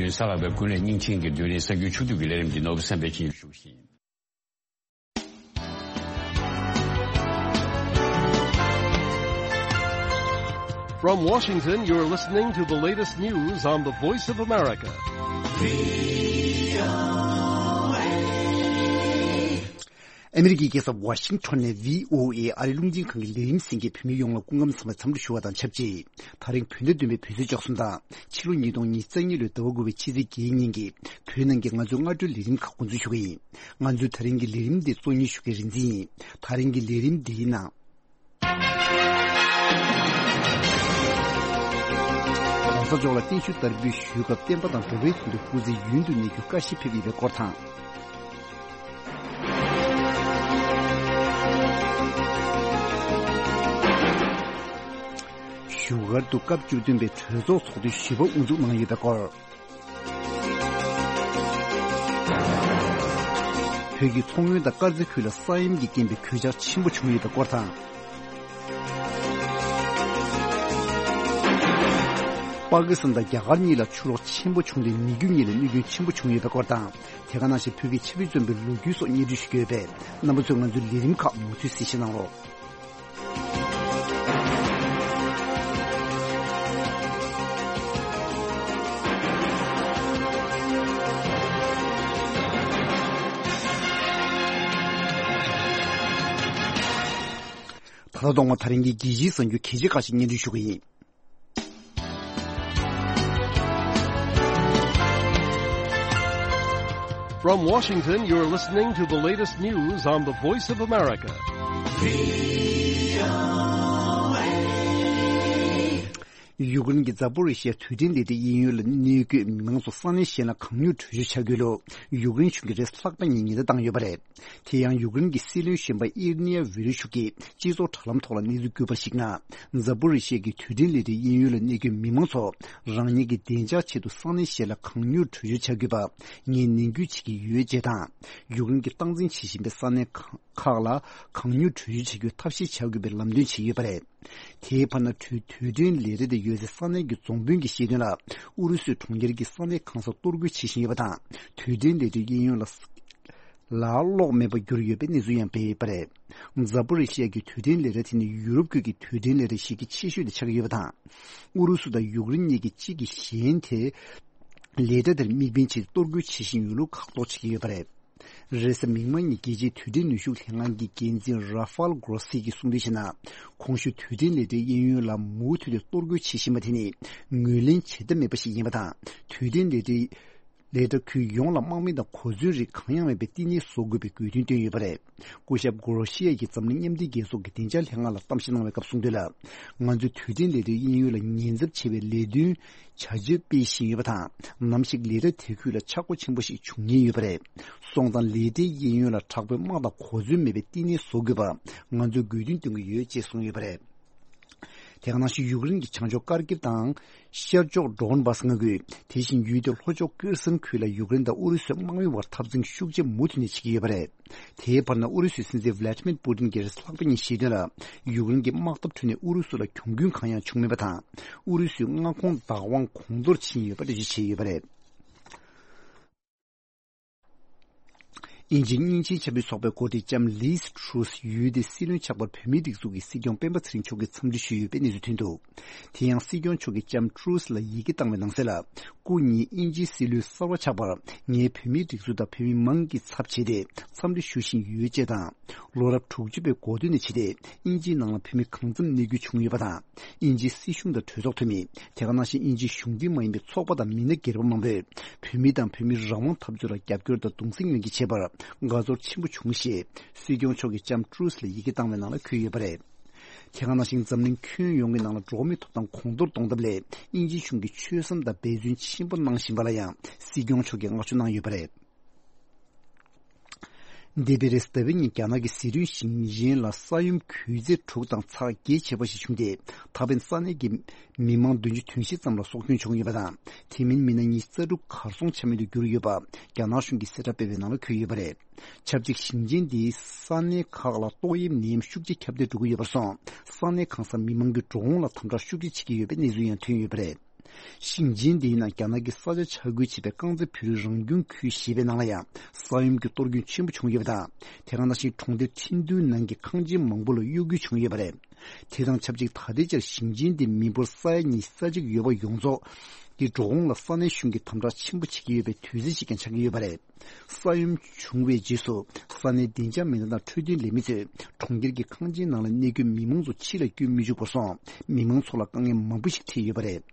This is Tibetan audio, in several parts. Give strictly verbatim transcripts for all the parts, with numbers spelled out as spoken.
གསར་ལག་པའི་ཀུན་ལེགས་སྙིང་ཆེན་གྱི་བསྡུས་གླེང་གསར་འགྱུར་ཕྱོགས་བསྡུས་ཀྱི་ལས་རིམ་འདི་ནོར་བུ་བསམ་འཕེལ་གྱིས་ཞུ་བཞིན། From Washington, you're listening to the latest news on the Voice of America. ཨ་མི་རི་ཀའི་རྒྱལ་ས་ཝ་ཤིང་ཊོན་ནས་བྷི་ཨོ་ཨེ་ཨ་རིའི་རླུང་འཕྲིན་ཁང་གི་ལས་རིམ་གསན་མཁན་བོད་མི་ཡོངས་ལ་སྐུ་ཁམས་བཟང་བའི་འཚམས་འདྲི་ཞུ་བ་དང་ཆབས་ཅིག་ད་རིང་བོད་ཟླ་བདུན་པའི་བོད་ཟླ་བཅུ་གསུམ་དང་ཕྱི་ལོ་ཉིས་སྟོང་ཉེར་གཉིས་ལོའི་ཟླ་བ་དགུ་པའི་ཕྱི་ཚེས་བརྒྱད་ཉིན་གྱི་བོད་ནང་གི་ང་ཚོའི་སྔ་དྲོའི་ལས་རིམ་ཁག་འགོ་འཛུགས་ཞུ་གི་ཡིན། ང་ཚོའི་ད་རིང་གི་ལས་རིམ་འདི་གཙོ་གཉེར་ཞུ་མཁན་རིག་འཛིན་ཡིན། ད་རིང་གི་ལས་རིམ་འདིའི་ནང་། གོང་ས་མཆོག་ལ་བརྟན་བཞུགས་བསྟར་འབུལ་ཞུས་སྐབས་བསྟན་པ་དང་འགྲོ་བའི་དོན་དུ་སྐུ་ཚེ་ཡུན་དུ་གནས་རྒྱུའི་བཀའ་བཞིན་ཕེབས་ཡོད་པའི་སྐོར་དང་། བཞུགས་སྒར་དུ་སྐབས་བཅུ་བདུན་པའི་གྲོས་ཚོགས་ཚོགས་དུས་བཞི་པ་དབུ་འཛུགས་གནང་ཡོད་པའི་སྐོར། བོད་ཀྱི་མཚོ་སྔོན་དང་དཀར་མཛེས་ཁུལ་ལ་ས་ཡོམ་གྱི་རྐྱེན་པས་གོད་ཆག་ཆེན་པོ་བྱུང་ཡོད་པའི་སྐོར་དང་། པ་ཀི་སི་ཐན་དང་རྒྱ་གར་གཉིས་ལ་ཆུ་ལོག་ཆེན་པོ་བྱུང་སྟེ་མི་རྒྱུ་གཉིས་ལ་གནོད་སྐྱོན་ཆེན་པོ་བྱུང་ཡོད་པའི་སྐོར་དང་། དེ་ག་ནང་བཞིན་བོད་ཀྱི་ཆབ་སྲིད་བཙོན་པའི་ལོ་རྒྱུས་སོགས་སྙན་སྒྲོན་ཞུ་རྒྱུ་ཡོད་པས། རྣམ་པ་ཚོས་ང་ཚོའི་ལས་རིམ་ཁག་མུ་མཐུད་གཟིགས་ཞིབ་གནང་རོགས། ད་ལྟ་ཐོག་མར་ད་རིང་གི་རྒྱལ་སྤྱིའི་གསར་འགྱུར་གལ་ཆེ་ཁག་ཅིག་སྙན་སྒྲོན་ཞུ་གི་ཡིན། From Washington, you're listening to the latest news on the Voice of America. ཡུཀ་རེན་གྱི་ཛ་པོ་རི་ཤི་ཡ་དུས་དྲན་ལས་གྲྭའི་གཡས་གཡོན་ལ་གནས་འཁོད་མི་མང་ཚོ་ས་གནས་གཞན་ལ་གང་མྱུར་བྲོས་བྱོལ་བྱ་དགོས་ལུགས་ཡུཀ་རེན་གཞུང་གིས་རེས་ལྷག་པ་ཉིན་ཉེན་བརྡ་བཏང་ཡོད་པ་རེད། དེ་ཡང་ཡུཀ་རེན་གྱི་སྲིད་བློན་གཞོན་པ་ཨིར་ནི་ཡ་ཝི་རུ་ཤུ་གིས་སྤྱི་ཚོགས་དྲ་ལམ་ཐོག་ལ་གནས་ཚུལ་བསྐྱུར་བར་གཞིགས་ན། ཛ་པོ་རི་ཤི་ཡ་གི་དུས་དྲན་ལས་གྲྭའི་གཡས་གཡོན་ལ་གནས་འཁོད་མི་མང་ཚོ་རང་ཉིད་ཀྱི་བདེ་འཇགས་ཆེད་དུ་ས་གནས་གཞན་ལ་གང་མྱུར་བྲོས་བྱོལ་བྱ་དགོས་པ་ངས་ནན་སྐུལ་བྱེད་ཀྱི་ཡོད་ཅེས་དང་། ཡུཀ་རེན་གྱིས་སྟངས་འཛིན་བྱེད་བཞིན་པའི་ས་གནས་ཁག་ལ་གང་མྱུར་བྲོས་བྱོལ་བྱ་རྒྱུའི་ཐབས་ཤེས་བྱ་དགོས་པའི་ལམ་སྟོན་བྱས་ཡོད་པ་རེད། དེའི་བར་ན་དུས་དུས་དྲན་ལས་རིམ་དེ་ཡོད་སའི་ས་གནས་ཀྱི་རྫོང་དཔོན་གྱིས་བཤད་དོན་ལ། ཨུ་རུ་སུའི་གྲོང་ཁྱེར་གྱི་ས་གནས་གང་སར་གཏོར་རྒོལ་བྱེད་བཞིན་ཡོད་པ་དང་། དུས་དྲན་ལས་རིམ་གཡས་གཡོན་ལ་ལ་གློག་མེད་པར་གྱུར་ཡོད་པའི་གནས་ཚུལ་ཡང་སྤེལ་ཡོད་པ་རེད། ཛ་པོ་རི་ཤི་ཡ་གི་དུས་དྲན་ལས་རིམ་དེ་ནི་ཡུ་རོབ་ཁུལ་གྱི་དུས་དྲན་ལས་རིམ་ཞིག་གི་ཆེ་ཤོས་དེ་ཆགས་ཀྱི་ཡོད་པ་དང་། ཨུ་རུ་སུ་དང་ཡུཀ་རེན་གཉིས་ཀྱིས་གཅིག་གིས་གཞན་དེ་ལས་གྲྭ་དེར་དམིགས་འབེན་བྱས་གཏོར་རྒོལ་བྱེད་བཞིན་ཡོད་ལུགས་ཁག་ཐོག་བྱེད་ཀྱི་ཡོད་པ་རེད། རེས་གཟའ་མིག་དམར་ཉིན་རྒྱལ་སྤྱིའི་དུས་དྲན་ནུས་ཤུགས་ལྷན་ཁང་གི་འགན་འཛིན་ར་ཧྥལ་གྷོ་རོ་སི་གིས་གསུངས་དོན་བྱས་ན། གོང་ཞུས་དུས་དྲན་ལས་རིམ་གཡས་གཡོན་ལ་མུ་མཐུད་དེ་གཏོར་རྒོལ་བྱེད་བཞིན་པ་དེ་ནི་ངོས་ལེན་བྱེད་ཐབས་མེད་པ་ཞིག་ཡིན་པ་དང་། དུས་དྲན་ལས་རིམ་ལས་གྲྭ་ཁུལ་ཡོངས་ལ་དམག་མི་དང་གོ་མཚོན་རིགས་གང་ཡང་མེད་པའི་བསྟི་གནས་བཟོ་དགོས་པའི་དགོས་འདུན་བཏོན་ཡོད་པ་རེད། སྐུ་ཞབས་གྷོ་རོ་ཤི་ཡ་གིས་འཛམ་གླིང་མཉམ་འབྲེལ་རྒྱལ་ཚོགས་ཀྱི་བདེ་འཇགས་ལྷན་ཁང་ལ་གཏམ་བཤད་གནང་བའི་སྐབས་གསུངས་དོན་ལ། ང་ཚོས་དུས་དྲན་ལས་རིམ་གཡས་གཡོན་ལ་ཉེན་ཚབས་ཆེ་བའི་ལས་དོན་བྱ་སྤྱོད་སྤེལ་བཞིན་ཡོད་པ་དང་། ནམ་ཞིག་ལས་གྲྭ་དེ་ཁུལ་ལ་ཆག་སྒོ་ཆེན་པོ་ཞིག་འབྱུང་ཉེན་ཡོད་པ་རེད། སོང་ཙང་ལས་གྲྭའི་གཡས་གཡོན་ལ་དྲག་པོའི་དམག་དང་གོ་མཚོན་མེད་པའི་བསྟི་གནས་བཟོ་དགོས་པ་ང་ཚོས་དགོས་འདུན་བཏོན་གྱི་ཡོད་ཅེས་གསུངས་ཡོད་པ་རེད། དེ་ག་ནང་བཞིན་ཡུཀ་རེན་གྱི་བྱང་ཕྱོགས་ཀར་ཀིབ་དང་ཤར་ཕྱོགས་ཌོན་བྷ་སི་མངའ་ཁུལ། དེ་བཞིན་ཡུལ་དེའི་ལྷོ་ཕྱོགས་ཁེར་སོན་ཁུལ་ལ་ཡུཀ་རེན་དང་ཨུ་རུ་སུའི་དམག་མི་བར་འཐབ་འཛིང་ཤུགས་ཆེ་མུ་མཐུད་ནས་བྱེད་ཀྱི་ཡོད་པ་རེད། དེའི་བར་ན་ཨུ་རུ་སུའི་སྲིད་འཛིན་ཝི་ལ་ཏི་མིར་པུ་ཏིན་གྱིས་རེས་ལྷག་པ་ཉིན་བཤད་དོན་ལ། ཡུཀ་རེན་གྱི་དམག་འཐབ་ཁྲོད་ནས་ཨུ་རུ་སུ་ལ་གྱོང་གུན་གང་ཡང་བྱུང་མེད་པ་དང་། ཨུ་རུ་སུའི་མངའ་ཁོངས་བདག་དབང་གོང་མཐོར་ཕྱིན་ཡོད་པ་འགྲེལ་བརྗོད་བྱས་ཡོད་པ་རེད། དབྱིན་ཇིའི་སྙིང་ཆེན་ཆབ་སྲིད་ཚོགས་པའི་འགོ་ཁྲིད་ལྕམ་ལིས་ཊྲུས་ཡུལ་དེའི་སྲིད་བློན་ཆགས་པར་བོད་མིའི་སྒྲིག་འཛུགས་ཀྱི་སྲིད་སྐྱོང་སྤེན་པ་ཚེ་རིང་མཆོག་གིས་འཚམས་འདྲི་ཞུས་ཡོད་པའི་གནས་ཚུལ་ཐོན་འདུག་དེ་ཡང་སྲིད་སྐྱོང་མཆོག་གིས་ལྕམ་ཊྲུས་ལ་ཡི་གེ་བཏང་བའི་ནང་གསལ་ལ། སྐུ་ཉིད་དབྱིན་ཇིའི་སྲིད་བློན་གསར་པ་ཆགས་པར་ངས་བོད་མིའི་སྒྲིག་འཛུགས་དང་བོད་མི་མང་གི་ཚབ་བྱས་ཏེ་འཚམས་འདྲི་ཞུ་བཞིན་ཡོད་ཅེས་དང་། ལོ་རབས་དྲུག་ཅུ་པའི་འགོ་སྟོད་ནས་བྱས་ཏེ་དབྱིན་ཇིའི་ནང་ལ་བོད་མི་གང་འཚམ་གནས་སྡོད་བྱུང་ཡོད་པ་དང་། དབྱིན་ཇིའི་སྲིད་གཞུང་དང་གྲོས་ཚོགས་འཐུས་མི། དེ་ག་ནང་བཞིན་དབྱིན་ཇིའི་གཞུང་འབྲེལ་མ་ཡིན་པའི་ཚོགས་པ་དང་མི་སྣ་སྒེར་པ་མང་པོས་བོད་མི་དང་བོད་མིའི་རང་དབང་འཐབ་རྩོད་ལ་རྒྱབ་སྐྱོར་དང་གདུང་སེམས་མཉམ་སྐྱེད་བྱས་པར་དགའ་ཚོར་ཆེན་པོ་བྱུང་ཞེས་སྲིད་སྐྱོང་མཆོག་གིས་ལྕམ་ཊྲུས་ལ་ཡི་གེ་བཏང་བའི་ནང་ལ་འཁོད་ཡོད་པ་རེད། དེ་ག་ནང་བཞིན་འཛམ་གླིང་ཁྱོན་ཡོངས་ཀྱི་ནང་ལ་འགྲོ་བ་མིའི་ཐོབ་ཐང་གོང་མཐོར་གཏོང་ཐབས་ལ་དབྱིན་ཇིའི་གཞུང་གིས་ཆོད་སེམས་དང་འབད་བརྩོན་ཆེན་པོ་གནང་བཞིན་པ་ལ་ཡང་སྲིད་སྐྱོང་མཆོག་གིས་བསྔགས་བརྗོད་གནང་ཡོད་པ་རེད། འདས་པའི་རེས་གཟའ་ཟླ་བའི་ཉིན་རྒྱ་ནག་གི་ཟི་ཁྲོན་ཞིང་ཆེན་ལ་ས་ཡོམ་གུད་ཚད་དྲུག་དང་ཚེག་བརྒྱད་བྱས་པ་ཞིག་བྱུང་སྟེ། ད་ཕན་ས་གནས་ཀྱི་མི་མང་བདུན་ཅུ་དོན་བཞི་ཙམ་ལ་སྲོག་སྐྱོན་བྱུང་ཡོད་པ་དང་། དེ་མིན་མི་སྣ་ཉི་ཤུ་རྩ་དྲུག་གར་སོང་ཆ་མེད་དུ་གྱུར་ཡོད་པ་རྒྱ་ནག་གཞུང་གིས་གསལ་བསྒྲགས་སྤེལ་བའི་ནང་ལ་འཁོད་ཡོད་པ་རེད། ཆབས་ཅིག་ཞིང་ཆེན་འདིའི་ས་གནས་ཁག་ལ་ཏོག་དབྱིབས་ནད་ཡམས་ཤུགས་ཆེ་ཁྱབ་གདལ་འགྲོ་གི་ཡོད་པར་སོང་། ས་གནས་གང་སར་མི་མང་གི་འགྲོ་འོང་ལ་དམ་དྲག་ཤུགས་ཆེ་བྱེད་ཀྱི་ཡོད་པའི་གནས་ཚུལ་ཡང་ཐོན་ཡོད་པ་རེད། ཞིང་ཆེན་འདིའི་ནང་རྒྱ་ནག་གི་ས་ཆ་ཆ་བགོས་བྱས་པའི་རྐང་རྩེད་བོད་རིགས་རང་སྐྱོང་ཁུལ་ཞེས་པའི་ནང་ལ་ཡང་ས་ཡོམ་གྱི་གཏོར་སྐྱོན་ཆེན་པོ་བྱུང་ཡོད་པ་དང་། དེ་ག་ནང་བཞིན་གྲོང་སྡེ་ཁྲིན་ཏུའུ་ནང་གི་ཁང་ཆེན་མང་པོ་ལ་གཡོ་འགུལ་བྱུང་ཡོད་པ་རེད། དེ་དང་ཆབས་ཅིག་ད་ལྟའི་ཆར་ཞིང་ཆེན་འདིའི་མི་འབོར་ས་ཡ་ཉི་ཤུ་རྩ་གཅིག་ཡོད་པ་ཡོངས་རྫོགས་ཀྱི་འགྲོ་འོང་ལ་ས་གནས་གཞུང་གིས་དམ་དྲག་ཆེན་པོ་བྱེད་ཀྱི་ཡོད་པའི་དུས་ཚོད་ཅིག་ཀྱང་ཆགས་ཀྱི་ཡོད་པ་རེད། ས་ཡོམ་བྱུང་བའི་རྗེས་སུ་ས་གནས་བདེ་འཇགས་མི་སྣ་དང་འཕྲོད་བསྟེན་ལས་མི་ཚོས་གྲོང་ཁྱེར་གྱི་ཁང་ཆེན་ནང་ལ་གནས་འཁོད་མི་མང་ཚོ་ཕྱི་ལ་བསྐྱོད་མི་ཆོག་པར་སོང་། མི་མང་ཚོ་ལ་དཀའ་ངལ་མང་པོ་ཞིག་འཕྲད་ཡོད་པ་རེད།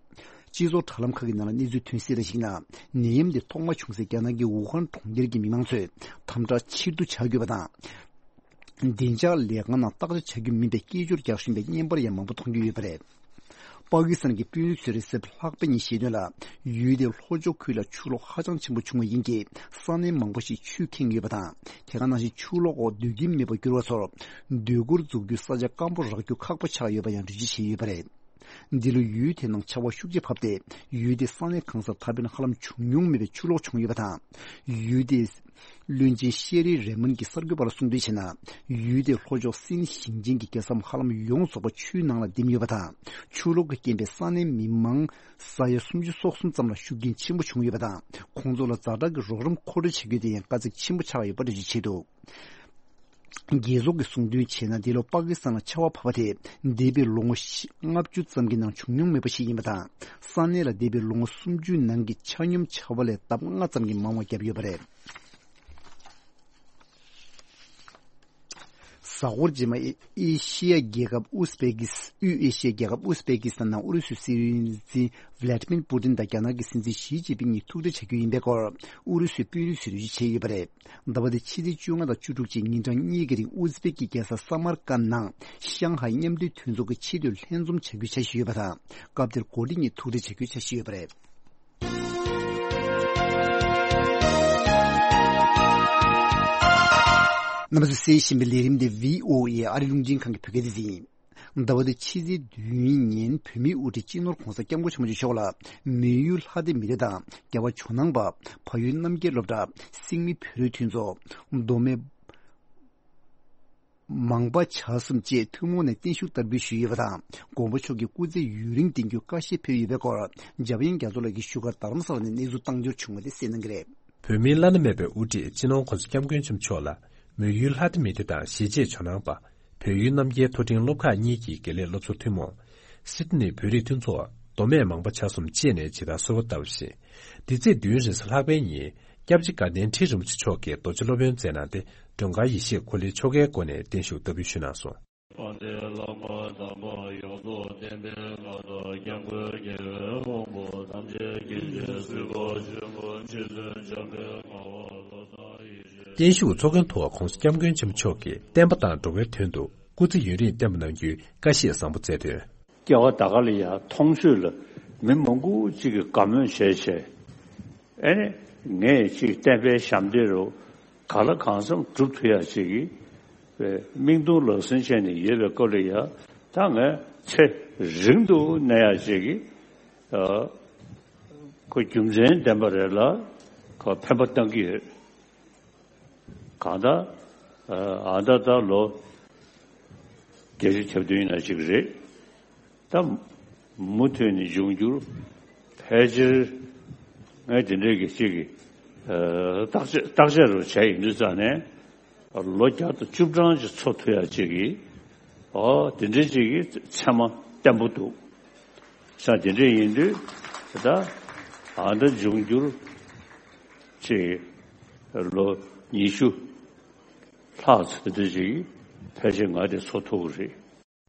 སྤྱི་ཚོགས་དྲ་ལམ་ཁག་གི་ནང་ལ་གནས་ཚུལ་ཐོན་གསལ་ལ་གཞིགས་ན། ནད་ཡམས་དེ་ཐོག་མ་བྱུང་སའི་རྒྱ་ནག་གི་ཝུ་ཧན་གྲོང་ཁྱེར་གྱི་མི་མང་ཚོས་དམ་དྲག་ཕྱིར་བསྡུ་བྱ་དགོས་པ་དང་། བདེ་འཇགས་ལས་ཁང་ནང་བརྟག་དཔྱད་བྱ་རྒྱུ་མིན་པའི་སྐད་ཅོར་རྒྱག་བཞིན་པའི་བརྙན་པར་ཡང་མང་པོ་མཐོང་རྒྱུ་ཡོད་པ་རེད། པ་ཀི་སི་ཐན་གྱི་དཔོན་རིགས་ཚོས་རེས་གཟའ་ལྷག་པ་ཉིན་བཤད་དོན་ལ། ཡུལ་དེའི་ལྷོ་ཕྱོགས་ཁུལ་ལ་ཆུ་ལོག་ཧ་ཅང་ཆེན་པོ་བྱུང་བ་ཡིན་གྱི། ས་གནས་མང་པོ་ཞིག་ཆུས་ཁེངས་ཡོད་པ་དང་། དེ་ག་ནང་བཞིན་ཆུ་ལོག་འོག་སྡོད་ཀྱིན་མེད་པར་གྱུར་བ་ཚོར། སྡོད་གུར་འཛུགས་རྒྱུའི་ས་ཆ་སྐམ་པོ་རག་རྒྱུ་ཁག་པོ་ཆགས་ཡོད་པ་ཡང་འགྲེལ་བརྗོད་བྱས་ཡོད་པ་རེད། འདི་ལོ་ཡུལ་དེའི་ནང་ཆར་པ་ཤུགས་ཆེ་བབས་ཏེ། ཡུལ་དེའི་ས་གནས་གང་སར་ད་ཕན་ཧ་ལམ་བྱུང་མྱོང་མེད་པའི་ཆུ་ལོག་བྱུང་ཡོད་པ་དང་། ཡུལ་དེའི་བློན་ཆེན་ཤེ་རི་རེ་མོན་གྱིས་གསར་འགོད་པ་ལ་གསུངས་དོན་བྱས་ན། ཡུལ་དེའི་ལྷོ་ཕྱོགས་སིན་ཞིང་ཆེན་གྱི་རྒྱལ་ས་ཧ་ལམ་ཡོངས་རྫོགས་པ་ཆུའི་ནང་ལ་འདིམ་ཡོད་པ་དང་། ཆུ་ལོག་གི་རྐྱེན་པས་ས་གནས་མི་མང་ས་ཡ་སུམ་ཅུ་སོ་གསུམ་ཙམ་ལ་ཤུགས་རྐྱེན་ཆེན་པོ་བྱུང་ཡོད་པ་དང་། ཁོང་ཚོ་ལ་ཛ་དྲག་གི་རོགས་རམ་མཁོ་སྤྲོད་བྱ་རྒྱུ་དེ་ཡང་དཀའ་ཚེགས་ཆེན་པོ་ཆགས་ཡོད་པ་འགྲེལ་བརྗོད་བྱས་འདུག་རྒྱལ་ཚོགས་ཀྱིས་གསུངས་དོན་བྱས་ན། འདི་ལོ་པ་ཀི་སི་ཐན་ལ་ཆར་པ་བབས་པ་དེ་འདས་པའི་ལོ་ངོ་ལྔ་བཅུ་ཙམ་གྱི་ནང་བྱུང་མྱོང་མེད་པ་ཞིག་ཡིན་པ་དང་། ས་གནས་ལ་འདས་པའི་ལོ་ངོ་སུམ་ཅུའི་ནང་གི་ཆ་སྙོམས་ཆར་པ་ལས་ལྡབ་ལྔ་ཙམ་གྱིས་མང་བ་བརྒྱབ་ཡོད་པ་རེད། གཟའ་འཁོར་རྗེས་མ་ཨེ་ཨེ་ཤི་ཡ་རྒྱལ་ཁབ་ཨུ་སི་པེ་ཀི་སི། དབུས་ཨེ་ཤི་ཡ་རྒྱལ་ཁབ་ཨུ་སི་པེ་ཀི་སི་ཐན་ནང་ཨུ་རུ་སུའི་སྲིད་འཛིན་ཝི་ལ་ཏི་མིར་པུ་ཏིན་དང་རྒྱ་ནག་གི་སྲིད་འཛིན་ཞི་ཅིན་ཕིང་གཉིས་ཐུག་འཕྲད་བྱ་རྒྱུ་ཡིན་པའི་སྐོར་ཨུ་རུ་སུའི་དཔོན་རིགས་ཚོས་འགྲེལ་བརྗོད་བྱས་ཡོད་པ་རེད། ཟླ་བ་འདིའི་ཕྱི་ཚེས་བཅོ་ལྔ་དང་བཅུ་དྲུག་བཅས་ཉིན་གྲངས་གཉིས་ཀྱི་རིང་ཨུ་ཛི་པེ་ཀི་རྒྱལ་ས་སཱ་མར་ཀན་ནང་ཤང་ཧའེ་མཉམ་འབྲེལ་མཐུན་ཚོགས་ཀྱི་ཆེས་མཐོའི་ལྷན་འཛོམས་བྱ་རྒྱུའི་འཆར་གཞི་ཡོད་པ་དང་། སྐབས་དེར་འགོ་ཁྲིད་གཉིས་ཐུག་འཕྲད་བྱ་རྒྱུའི་འཆར་གཞི་ཡོད་པ་རེད། རྣམ་པ་ཚོས་གསན་བཞིན་པའི་ལས་རིམ་འདི་བྷི་ཨོ་ཨེ་ཨ་རི་རླུང་འཕྲིན་ཁང་གི་བོད་སྐད་སྡེ་ཚན་ཡིན། ཟླ་བ་འདིའི་ཕྱི་ཚེས་བདུན་ཉིན་བོད་མིའི་དབུ་ཁྲིད་སྤྱི་ནོར་༧གོང་ས་༧སྐྱབས་མགོན་ཆེན་པོ་མཆོག་ལ་མི་ཡུལ་ལྷ་སྡེ་མི་སྡེ་དང་རྒྱལ་བ་ཇོ་ནང་པ། བལ་ཡུལ་རྣམ་རྒྱལ་སློབ་གྲྭ། སེང་མི་བོད་རིགས་མཐུན་ཚོགས། མདོ་སྨད་མང་པ་བྱ་གསུམ་བཅས་ཐུན་མོང་ནས་བརྟན་བཞུགས་བསྟར་འབུལ་ཞུས་ཡོད་པ་དང་། མགོན་པོ་མཆོག་གིས་སྐུ་ཚེ་ཡུན་རིང་བརྟན་རྒྱུའི་བཀའ་བཞེས་ཕེབས་ཡོད་པའི་སྐོར་འཇམ་དབྱངས་རྒྱ་མཚོ་ལགས་ཀྱི་བཞུགས་སྒར་རྡ་རམ་ས་ལ་ནས་གནས་ཚུལ་བཏང་འབྱོར་བྱུང་བ་དེ་གསན་གནང་གི་རེད། བོད་མིའི་བླ་ན་མེད་པའི་དབུ་ཁྲིད་སྤྱི་ནོར་༧གོང་ས་༧སྐྱབས་མགོན་ཆེན་པོ་མཆོག་ལ་མི་ཡུལ་ལྷ་སྡེ་མི་སྡེ་དང་གཞིས་བྱེས་ཇོ་ནང་པ། བོད་ཡུལ་རྣམ་རྒྱལ་མཐོ་འབྲིང་སློབ་ཁག་གཉིས་ཀྱི་དགེ་ལས་སློབ་ཚོགས་ཐུན་མོང་། སིད་ནི་བོད་རིགས་མཐུན་ཚོགས། མདོ་སྨད་མང་པ་བྱ་གསུམ་བཅས་ནས་ཇི་ལྟར་གསོལ་བ་བཏབ་པ་བཞིན། འདི་ཚེས་བདུན་རེས་གཟའ་ལྷག་པའི་ཉིན་སྐྱབས་རྗེ་དགའ་ལྡན་ཁྲི་རིན་པོ་ཆེ་མཆོག་གིས་རྡོ་རྗེ་སློབ་དཔོན་མཛད་གནང་སྟེ་མགྲོན་ཁང་ཡེ་ཤེས་འཁོར་ལོའི་ཆོ་གའི་སྒོ་ནས་བརྟན་བཞུགས་བསྟར་འབུལ་ཞུས་གནང་སོང་། དཔལ་ལྡན་ལྷ་མོ་དམ་པ་ཡོངས་རྫོགས་བསྟན་པའི་མངའ་བདག་སྐྱབས་མགོན་རྒྱལ་བའི་དབང་པོ་ཐམས་ཅད་མཁྱེན་ཅིང་གཟིགས་པ་ཆེན་པོ་རྗེ་བཙུན་འཇམ་དཔལ་དཔའ་བོ་བློ་བཟང་ཡེ་ཤེས། བརྟན་བཞུགས་ཚོགས་མགོན་ཐོག་༧གོང་ས་༧སྐྱབས་མགོན་ཆེན་པོ་མཆོག་གིས་བསྟན་པ་དང་འགྲོ་བའི་དོན་དུ་སྐུ་ཚེ་ཡུན་རིང་བརྟན་པ་གནང་རྒྱུའི་བཀའ་བཞེས་བཟང་པོ་སྩལ་དོན། སྐྱེ་བ་ད་ག་ལ་ཡང་མཐོང་ཆོས་ལ་མི་མང་པོ་གཅིག་གིས་དགའ་མོས་བྱས་བྱས། ཨེ་ནི་ངས་ཅིག་བསྟན་པའི་ཞབས་འདེགས་རུ་ག་ལ་གང་འཚམ་སྒྲུབ་ཐུབ་ཡག་ཅིག་གི་མིག་མཐོང་ལག་ཟིན་བྱས་ནས་ཡོད་པའི་སྐོར་ལ་ཡང་ད་ངས་ཚེ་རིང་དུ་གནས་ཡག་ཅིག་གི་ཁོ་རྒྱུ་མཚན་ལྡན་པ་རེད་ལ་ཁོ་ཕན་པ་བཏང་གི་ཡོད། གང་ལྟར་ཨ་ད་ད་ལོ་བརྒྱད་ཅུ་གྱ་བདུན་ཡིན་ན་ཅིག་རེད། ད་མུ་མཐུད་ནས་འབྱུང་འགྱུར་ཕལ་ཆེར་ངས་དེ་འདྲའི་གི་ཅིག་གི་ཨ་བརྟག་དཔྱད་བརྟག་དཔྱད་རུ་བྱས་ཡིན་དུས་ཙང་ནས་ལོ་བརྒྱ་དང་བཅུ་གྲངས་ཅིག་འཚོ་ཐུབ་ཡག་ཅིག་གི་ཨོ་དེ་འདྲའི་ཅིག་གི་ཚད་མ་བརྟན་པོ་འདུག་ས། དེ་འདྲའི་ཡིན་དུས་ད་ཨ་ད་འབྱུང་འགྱུར་ཅིག་ལོ་ཉི་ཤུ་ལྷག་ཙམ་དེ་འདྲ་ཅིག་ཕལ་ཆེར་ང་དེ་འཚོ་ཐུབ་ཀྱི་རེད།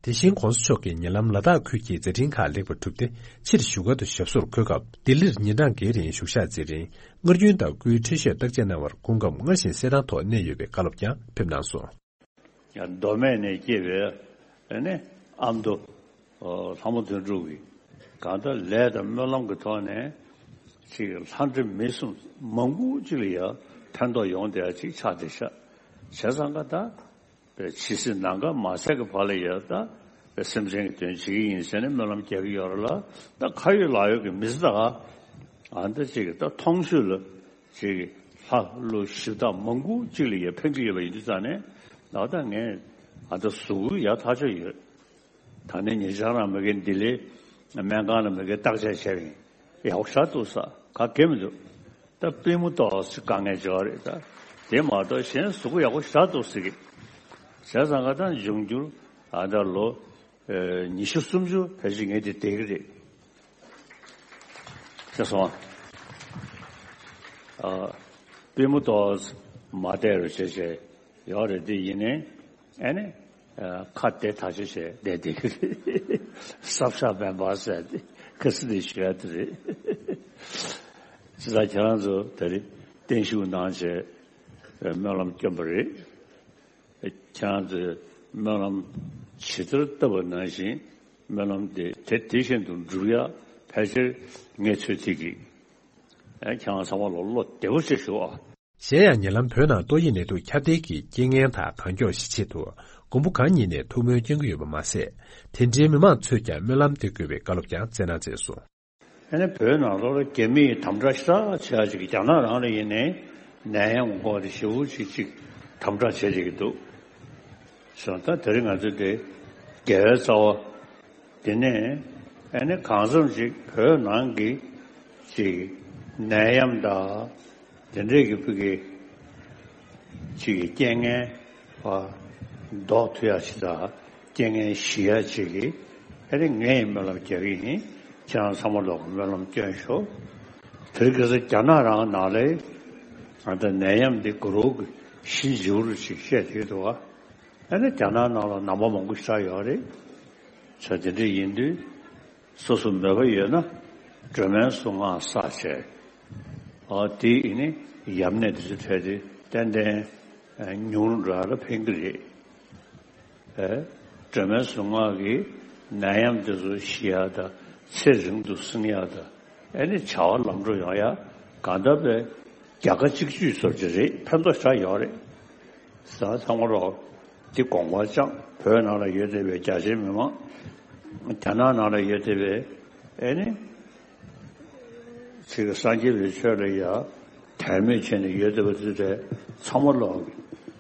དེ་བཞིན་༧གོང་ས་མཆོག་གིས་ཉེ་ལམ་ལ་དྭགས་ཁུལ་གྱི་མཛད་འཕྲིན་ཁག་ལེགས་པར་གྲུབ་སྟེ་ཕྱིར་བཞུགས་སྒར་དུ་ཞབས་སོར་འཁོད་སྐབས་ལྡི་ལིར་ཉིན་གྲངས་འགའི་རིང་བཞུགས་ཞག་མཛད་རིང་སྔར་རྒྱུན་དང་སྐུའི་འཕྲིན་བཤད་བརྟག་དཔྱད་གནང་བར་སྐུ་ཁམས་སྔར་བཞིན་གསལ་ཐང་ཐོག་གནས་ཡོད་པའི་བཀའ་སློབ་ཀྱང་ཕེབས་གནང་སོང་། ཡང་མདོ་སྨད་ནས་སྐྱེས་པའི་ཨ་ནི་ཨ་མདོ་ལྷ་མོ་དོན་གྲུབ་ཀྱིས་གང་ལྟར་ལས་དང་སྨོན་ལམ་གྱི་ཐོག་ནས་ཅིག་ལྷ་འདྲེ་མི་གསུམ་མང་པོ་ཅིག་ལ་ཡང་ཕན་ཐོགས་ཡོང་བསྡད་ཡ་ཅིག་ཆགས་བསྡད་ཤག་བྱས་ཙང་ཀ་ད། པའི་ཇི་སྲིད་ནམ་མཁའ་མ་ཟད་ཀྱི་བར་ལ་ཡང་ད་པའི་སེམས་ཅན་གྱི་དོན་བྱེད་ཀྱི་ཡིན་ཟེར་ནས་སྨོན་ལམ་རྒྱག་གི་ཡོད་རེད་ལ། ད་ཁ་ཡོད་ལག་ཡོད་ཀྱི་མི་ཚེ་ད་ག་ཨ་འདི་ཅིག་གི་ད་མཐོང་ཆོས་ལ་ཅིག་གི་ལྷ་ཀླུ་གཞི་བདག་མང་པོ་ཅིག་ལ་ཡང་ཕན་གྱི་ཡོད་པ་ཡིན་དུས་ཙང་ནས་ད་ད་ངས་ཨ་ད་གཟུགས་པོ་ཡག་ཐག་ཆོད་ཡོད། ད་ནི་ཉེ་ཆར་རང་མ་གི་ལྡི་ལི་ སྨན་ཁང་ལ་མི་དགེ་བརྟག་དཔྱད་བྱས་པ་ཡིན། ཡག་པོ་ཞེ་དྲག་འདུག་ཟེར། ག་གེ་མི་འདུག། ད་པུས་མོ་ཏོག་ཙམ་དཀའ་ངལ་ཅིག་ཡོད་རེད། ད་དེ་མ་གཏོགས་གཞན་གཟུགས་པོ་ཡག་པོ་ཞེ་དྲག་འདུག་ཟེར་གི། བྱས་ཙང་ག་ད་འབྱུང་འགྱུར་ཨ་ད་ལོ་ཨེ་ཉི་ཤུ་སུམ་ཅུ་ཕལ་ཆེར་ངས་དེ་བསྡད་ཀྱི་རེད། ཤེས་སོང་ཨ། ཨ། པུས་མོ་ཏོག་ཙམ་མ་བདེ་རུ་བྱས་བྱས་ཡོད་རེད། དེ་ཡིན་ནའི་ཨ་ནི་ཨ་ཁ་བདེ་ཐག་ཆོད་བྱས་བསྡད་བསྡད་ཀྱི་རེད། སྲབ་ཤ་མེད་པ་ཟེར་ཏེ་ཁ་སི་དེ་ཞུ་ཡ་དེ་རེད། ཅི་ལྟར་ཁྱེད་རང་ཚོ་ད་རེས་བརྟན་བཞུགས་གནང་བྱས་སྨོན་ལམ་བསྐྱོན་པ་རེད། ཁྱེད་རང་ཚོས་སྨོན་ལམ་ཇི་ལྟར་བཏབ་པ་ནང་བཞིན་སྨོན་ལམ་དེ་དེ་དེ་བཞིན་དུ་འགྲུབ་ཡ་ཕལ་ཆེར་ངས་ཚོད་ཐིག་གིས་ཨ་ཁྱེད་རང་ཚང་མ་ལ་བློ་བདེ་པོ་བྱེད་ཞུ་ཨ། གཞན་ཡང་ཉེ་ལམ་བོད་ནང་ཏོག་དབྱིབས་ནད་དུག་ཁྱབ་གདལ་གྱི་རྐྱེན་ངན་དང་གང་མགྱོགས་ཞི་ཆེད་དུ་མགོན་པོ་གང་ཉིད་ནས་ཐུགས་སྨོན་སྐྱོན་གྱི་ཡོད་པ་མ་ཟད། དེ་འབྲེལ་མི་མང་ཚོས་ཀྱང་སྨོན་ལམ་འདེབས་དགོས་པའི་བཀའ་སློབ་ཀྱང་སྩལ་གནང་མཛད་སོང་། ཨ་ནི་བོད་ནང་ལོགས་ལ་རྒྱ་མིས་དམ་དྲག་ཤ་སྟག་བྱེད་ཡ་ཅིག་རྒྱ་ནག་རང་ལ་ཡིན་ནའི་ནད་ཡམས་འགོག་དེ་ཞེ་པོ་ཅིག་ཅིག་དམ་དྲག་བྱེད་བསྡད་ཀྱི་འདུག། སོང་ད་དེ་རིང་ང་ཚོ་དེ་དགེ་བའི་རྩ་བ་དེ་ནས་ཨ་ནི་གང་འཚམ་ཅིག་བོད་ནང་གི་ཅིག་ནད་ཡམས་དང་དེ་འདྲས་ཀྱི་ཕུགས་ཀྱི་ཅིག་གི་རྐྱེན་ངན་བ་ཟློག་ཐུབ་ཡ་ཅིག་དང་རྐྱེན་ངན་ཞི་ཡ་ཅིག་གི་ཨ་ནི་ངས་སྨོན་ལམ་རྒྱག་གི་ཡིན། ཁྱེད་རང་ཚང་མ་ལོག་གི་སྨོན་ལམ་སྐྱོན་ཤོག། དེ་རིང་ཁ་སང་རྒྱ་ནག་རང་ནང་ལ་ཨ་ད་ནད་ཡམས་འདི་དགུ་རོགས་ཀྱི་ཞི་འཇིའུ་རུ་ཅིག་བཤད་བསྡད་འདུག་བ། ཨ་ནི་རྒྱ་ནག་ནང་ལ་ནང་པ་མང་པོ་ཞིག་ཡོད་རེད། ས་དེ་འདྲ་ཡིན་དུས་སོ་སོ་མོས་པ་ཡོད་ན་སྒྲོལ་མའི་གཟུངས་སྔགས་བསགས་བྱས། ཨ་དེ་ཡིན་ནི་ཡམས་ནད་དེ་ཚོ་འཕྲལ་དུ་ཏན་ཏན་ཨ་ཉུང་རུ་འགྲོ་ཡ་ལ་ཕན་གྱི་རེད། ཨ་སྒྲོལ་མའི་གཟུངས་སྔགས་ཀྱིས་ནད་ཡམས་དེ་ཚོ་ཞི་ཡ་དང་ཚེ་རིང་དུ་བསྲིང་ཡ་དང་ཨ་ནི་བྱ་བ་ལམ་འགྲོ་ཡོང་ཡ་གང་ལྟར་དཔེ་རྒྱལ་ཁ་གཅིག་གྱུར་བཟོ་རྒྱུ་རེད། ཕན་ཐོགས་ཞེ་དྲག་ཡོད་རེད། ས་ཚང་མ་རོགས། འདི་དགོངས་པ་བཅངས། བོད་ནང་ལ་ཡོད་བསྡད་པའི་རྒྱ་ཆེའི་མི་མང་། རྒྱ་ནག་ནང་ལ་ཡོད་བསྡད་པའི་ཨེ་ནི། ཚིག་སངས་རྒྱས་པའི་ཆོས་ལ་ཡ་དད་མོས་བྱས་ནས་ཡོད་བསྡད་པ་དེ་ཚོ་ཚང་མ་ལོག་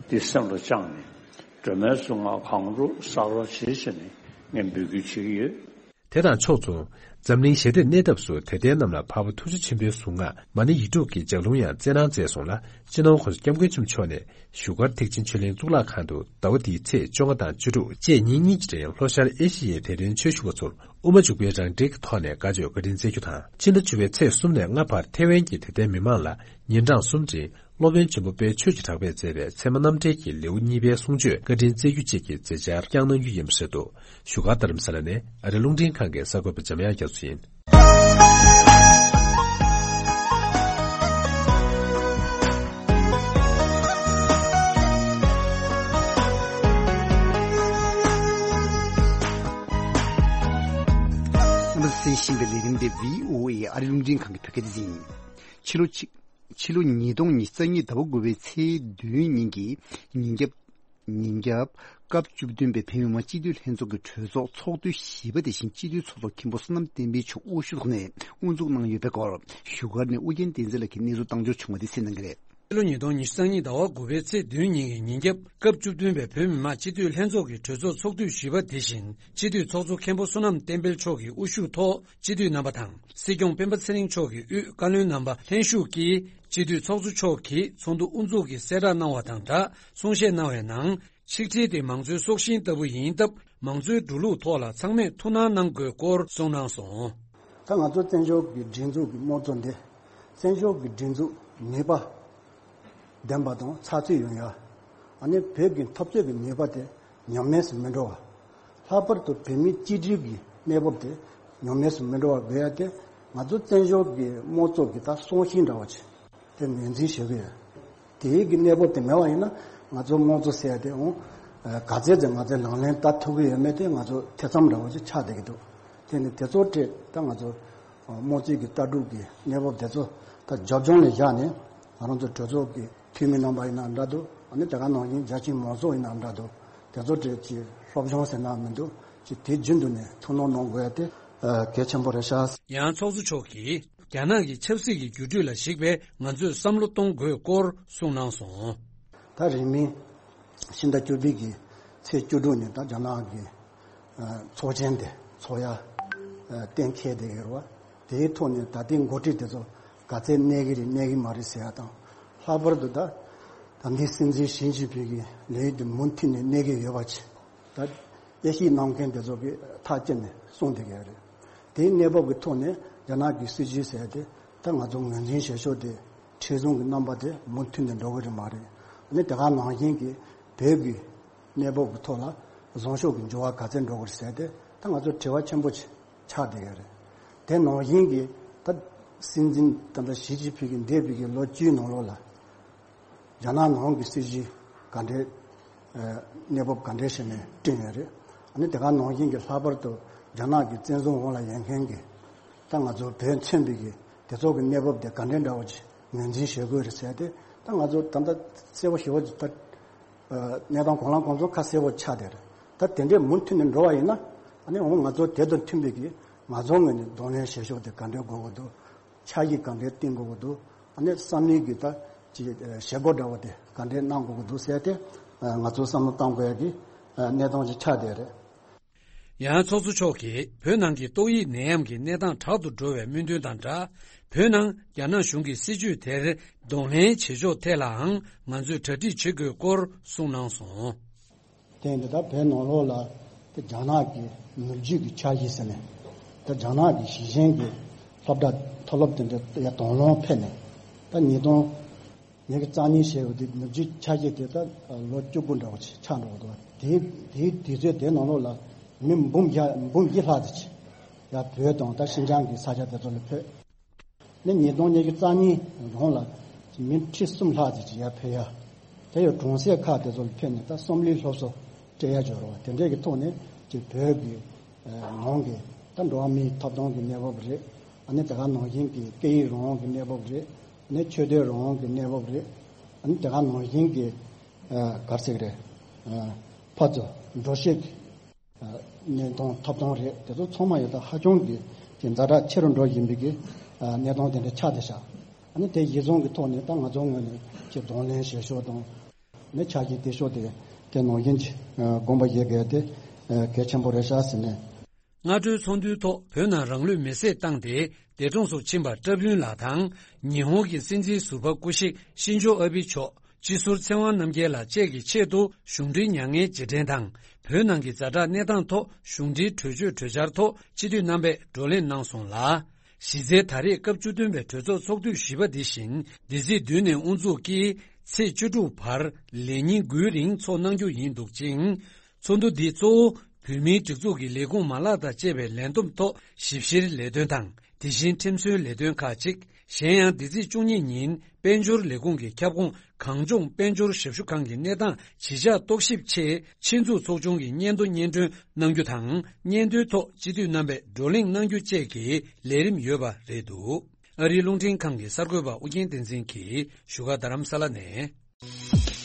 འདི་སེམས་ལ་བཅངས་ནས་སྒྲོལ་མའི་གཟུངས་སྔགས་གང་རུང་བསགས་རོགས་བྱེད་ཟེར་ནས་ངས་འབོད་སྐུལ་བྱེད་ཀྱི་ཡོད། དེ་དང་ཕྱོགས་མཚུངས། འཛམ་གླིང་ཞི་བདེའི་གནས་ཐབས་སུ་དད་ལྡན་རྣམས་ལ་འཕགས་པ་ཐུགས་རྗེ་ཆེན་པོའི་གཟུངས་སྔགས་མ་ཎི་ཡིག་དྲུག་གི་ལྗགས་ལུང་ཡང་སྩལ་གནང་མཛད་སོང་ལ། སྤྱི་ནོར་༸གོང་ས་༸སྐྱབས་མགོན་ཆེན་པོ་མཆོག་ནས་བཞུགས་སྒར་ཐེག་ཆེན་ཆོས་གླིང་གཙུག་ལག་ཁང་དུ་ཟླ་བ་འདིའི་ཚེས་བཅོ་ལྔ་དང་བཅུ་དྲུག་བཅས་ཉིན་གཉིས་ཀྱི་རིང་ལྷོ་ཤར་ཨེ་ཤི་ཡའི་དད་ལྡན་ཆོས་ཞུ་བ་ཚོར་དབུ་མ་འཇུག་པའི་རང་འགྲེལ་གྱི་ཐོག་ནས་བཀའ་ཆོས་བཀའ་དྲིན་སྩལ་རྒྱུ་དང་། ཕྱི་ཟླ་བཅུ་པའི་ཚེས་གསུམ་ནས་ལྔ་བར་ཐེ་ཝན་གྱི་དད་ལྡན་མི་མང་ལ་ཉིན་གྲངས་གསུམ་རིང་སློབ་དཔོན་ཆེན་པོ་དཔལ་ཆོས་ཀྱི་གྲགས་པས་མཛད་པའི་ཚད་མ་རྣམ་འགྲེལ་གྱི་ལེའུ་གཉིས་པའི་གསུང་ཆོས་བཀའ་དྲིན་སྩལ་རྒྱུ་བཅས་ཀྱི་མཛད་འཆར་བསྐྱངས་གནང་རྒྱུ་ཡིན་པ་རེད་འདུག། བཞུགས་སྒར་རྡ་རམ་ས་ལ་ནས་ཨ་རི་རླུང་འཕྲིན་ཁང་གི་གསར་འགོད་པ་འཇམ་དབྱངས་རྒྱ་མཚོ་ཡིན། གསན་བཞིན་པའི་ལས་རིམ་དེ་བྷི་ཨོ་ཨེ་ཨ་རི་རླུང་འཕྲིན་ཁང་གི་བོད་སྐད་སྡེ་ཚན་ཡིན། ཕྱི་ལོ་ཕྱི་ཕྱི་ལོ་ཉིས་སྟོང་ཉི་ཤུ་རྩ་གཉིས་ཟླ་བ་དགུ་པའི་ཚེས་བདུན་ཉིན་གྱི་ཉིན་རྒྱབ། ཉིན་རྒྱབ་སྐབས་བཅུ་བདུན་པའི་བོད་མི་མང་སྤྱི་འཐུས་ལྷན་ཚོགས་ཀྱི་གྲོས་ཚོགས་ཚོགས་དུས་བཞི་པ་དེ་བཞིན་སྤྱི་འཐུས་ཚོགས་གཙོ་མཁན་པོ་བསོད་ནམས་བསྟན་འཕེལ་མཆོག་དབུ་བཞུགས་ཐོག་ནས་དབུ་འཛུགས་གནང་ཡོད་པའི་སྐོར་བཞུགས་སྒར་ནས་ཨུ་རྒྱན་བསྟན་འཛིན་ལགས་ཀྱིས་གནས་ཚུལ་བཏང་འབྱོར་བྱུང་བ་དེ་གསན་གནང་གི་རེད། ཕྱི་ལོ་ཉིས་སྟོང་ཉི་ཤུ་རྩ་གཉིས་ཟླ་བ་དགུ་པའི་ཚེས་བདུན་ཉིན་གྱི་ཉིན་རྒྱབ་སྐབས་བཅུ་བདུན་པའི་བོད་མི་མང་སྤྱི་འཐུས་ལྷན་ཚོགས་ཀྱི་གྲོས་ཚོགས་ཚོགས་དུས་བཞི་པ་དེ་བཞིན་སྤྱི་འཐུས་ཚོགས་གཙོ་མཁན་པོ་བསོད་ནམས་བསྟན་འཕེལ་མཆོག་གི་དབུ་བཞུགས་ཐོག་སྤྱི་འཐུས་རྣམ་པ་དང་། སྲིད་སྐྱོང་སྤེན་པ་ཚེ་རིང་མཆོག་གི་དབུས་བཀའ་བློན་རྣམ་པ་ལྷན་ཞུགས་ཀྱིས་སྤྱི་འཐུས་ཚོགས་གཙོ་མཆོག་གིས་ཚོགས་འདུ་དབུ་འཛུགས་ཀྱི་གསལ་བསྒྲགས་གནང་བ་དང་སྦྲགས་གསུང་བཤད་གནང་བའི་ནང་། ཆིག་སྒྲིལ་དེ་མང་གཙོའི་སྲོག་ཤིང་ལྟ་བུ་ཡིན་སྟབས། མང་གཙོའི་འགྲོ་ལུགས་ཐོག་ལ་ཚང་མས་ཐུགས་སྣང་གནང་དགོས་སྐོར་གསུངས་གནང་སོང་། ད་ང་ཚོ་བཙན་བྱོལ་གྱི་སྒྲིག་འཛུགས་ཀྱི་དམངས་གཙོ་འདི་བཙན་བྱོལ་གྱི་སྒྲིག་འཛུགས་ནུས་པ་ལྡན་པ་དང་ཚགས་ཚུད་ཡོང་ཡ། ཨ་ནི་བོད་ཀྱི་འཐབ་རྩོད་ཀྱི་ནུས་པ་དེ་ཉམས་དམས་སུ་མི་འགྲོ་བ། ལྷག་པར་དུ་བོད་མིའི་གཅིག་སྒྲིལ་གྱི་གནས་བབ་དེ་ཉམས་དམས་སུ་མི་འགྲོ་བ་དགོས་ཡ་དེ་ང་ཚོ་བཙན་བྱོལ་གྱི་དམངས་གཙོ་གི་ད་སྲོག་ཤིང་འདྲ་བ་ཅིག་དེ་ངོས་འཛིན་བྱེད་དགོས་ཡོད། དེའི་གི་གནས་བབ་དེ་མེད་པ་ཡིན་ན་ང་ཚོ་དམངས་གཙོ་ཟེར་ཡ་དེ་འོང་། ག་ཚད་ཅིག་ང་ཚོས་ལག་ལེན་བསྟར་ཐུབ་ཀྱི་ཡོད་མེད་དེ་ང་ཚོ་ཐེ་ཚོམ་འདྲ་བོ་ཅིག་ཆགས་བསྡད་ཀྱི་འདུག། དེ་ནི་དེ་ཚོ་འཕྲད་ད་ང་ཚོ་དམངས་གཙོའི་གི་ལྟ་གྲུབ་ཀྱི་གནས་བབ་དེ་ཚོ་ད་རྒྱབ་ལྗོངས་ལ་བཞག་ནས་ང་རང་ཚོ་གྲོས་ཚོགས་ཀྱི་འཐུས་མི་རྣམ་པ་ཡིན་ན་འདྲ་འདུག། ཨ་ནི་དེ་ག་ནང་བཞིན་རྒྱ་ཆེའི་མང་ཚོགས་ཡིན་ན་འདྲ་འདུག། དེ་ཚོ་འཕྲད་ཀྱི་སློབ་སྦྱོང་ཟེར་ན་མི་འདུག་ཅིག་དེ་རྒྱུན་དུ་ནས་ཐུགས་སྣང་གནང་དགོས་ཡ་དེ་གལ་ཆེན་པོ་རེད་ཤག། ཡང་ཚོགས་གཙོ་མཆོག་གིས། རྒྱ་ནག་གི་ཆབ་སྲིད་ཀྱི་འགྱུར་འགྲོས་ལ་གཞིགས་པའི་ང་ཚོས་བསམ་བློ་གཏོང་དགོས་སྐོར་གསུངས་གནང་སོང་། ད་རིང་མིན་ཕྱི་ཟླ་བཅུ་པའི་གི་ཚེས་བཅུ་དྲུག་ཉིན་ད་རྒྱ་ནག་གི་ཚོགས་ཆེན་དེ་ཚོགས་ཡ་ གཏན་འཁེལ་བསྡད་ཡོད་རེད་བ། དེའི་ཐོག་ནས་ད་ལྟའི་འགོ་ཁྲིད་དེ་ཚོ་ག་ཚད་གནས་ཀྱི་རེད་གནས་ཀྱི་མ་རེད་ཟེར་ཡ་དང་། ལྷག་པར་དུ་ད་ད་ལྟའི་སྲིད་འཛིན་ཞི་ཅིན་ཕིང་གི་ལས་ཡུན་དེ་མུ་མཐུད་ནས་གནས་ཀྱི་ཡོད་པ་ཅིག་ད་དབྱེ་ཞིབ་གནང་མཁན་དེ་ཚོ་གིས་ཐག་བཅད་ནས་གསུངས་བསྡད་ཀྱི་ཡོད་རེད། དེའི་གནས་བབ་ཀྱི་ཐོག་ནས་རྒྱ་ནག་གི་སྲིད་བྱུས་ཟེར་ཡ་དེ་ད་ང་ཚོ་ངོས་འཛིན་བྱེད་ཕྱོགས་དེ་མཁྲེགས་བཟུང་གི་རྣམ་པ་དེ་མུ་མཐུད་ནས་འགྲོ་གི་རེད་མ་རེད། ཨ་ནི་དེ་ག་ནང་བཞིན་གྱི་བོད་ཀྱི་གནས་བབ་ཀྱི་ཐོག་ལ་བཟང་ཕྱོགས་ཀྱི་འགྱུར་བ་ག་ཚད་འགྲོ་གི་རེད་ཟེར་ཏེ་ད་ང་ཚོ་དྲི་བ་ཆེན་པོ་ཅིག་ཆགས་བསྡད་ཡོད་རེད། དེ་ནང་བཞིན་གྱི་ད་སྲིད་འཛིན་ད་ལྟ་ཞི་ཅིན་ཕིང་གིས་འདས་པའི་གི་ལོ་བཅུའི་ནང་ལོགས་ལ་རྒྱ་ནག་ནང་གི་སྲིད་བྱུས་ག་འདྲའི་གནས་བབ་ག་འདྲའི་ཞིག་ནས་བསྐྲུན་ཡོད་རེད། ཨ་ནི་དེ་ག་ནང་བཞིན་གྱི་ལྷག་པར་དུ་རྒྱ་ནག་གི་བཙན་བཟུང་འོག་ལ་ཡོད་མཁན་གྱི་ད་ང་ཚོ་བོད་མཚོན་པའི་གི་དེ་ཚོ་གི་གནས་བབ་དེ་ག་འདྲའི་འདྲ་བོ་ཅིག་ངོས་འཛིན་བྱེད་དགོས་རེད་ཟེར་ཏེ་ད་ང་ཚོ་ད་ལྟ་གསལ་པོ་ཞེ་པོ་ཅིག་ད། གནས་སྟངས་གང་ལ་གང་འཚམ་ཁ་གསལ་པོ་ཆགས་བསྡད་རེད། ད་དེ་འདྲས་མུ་མཐུད་ནས་འགྲོ་བ་ཡིན་ན་ཨ་ནི་འོ་ང་ཚོ་དེ་དང་མཐུན་པའི་གི་ང་ཚོ་ངོས་ནས་གདོང་ལེན་བྱེད་ཕྱོགས་དེ་ག་འདྲས་དགོས་ཀྱི་འདུག་འཆར་གཞི་ག་འདྲས་བཏིང་དགོས་ཀྱི་འདུག་ཨ་ནི་བསམ་བློའི་གི་ད་ཅིག་བྱེད་སྒོ་འདྲ་བོ་དེ་ག་འདྲས་གནང་དགོས་ཀྱི་འདུག་ཟེར་ཏེ་ང་ཚོ་བསམ་བློ་བཏང་དགོས་ཡ་གི་གནས་སྟངས་ཅིག་ཆགས་བསྡད་རེད། ཡང་ཚོགས་གཙོ་མཆོག་གིས་བོད་ནང་གི་ཏོག་དབྱིབས་ནད་ཡམས་ཀྱི་གནས་སྟངས་དྲག་ཏུ་འགྲོ་བའི་སྨོན་འདུན་དང་སྦྲགས། བོད་ནང་རྒྱ་ནག་གཞུང་གི་སྲིད་བྱུས་དེར་གདོང་ལེན་བྱེད་ཕྱོགས་ཐད་ལའང་ང་ཚོས་གྲ་སྒྲིག་བྱེད་དགོས་སྐོར་གསུངས་གནང་སོང་། དེ་ཡིན་དུས་ད་བོད་ནང་ལོགས་ལ་དེ་རྒྱ་ནག་གི་ནུབ་རྒྱུད་ཀྱི་འཆར་གཞི་ཟེར་ནས་ད་རྒྱ་ནག་གི་ཞིང་ཆེན་གྱི་སློབ་གྲྭ་མཐོ་སློབ་དེ་འདྲ་ཡར་དོགས་སློང་ཕེབས་ནས་ད་ཉིས་སྟོང་ཉིས་བརྒྱ་རྩ་གཉིས་བྱས་པ་དེ་ནུབ་རྒྱུད་འཆར་གཞི་དེ་ད་ལོ་བཅུ་དགུ་འདྲ་བོ་ཅིག་ཆགས་འགྲོ་གི་འདུག་དེའི་དེའི་དུས་ཚོད་དེའི་ནང་ལོགས་ལ་མི་འབུམ་བརྒྱ་འབུམ་བཞི་ལྷག་ཙམ་ཅིག་ཡར་བོད་དང་ད་ཤིན་ཅང་གི་ས་ཆ་དེ་ཚོ་ལ་ཕེབས། ནི་ཉིས་སྟོང་ཉི་ཤུ་རྩ་གཉིས་གོང་ལ་མི་ཁྲི་གསུམ་ལྷག་ཙམ་ཅིག་ཡར་ཕེབས་ཡ། དེ་ཡང་གྲོང་གསེབ་ཁག་དེ་ཚོ་ལ་ཕེབས་ནས་ད་བསམ་བློའི་སློབ་གསོ་སྤྲད་ཡ་འབྱོར་བ་དེ་འདྲས་ཀྱི་ཐོག་ནས་ཅིག་བོད་ཀྱི་ནང་གི་ད་འགྲོ་བ་མིའི་ཐོབ་ཐང་གི་གནས་བབ་རེད། ཨ་ནི་དེ་ག་ནང་བཞིན་གྱི་སྐད་ཡིག་རང་དབང་གི་གནས་བབ་རེད། ཨ་ནི་ཆོས་དད་རང་དབང་གི་གནས་བབ་རེད། ཨ་ནི་དེ་ག་ནང་བཞིན་གྱི་ག་རེ་ཟེར་གི་རེད། ཕར་ཚུར་འགྲོ་ཤེས་ཀྱི་གནས་སྟངས་ཐོབ་ཐང་རེད། དེ་ཚོ་ཚང་མ་ཡོད་ད་ཧ་ཅང་གི་ཀྱི་ཛ་དྲག་ཆེ་རུ་འགྲོ་བཞིན་པའི་གི་གནས་སྟངས་དེ་འདྲ་ཆགས་བསྡད་ཤག་ཨ་ནི་དེ་གཞི་བཟུང་གི་ཐོག་ནས་ད་ང་ཚོ་ངོས་ནས་ཀྱི་གདོང་ལེན་བྱེད་ཕྱོགས་དང་། ནི་ཆ་རྐྱེན་དེ་ཕྱོགས་དེ་དེ་ནང་བཞིན་གྱི་དགོངས་པ་བཞེས་དགོས་དེ་གལ་ཆེན་པོ་རེད་ཤག་ཟེར་ནས། སྔ་དྲོའི་ཚོགས་འདུའི་ཐོག་བོད་ནང་རང་ལུས་མེར་སྲེག་བཏང་སྟེ་འདས་གྲོངས་སུ་ཕྱིན་པ་བཀྲ་ཕུན་ལགས་དང་ཉི་ཧོང་གི་སྲིད་འཛིན་ཟུར་པ་སྐུ་གཤེགས་ཤིན་ཇོ་ཨ་བྷི་མཆོག་སྤྱི་ཟུར་ཚེ་དབང་རྣམ་རྒྱལ་ལགས་བཅས་ཀྱི་ཆེད་དུ་གཞུང་འབྲེལ་མྱ་ངན་རྗེས་དྲན་དང་བོད་ནང་གི་ཛ་དྲག་གནས་སྟངས་ཐོག་གཞུང་འབྲེལ་གྲོས་ཆོད་གྲོས་འཆར་ཐོག་སྤྱི་འཐུས་རྣམ་པས་བགྲོ་གླེང་གནང་སོང་ལ། གཞི་རྩའི་ད་རེས་སྐབས་བཅུ་བདུན་པའི་གྲོས་ཚོགས་ཚོགས་དུས་བཞི་པ་འདི་བཞིན་འདི་ཚེས་བདུན་ནས་དབུ་འཛུགས་ཀྱིས་ཚེས་བཅུ་དྲུག་བར་ལས་ཉིན་དགུའི་རིང་ཚོགས་གནང་རྒྱུ་ཡིན་འདུག་ཅིང་། ཚོགས་འདུ་འདི་གཙོ་བོ་བོད་མིའི་སྒྲིག་འཛུགས་ཀྱི་ལས་ཁུངས་མ་ལག་དང་བཅས་པའི་ལས་བསྡོམས་ཐོག་ཞིབ་བཤེར་ལས་དོན་དང་དེ་བཞིན་ཁྲིམས་སྲོལ་ལས་དོན་ཁག་ཅིག་གཞན་ཡང་འདི་ཚེས་བཅུ་གཉིས་ཉིན་དཔལ་འབྱོར་ལས་ཁུངས་ཀྱི་ཁྱབ་ཁོངས་གངས་ལྗོངས་དཔལ་འབྱོར་ཞབས་ཞུ་ཁང་གི་གནས་སྟངས་ཇི་ཆགས་རྟོག་ཞིབ་ཆེད་ཆེད་འཛུགས་ཚོགས་ཆུང་གི་སྙན་ཐོ་སྙན་སྒྲོན་གནང་རྒྱུ་དང་སྙན་ཐོའི་ཐོག་སྤྱི་འཐུས་རྣམ་པས་བགྲོ་གླེང་གནང་རྒྱུ་བཅས་ཀྱི་ལས་རིམ་ཡོད་པ་རེད་འདུག་ཨ་རིའི་རླུང་འཕྲིན་ཁང་གི་གསར་འགོད་པ་ཨུ་རྒྱན་བསྟན་འཛིན་གྱིས་བཞུགས་སྒར་རྡ་རམ་ས་ལ་ནས།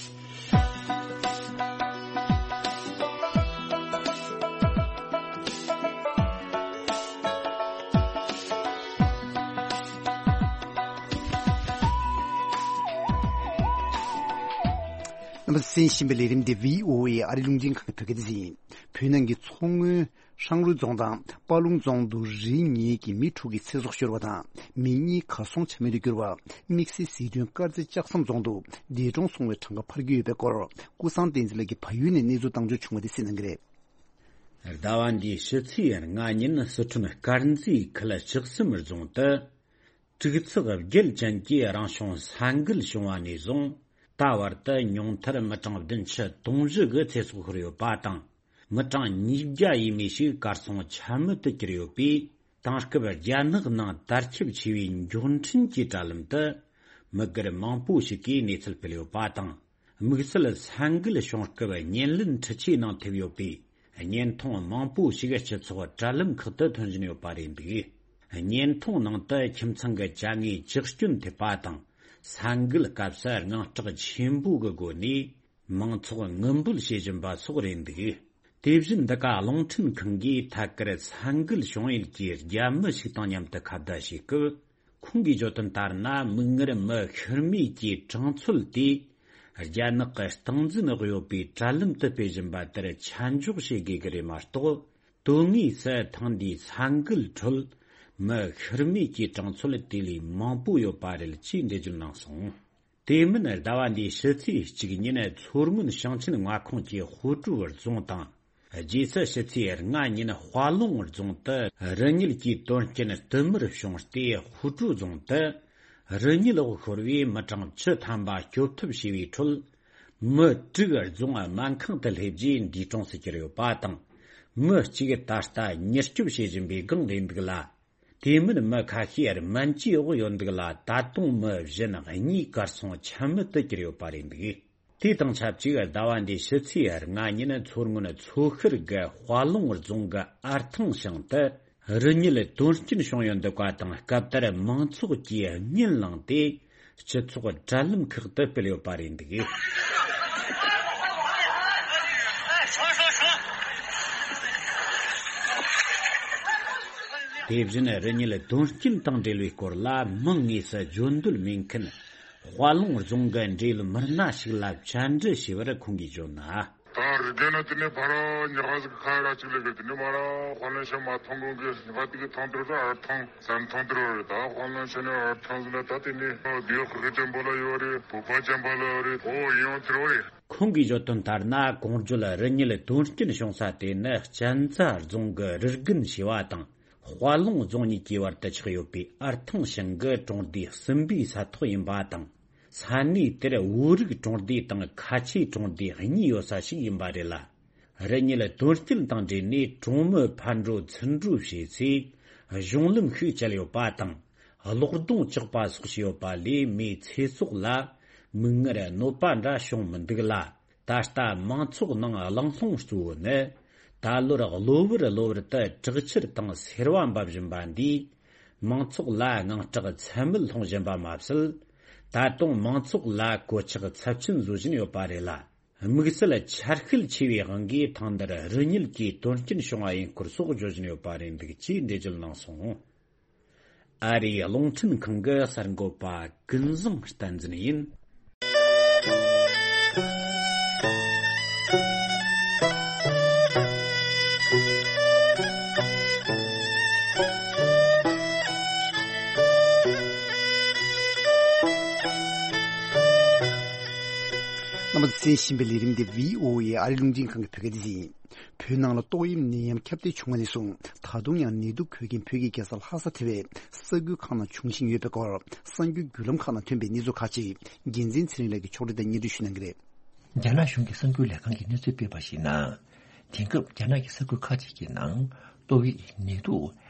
རྣམ་པ་གསན་བཞིན་པའི་ལས་རིམ་འདི་བྷི་ཨོ་ཨེ་ཨ་རིའི་རླུང་འཕྲིན་ཁང་གི་བོད་སྐད་སྡེ་ཚན་ཡིན། བོད་ནང་གི་མཚོ་སྔོན་ཧྲང་རུའུ་རྫོང་དང་སྤ་ལུང་རྫོང་དུ་རི་གཉིས་ཀྱི་མི་དྲུག་གི་ཚེ་སྲོག་ཤོར་བ་དང་མི་གཉིས་གར་སོང་ཆ་མེད་དུ་གྱུར་བ། དམིགས་བསལ་སྲིད་དོན་དཀར་མཛེས་ལྕགས་ཟམ་རྫོང་དུ་འདས་གྲོངས་སོང་བའི་གྲངས་ཀ་འཕར་གྱི་ཡོད་པའི་སྐོར་ཀུན་བཟང་བསྟན་འཛིན་ལགས་ཀྱིས་བལ་ཡུལ་ནས་གནས་ཚུལ་བཏང་འབྱོར་བྱུང་བ་དེ་གསན་གནང་གི་རེད། ཟླ་བ་འདིའི་ཕྱི་ཚེས་ལྔ་ཉིན་སི་ཁྲོན་དཀར་མཛེས་ཁུལ་ལྕགས་ཟམ་རྫོང་དུ། དྲུག་ཚེག་བརྒྱད་ཅན་གྱི་རང་བྱུང་ས་འགུལ་བྱུང་བ་ནས་བཟུང་ད་བར་དུ་ཉུང་མཐར་མི་གྲངས་བདུན་ཅུ་དོན་བཞི་གི་ཚེ་སྲོག་ཤོར་ཡོད་པ་དང་། མི་གྲངས་ཉིས་བརྒྱ་ཡས་མས་ཤིག་གར་སོང་ཆ་མེད་དུ་གྱུར་ཡོད་པས། དེང་སྐབས་རྒྱ་ནག་ནང་དར་ཁྱབ་ཆེ་བའི་མགྱོགས་འཕྲིན་གྱི་དྲ་ལམ་དུ། མི་སྒེར་མང་པོ་ཞིག་གིས་གནས་ཚུལ་སྤེལ་ཡོད་པ་དང་། དམིགས་བསལ་ས་འགུལ་བྱུང་སྐབས་བརྙན་ལེན་འཕྲུལ་ཆས་ནང་ཐེབས་ཡོད་པས། བརྙན་ཐུང་མང་པོ་ཞིག་སྤྱི་ཚོགས་དྲ་ལམ་ཁག་ཏུ་ཐོན་བཞིན་ཡོད་པ་རེད་འདུག་བརྙན་ཐུང་ནང་དུ་ཁྱིམ་ཚང་གི་བྱ་དངོས་ཇག་སྐྱོན་ཐེབས་པ་དང་། ས་འགུལ་སྐབས་སུ་དངངས་སྐྲག་ཆེན་པོ་གི་སྒོ་ནས་མང་ཚོགས་ངུ་འབོད་བྱེད་བཞིན་པ་སོགས་རེད་འདུག་དེ་བཞིན་འདི་ག་རླུང་འཕྲིན་ཁང་གིས་ཐད་ཀར་ས་འགུལ་བྱུང་ཡུལ་གྱི་རྒྱ་མི་ཞིག་དང་མཉམ་དུ་ཁ་བརྡ་བྱེད་སྐབས། ཁོང་གིས་བརྗོད་དོན་ལྟར་ན། མིག་སྔར་མི་ཤི་རྨས་ཀྱི་གྲངས་ཚོད་དེ། རྒྱ་ནག་གི་སྟངས་འཛིན་འོག་ཡོད་པའི་དྲ་ལམ་དུ་སྤེལ་བཞིན་པ་དེར་ཆ་འཇོག་བྱེད་དགོས་ཀྱི་རེད་མ་གཏོགས། དོན་དངོས་སུ་ཐེངས་འདིའི་ས་འགུལ་ཁྲོད་མི་ཤི་རྨས་ཀྱི་གྲངས་ཚོད་དེ་ལས་མང་པོ་ཡོད་པ་རེད་ཅེས་འགྲེལ་བརྗོད་གནང་སོང་། དེ་མིན་ཟླ་བ་འདིའི་ཕྱི་ཚེས་གཅིག་ཉིན་མཚོ་སྔོན་ཞིང་ཆེན་མངའ་ཁོངས་ཀྱི་ཧུའུ་ཀྲུའུ་རྫོང་དང་། རྗེས་སུ་ཕྱི་ཚེས་ལྔ་ཉིན་དཔའ་ལུང་རྫོང་དུ་རི་ཉིལ་གྱི་དོན་རྐྱེན་བསྟུད་མར་བྱུང་སྟེ། ཧུའུ་ཀྲུའུ་རྫོང་དུ་རི་ཉིལ་འོག་ཤོར་བའི་མི་གྲངས་བཅུ་ཐམ་པ་སྐྱོབ་ཐབས་བྱས་པའི་ཁྲོད། མི་དྲུག་རྫོང་སྨན་ཁང་དུ་སླེབས་རྗེས་འདས་གྲོངས་སུ་གྱུར་ཡོད་པ་དང་། མི་གཅིག་ད་ལྟ་མྱུར་སྐྱོབ་བྱེད་བཞིན་པའི་སྒང་རེད་འདུག་ལ། དེ་མིན་མི་ཁ་ཤས་སྨན་བཅོས་འོག་ཡོད་འདུག་ལ། ད་དུང་མི་གཞན་གཉིས་གར་སོང་ཆ་མེད་དུ་གྱུར་ཡོད་པ་རེད་འདུག་དེ་དང་ཆབས་ཅིག་ཟླ་བ་འདིའི་ཕྱི་ཚེས་ལྔ་ཉིན་མཚོ་སྔོན་མཚོ་ཤར་གྱི་དཔའ་ལུང་རྫོང་གི་ཨར་ཐང་ཞིང་དུ་རི་ཉིལ་དོན་རྐྱེན་བྱུང་ཡོད་འདུག་པ་དང་། སྐབས་དེར་མང་ཚོགས་ཀྱིས་གཉིད་ལངས་ཏེ་སྤྱི་ཚོགས་དྲ་ལམ་ཁག་ཏུ་སྤེལ་ཡོད་པ་རེད་འདུག་དེ་བཞིན་རི་ཉིལ་དོན་རྐྱེན་དང་འབྲེལ་བའི་སྐོར་ལ་མིང་དངོས་སུ་བརྗོད་འདོད་མེད་མཁན། དཔའ་ལུང་རྫོང་གི་འབྲེལ་ཡོད་མི་སྣ་ཞིག་ལ་བཅར་འདྲི་ཞུས་པར་ཁོང་གིས་བརྗོད་ན། ད་རི་རྒན་ན་དེ་ནས་ཕར་ཉག་ག་ཟིག་ཕར་ར་ཅིག་ལས་གི་དེ་ནས་མ་ར་དཔའ་ལུང་ཤ་མ་ཐོང་གོང་གི་ཉག་ག་དེ་གི་ཐོང་དུར་ར་ཨར་ཐང་ཟམ་ཐོང་དུར་ར་རེད། ད་དཔའ་ལུང་ཤ་ནས་ཨར་ཐང་ཟིག་ན་ད་དེ་ནས་ཨ་བདེ་ཁུ་གི་ཅན་པོ་ལ་ཡོད་རེད། བོད་པ་ཅན་པོ་ལ་ཡོད་རེད། ཨོ་ཡོང་དུར་ར་རེད། ཁོང་གིས་བརྗོད་དོན་ལྟར་ན། གོང་བརྗོད་རི་ཉིལ་དོན་རྐྱེན་བྱུང་ས་དེ་ནི་གཅན་ཚ་རྫོང་གི་རི་རྒན་ཞེས་པ་དང་། དཔའ་ལུང་རྫོང་གཉིས་ཀྱི་བར་དུ་ཆགས་ཡོད་པའི་ཨར་ཐང་ཞིང་གི་གྲོང་སྡེ་གསུམ་པའི་ས་ཐོག་ཡིན་པ་དང་། ས་གནས་དེར་བོད་རིགས་གྲོང་སྡེ་དང་ཁ་ཆེའི་གྲོང་སྡེ་གཉིས་ཡོད་ས་ཞིག་ཡིན་པ་རེད་ལ། རི་ཉིལ་དོན་རྐྱེན་དང་འབྲེལ་ནས་གྲོང་མི་ཕར་འགྲོ་ཚུར་འགྲོ་བྱས་ཚེ་གཞུང་ལམ་ཤུགས་བཅད་ཡོད་པ་དང་། གློག་སྡོང་བཅག་པ་སོགས་བྱས་ཡོད་པ་ལས་མིའི་ཚེ་སྲོག་ལ་མིག་སྔར་གནོད་པ་འདྲ་བྱུང་མི་འདུག་ལ། ད་ལྟ་མང་ཚོགས་ནང་གླེང་སློང་གཙོ་བོ་ནི། ད་ལོར་གློ་བུར་གློ་བུར་དུ་དྲག་ཆར་དང་སེར་བ་འབབ་བཞིན་པ་འདིས་མང་ཚོགས་ལ་དངངས་སྐྲག་ཚད་མེད་སློང་བཞིན་པ་མ་ཟད། ད་དུང་མང་ཚོགས་ལ་གོད་ཆག་ཚབས་ཆེན་བཟོ་བཞིན་ཡོད་པ་རེད་ལ། དམིགས་བསལ་ཆར་ཤུལ་ཆེ་བའི་དབང་གིས་ཐེངས་འདིར་རི་ཉིལ་གྱི་དོན་རྐྱེན་བྱུང་བ་ཡིན་སྐོར་སོགས་བརྗོད་བཞིན་ཡོད་པ་རེད་འདུག་ཅེས་འགྲེལ་བརྗོད་གནང་སོང་། ཨ་རིའི་རླུང་འཕྲིན་ཁང་གི་གསར་འགོད་པ་ཀུན་བཟང་བསྟན་འཛིན་ཡིན། རྣམ་པ་ཚོས་གསན་བཞིན་པའི་ལས་རིམ་འདི་བྷི་ཨོ་ཨེ་ཨ་རིའི་རླུང་འཕྲིན་ཁང་གི་བོད་སྐད་སྡེ་ཚན་ཡིན། བོད་ནང་ལ་ཏོག་དབྱིབས་ནད་ཡམས་ཁྱབ་གདལ་བྱུང་བ་ནས་བཟུང་ད་དུང་ཡང་ནད་དུག་འགོས་མཁན་བོད་ཀྱི་རྒྱལ་ས་ལྷ་ས་དེ་བས་ས་ཁུལ་ཁག་ནང་འབྱུང་བཞིན་ཡོད་པའི་སྐོར་གསར་འགྱུར་བརྒྱུད་ལམ་ཁག་ནང་ཐོན་པའི་གནས་ཚུལ་ཁག་ཅིག་འགན་འཛིན་ཚེ་རིང་ལགས་ཀྱིས་ཕྱོགས་སྒྲིག་དང་སྙན་སྒྲོན་ཞུ་གནང་གི་རེད། རྒྱ་ནག་གཞུང་གི་གསར་འགྱུར་ལས་ཁང་གིས་གནས་ཚུལ་སྤེལ་བར་གཞིགས་ན། དེང་སྐབས་རྒྱ་ནག་གི་ས་ཁུལ་ཁག་ཅིག་གི་ནང་ཏོག་དབྱིབས་ནད་དུག་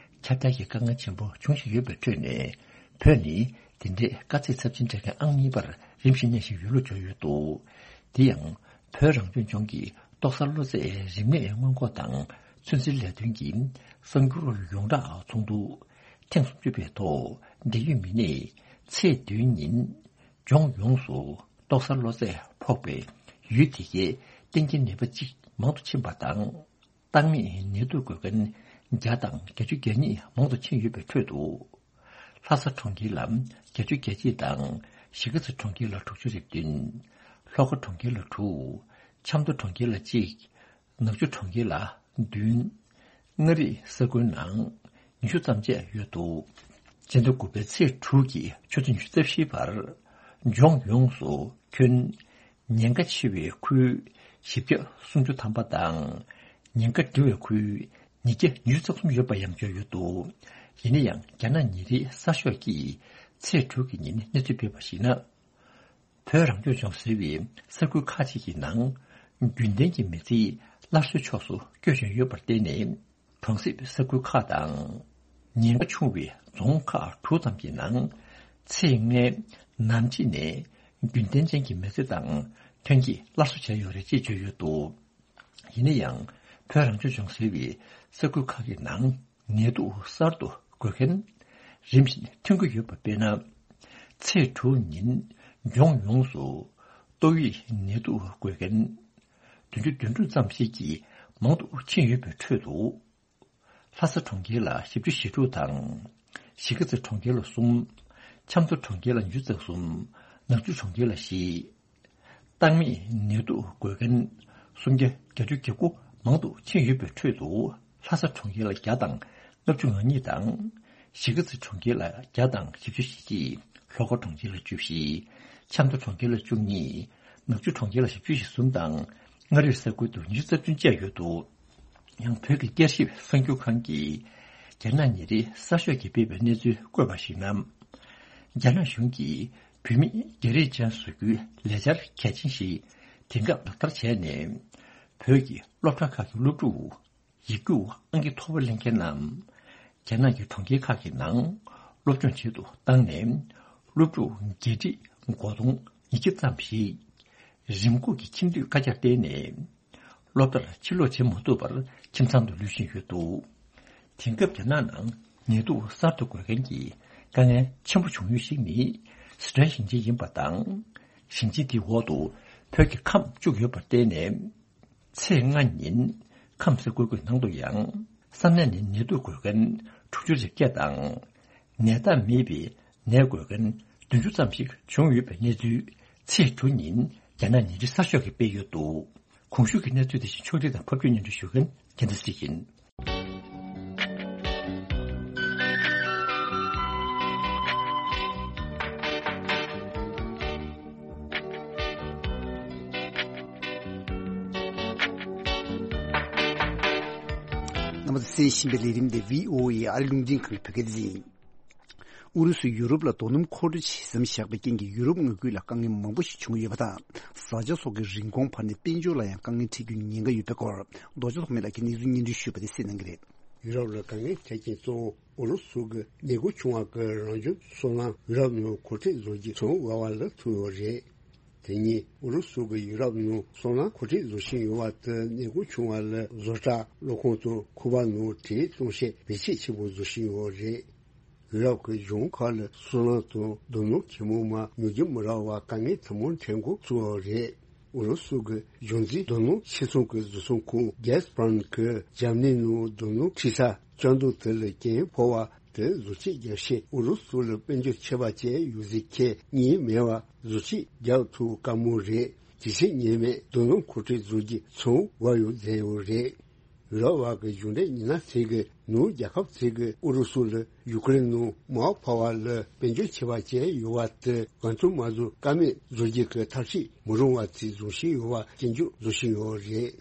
ཁྱབ་གདལ་གྱི་དཀའ་ངལ་ཆེན་པོ་འབྱུང་བཞིན་ཡོད་པའི་ཁྲོད་ནས། བོད་ནི་དེ་འདྲའི་དཀའ་ཚེགས་ཚབས་ཆེན་འཕྲད་མཁན་ཨང་གཉིས་པར་རིམ་བཞིན་གནས་བཞིན་ཡོད་ལུགས་བརྗོད་ཡོད་འདུག་དེ་ཡང་། བོད་རང་སྐྱོང་ལྗོངས་ཀྱི་ཏོག་གསར་གློ་ཚད་རིམས་ནད་སྔོན་འགོག་དང་ཚོད་འཛིན་ལས་དོན་གྱི་གསར་འགྱུར་ཡོངས་བསྒྲགས་ཚོགས་འདུ་ཐེངས་སུམ་ཅུ་པའི་ཐོག་འབྲེལ་ཡོད་མི་སྣས་ཚེས་བདུན་ཉིན་ལྗོངས་ཡོངས་སུ་ཏོག་གསར་གློ་ཚད་ཕོག་པའི་ཡུལ་དེ་གའི་གཏན་འཁེལ་ནད་པ་གཅིག་མང་དུ་ཕྱིན་པ་དང་། བཏང་མེད་ནད་དུག་འགོས་མཁན་བརྒྱ་དང་བརྒྱད་ཅུ་གྱ་གཉིས་མང་དུ་ཕྱིན་ཡོད་པའི་ཁྲོད་དུ། ལྷ་ས་གྲོང་ཁྱེར་ལ་བརྒྱད་ཅུ་གྱ་གཅིག་དང་གཞིས་ཀ་རྩེ་གྲོང་ཁྱེར་ལ་དྲུག་ཅུ་རེ་བདུན། ལྷོ་ཁ་གྲོང་ཁྱེར་ལ་དྲུག་ཆབ་མདོ་གྲོང་ཁྱེར་ལ་གཅིག་ནག་ཆུ་གྲོང་ཁྱེར་ལ་བདུན། མངའ་རིས་ས་ཁུལ་ནང་ཉི་ཤུ་ཙམ་བཅས་ཡོད་འདུག་སྤྱི་ཟླ་དགུ་པའི་ཚེས་དྲུག་གི་ཆུ་ཚོད་ཉི་ཤུ་རྩ་བཞིའི་བར་ལྗོངས་ཡོངས་སུ་ཁྱོན་ཉེན་ཁ་ཆེ་བའི་ཁུལ་བཞི་བརྒྱ་སུམ་ཅུ་ཐམ་པ་དང་། ཉེན་ཁ་འབྲིང་བའི་ཁུལ་ཉིས་བརྒྱ་ཉི་ཤུ་རྩ་གསུམ་ཡོད་པ་ཡང་བརྗོད་ཡོད་འདུག་ཡིན་ན་ཡང་རྒྱ་ནག་ཉིན་རེའི་གསར་ཤོག་གིས་ཚེས་དྲུག་གི་ཉིན་གནས་ཚུལ་སྤེལ་བར་གཞིགས་ན། བོད་རང་སྐྱོང་ལྗོངས་ཟེར་བའི་ས་ཁུལ་ཁག་ཅིག་གི་ནང་རྒྱུན་ལྡན་གྱི་མི་ཚེ་སླར་གསོའི་ཕྱོགས་སུ་བསྐྱོད་བཞིན་ཡོད་པར་བརྟེན་ནས། གྲོང་གསེབ་ས་ཁུལ་ཁག་དང་། ཉེན་ཁ་ཆུང་བའི་རྫོང་ཁག་དྲུག་ཙམ་གྱི་ནང་ཚེས་ལྔའི་ནམ་ཕྱེད་ནས་རྒྱུན་ལྡན་ཅན་གྱི་མི་ཚེ་དང་ཐོན་སྐྱེད་སླར་གསོ་བྱས་ཡོད་རེད་ཅེས་བརྗོད་ཡོད་འདུག་ཡིན་ན་ཡང་། བོད་རང་སྐྱོང་ལྗོངས་ཟེར་བའི་ས་ཁུལ་ཁག་གི་ནང་ནད་དུག་གསར་དུ་འགོས་མཁན་རིམ་བཞིན་ཐོན་གྱི་ཡོད་པ་དཔེར་ན། ཚེས་དྲུག་ཉིན་ལྗོངས་ཡོངས་སུ་ཏོག་དབྱིབས་ནད་དུག་འགོས་མཁན་བདུན་ཅུ་དོན་དྲུག་ཙམ་ཞིག་གིས་མང་དུ་ཕྱིན་ཡོད་པའི་ཁྲོད་དུ། ལྷ་ས་གྲོང་ཁྱེར་ལ་བཞི་བཅུ་ཞེ་དྲུག་དང་། གཞིས་ཀ་རྩེ་གྲོང་ཁྱེར་ལ་གསུམ། ཆབ་མདོ་གྲོང་ཁྱེར་ལ་ཉི་ཤུ་རྩ་གསུམ། ནག་ཆུ་གྲོང་ཁྱེར་ལ་བཞི། བཏང་མེད་ནད་དུག་འགོས་མཁན་སུམ་བརྒྱ་བརྒྱད་ཅུ་གྱ་དགུ་མང་དུ་ཕྱིན་ཡོད་པའི་ཁྲོད་དུ། ལྷ་ས་གྲོང་ཁྱེར་ལ་བརྒྱ་དང་ལྔ་བཅུ་ང་གཉིས་དང་། གཞིས་ཀ་རྩེ་གྲོང་ཁྱེར་ལ་བརྒྱ་དང་བཞི་བཅུ་ཞེ་གཅིག་ལྷོ་ཁ་གྲོང་ཁྱེར་ལ་བཅུ་བཞི། ཆབ་མདོ་གྲོང་ཁྱེར་ལ་བཅུ་གཉིས། ནག་ཆུ་གྲོང་ཁྱེར་ལ་བཞི་བཅུ་ཞེ་གསུམ་དང་། མངའ་རིས་ས་ཁུལ་དུ་ཉི་ཤུ་རྩ་བདུན་བཅས་ཡོད་འདུག་ཡང་བོད་ཀྱི་བསྐྱར་ཞིབ་གསར་འགྱུར་ཁང་གིས་རྒྱ་ནག་ཉིན་རེའི་གསར་ཤོག་གིས་སྤེལ་བའི་གནས་ཚུལ་བཀོད་པར་གཞིགས་ན། རྒྱ་ནག་གཞུང་གིས་བོད་མིའི་རྒྱ་རིགས་ཅན་བཟོ་རྒྱུའི་ལས་འཆར་གལ་ཆེན་ཞིག་དེང་སྐབས་ལག་བསྟར་བྱས་ནས། བོད་ཀྱི་སློབ་གྲྭ་ཁག་གི་སློབ་ཕྲུག་ཡིག་རྒྱུགས་ཨང་ཀི་མཐོ་པོ་ལེན་མཁན་རྣམས། རྒྱ་ནག་གི་གྲོང་ཁྱེར་ཁག་གི་ནང་སློབ་སྦྱོང་བྱེད་དུ་བཏང་ནས། སློབ་ཕྲུག་བརྒྱད་ཁྲི་མགོ་སྟོང་ཉིས་བརྒྱ་ཙམ་ཞིག་རིམས་འགོག་གི་ཁྱིམ་སྡོད་བཀའ་རྒྱར་བརྟེན་ནས། སློབ་གྲྭར་ཕྱིར་ལོག་བྱེད་མ་ཐུབ་པར་ཁྱིམ་ཚང་དུ་ལུས་བཞིན་ཡོད་འདུག་དེང་སྐབས་རྒྱ་ནག་ནང་ནད་དུག་གསར་དུ་འགོས་མཁན་གྱི་དཀའ་ངལ་ཆེན་པོ་བྱུང་ཡུལ་ཞིག་ནི་སི་ཁྲོན་ཞིང་ཆེན་ཡིན་པ་དང་། ཞིང་ཆེན་དེའི་འོག་ཏུ་བོད་ཀྱི་ཁམས་བཅུག་ཡོད་པར་བརྟེན་ནས། ཚེས་ལྔ་ཉིན་ཁམས་ས་ཁུལ་ཁག་ནང་དུ་ཡང་ས་གནས་ནས་ནད་དུག་འགོས་མཁན་དྲུག་ཅུ་རེ་བརྒྱད་དང་། ནད་རྟགས་མེད་པའི་ནད་འགོས་མཁན་བདུན་ཅུ་ཙམ་ཞིག་བྱུང་ཡོད་པའི་གནས་ཚུལ་ཚེས་དྲུག་ཉིན་རྒྱ་ནག་ཉིན་རེའི་གསར་ཤོག་གིས་སྤེལ་ཡོད་འདུག་གོང་ཞུས་ཀྱི་གནས་ཚུལ་དེ་བཞིན་ཕྱོགས་སྒྲིག་དང་ཕབ་སྒྱུར་སྙན་སྒྲོན་ཞུ་མཁན་རྒྱལ་མཚན་སྲིད་ཡིན། རྣམ་པ་ཚོས་གསན་བཞིན་པའི་ལས་རིམ་དེ་བྷི་ཨོ་ཨེ་ཨ་རི་རླུང་འཕྲིན་ཁང་གི་བོད་སྐད་སྡེ་ཡིན། ཨུ་རུ་སུས་ཡུ་རོབ་ལ་རྡོ་སྣུམ་མཁོ་སྤྲོད་བྱེད་མཚམས་བཞག་པའི་རྐྱེན་གྱིས་ཡུ་རོབ་མངའ་ཁུལ་ལ་དཀའ་ངལ་མང་པོ་ཞིག་བྱུང་ཡོད་པ་དང་། བཟའ་བཅའ་སོགས་ཀྱི་རིན་གོང་འཕར་ནས་དཔལ་འབྱོར་ལ་ཡང་དཀའ་ངལ་འཕྲད་རྒྱུའི་ཉེན་ཁ་ཡོད་པའི་སྐོར། རྡོ་རྗེ་ཐོགས་མེད་ལགས་ཀྱིས་གནས་ཚུལ་སྙན་སྒྲོན་ཞུས་པ་དེ་གསན་གནང་གི་རེད། ཡུ་རོབ་ལ་དཀའ་ངལ་འཕྲད་རྐྱེན་གཙོ་བོ་ཨུ་རུ་སུ་གི་ནད་འགོ་བྱུང་བ་གི་རང་བྱུང་སོལ་རླངས་ཡུ་རོབ་ནང་མཁོ་སྤྲོད་བཟོ་རྒྱུ་ཚོང་འགྲོ་བ་ལ་ཐུག་ཡོད་རེད། དེ་ཉིན་ཨུ་རུ་སུ་གི་ཡུ་རོབ་ནང་སོལ་རླངས་མཁོ་སྤྲོད་བཟོ་བཞིན་ཡོད་པ་དེ་ནད་འགོ་བྱུང་བ་ལ་བཟོ་གྲྭ་གློག་ཁང་དང་ཁུག་པ་ནང་བྲེལ་གཏོང་བྱེད་བེད་སྤྱོད་ཆེན་པོ་བཟོ་བཞིན་ཡོད་རེད། ཡུ་རོབ་ཀྱི་གཞུང་ཁག་ལ་སོལ་རླངས་དང་རྡོ་སྣུམ་ཁེ་མོ་མ་ཉོ་རྒྱུ་མི་རག་པར་དཀའ་ངལ་ཐུན་མོང་འཕྲད་འགོ་ཚུགས་པ་རེད། ཨུ་རུ་སུ་གི་གཞུང་འཛིན་རྡོ་སྣུམ་ཕྱིར་ཚོང་གི་བཟོ་ཚོང་ཁང་གྷེ་སི་པ་རམ་གྱིས་འཇར་མ་ནི་ནང་རྡོ་སྣུམ་འཁྲུད་ས་བཅག་འདོད་དེ་ལ་འགན་ཕོག་པ་དེ་བཟོ་བཅོས་རྒྱག་ཆེད་ཨུ་རུ་སུ་ལ་དཔལ་འབྱོར་ཆད་པ་བཅད་ཡོད་ཟེར་མཁན་གཉིས་མེད་པར་བཟོ་བཅོས་རྒྱག་ཐུབ་དཀའ་མོ་རེད། ཇེ་ཆེ་ཉེན་མེད་རྡོ་སྣུམ་མཁོ་སྤྲོད་བཟོ་རྒྱུ་ཚོང་འགོ་ཡོད་མཛད་ཡོད་རེད། ཡུ་རོབ་བར་གྱི་གཞུང་འབྲེལ་ཉི་ན་ཚེ་གི་ནུབ་རྒྱལ་ཁབ་ཚེ་གི་ཨུ་རུ་སུ་ལ་ཡུ་ཀེ་རེན་ནང་མར་ཕབ་པ་ལ་དཔལ་འབྱོར་ཆད་པ་བཅད་ཡོད་པ་དེ་གང་ཐུབ་མ་ཐུབ་ཀ་མེད་བཟོ་རྒྱུ་གི་ཐབས་ཤེས་མི་རུང་བ་ཚིག་བཟུང་བཞིན་ཡོད་པ་སྐྱོན་བརྗོད་བཟོ་བཞིན་ཡོད་རེད།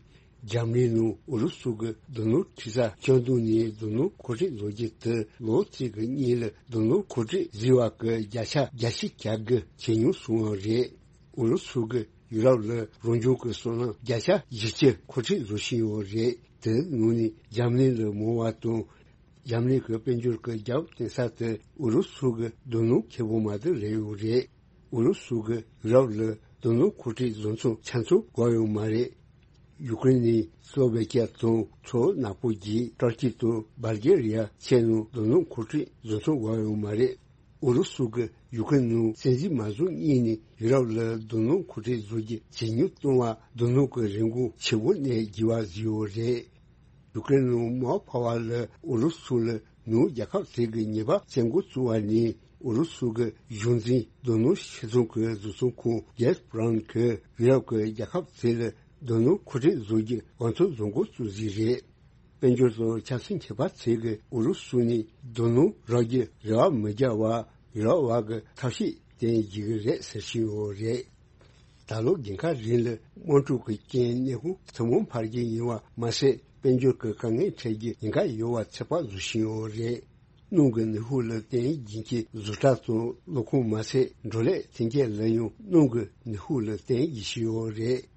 འཇར་མ་ནི་ནང་ཨུ་རུ་སུ་གི་རྡོ་སྣུམ་འཁྲུད་ས་བཅག་འདུག་ནས་རྡོ་སྣུམ་མཁོ་སྤྲོད་བཟོ་རྒྱུ་དེ་ལོ་གཅིག་གི་སྔོན་ལ་རྡོ་སྣུམ་མཁོ་སྤྲོད་བཟོས་པ་གི་བརྒྱ་ཆ་བརྒྱད་ཅུ་གྱ་དགུ་ཇེ་ཉུང་སོང་བ་རེད། ཨུ་རུ་སུ་གི་ཡུ་རོབ་ལ་རང་བྱུང་གི་སོལ་རླངས་བརྒྱ་ཆ་བཞི་བཅུ་མཁོ་སྤྲོད་བཟོ་བཞིན་ཡོད་རེད། དེའི་ནང་ནས་འཇར་མ་ནི་ལ་མང་བ་དང་། འཇར་མ་ནི་གི་དཔལ་འབྱོར་གྱི་རྒྱབ་བརྟེན་ས་དེ་ཨུ་རུ་སུ་གི་རྡོ་སྣུམ་ཁེ་པོ་མ་དེ་རེད་ཡོད་རེད། ཨུ་རུ་སུ་གི་ཡུ་རོབ་ལ་རྡོ་སྣུམ་མཁོ་སྤྲོད་བཟོ་ཚོང་ཆ་ཚང་དགོས་ཡོད་མ་རེད། ཡུ་ཀེ་རེན་ནི་སློ་ཝེ་ཀི་ཡ་དང་མཚོ་ནག་པོ་བརྒྱུད་ཏུར་ཀི་དང་སྦལ་གྷེ་རི་ཡ་བཅས་ནང་རྡོ་སྣུམ་མཁོ་སྤྲོད་བཟོ་ཚོང་དགོས་ཡོད་མ་རེད། ཨུ་རུ་སུ་གིས་ཡུ་ཀེ་རེན་ནང་བཙན་འཛུལ་མ་བཟོ་སྔོན་ནས་ཡུ་རོབ་ལ་རྡོ་སྣུམ་མཁོ་སྤྲོད་བཟོ་རྒྱུ་ཇེ་ཉུང་གཏོང་བར་རྡོ་སྣུམ་གྱི་རིན་གོང་ཆེ་པོ་ནས་བརྒྱུད་པ་བཟོས་ཡོད་རེད། ཡུ་ཀེ་རེན་ནང་མར་ཕབ་པ་ལ་ཨུ་རུ་སུ་ལ་ནུབ་རྒྱལ་ཁབ་ཚོས་ཀྱི་ཉེས་པ་བཙལ་འགོ་བཙུགས་པ་ནས་ཨུ་རུ་སུ་གི་གཞུང་འཛིན་རྡོ་སྣུམ་ཕྱིར་ཚོང་གི་བཟོ་ཚོང་ཁང་གྷེ་སི་པ་རམ་གྱིས་ཡུ་རོབ་ཀྱི་རྒྱལ་ཁབ་ཚོ་ལ་རྡོ་སྣུམ་མཁོ་སྤྲོད་བཟོ་རྒྱུ་གང་ཐུབ་བཟོ་འགོ་བཙུགས་རྩིས་རེད། དཔལ་འབྱོར་དང་ཆབ་སྲིད་མཁས་པ་ཚོས་ཀྱིས་ཨུ་རུ་སུ་ནས་རྡོ་སྣུམ་རག་རྒྱུར་རེ་བ་མི་རྒྱག་པར་ཡུ་རོབ་བར་གྱི་ཐབས་ཤེས་བསྟེན་བགྱིད་ཀྱི་རེད་ཟེར་བཞིན་ཡོད་རེད། ད་ལོ་དགུན་ཁ་རིང་ལ་དམག་འཁྲུག་གི་རྐྱེན་ནད་ཁུངས་ཐུན་མོང་འཕར་རྒྱུ་ཡིན་པ་མ་ཟད་དཔལ་འབྱོར་གྱི་དཀའ་ངལ་འཕྲད་རྒྱུ་ཉེན་ཁ་ཡོད་པ་ཚོད་དཔག་བཟོ་བཞིན་ཡོད་རེད། སྣུམ་གྱི་ནུས་ཤུགས་ལ་བརྟེན་བགྱིད་མཁན་བཟོ་གྲྭ་དང་གློག་ཁང་མ་ཟད་བགྲོ་གླེང་མཐུན་རྐྱེན་ལ་ཡང་སྣུམ་གྱི་ནུས་ཤུགས་ལ་བརྟེན་བགྱིད་བཞིན་ཡོད་རེད།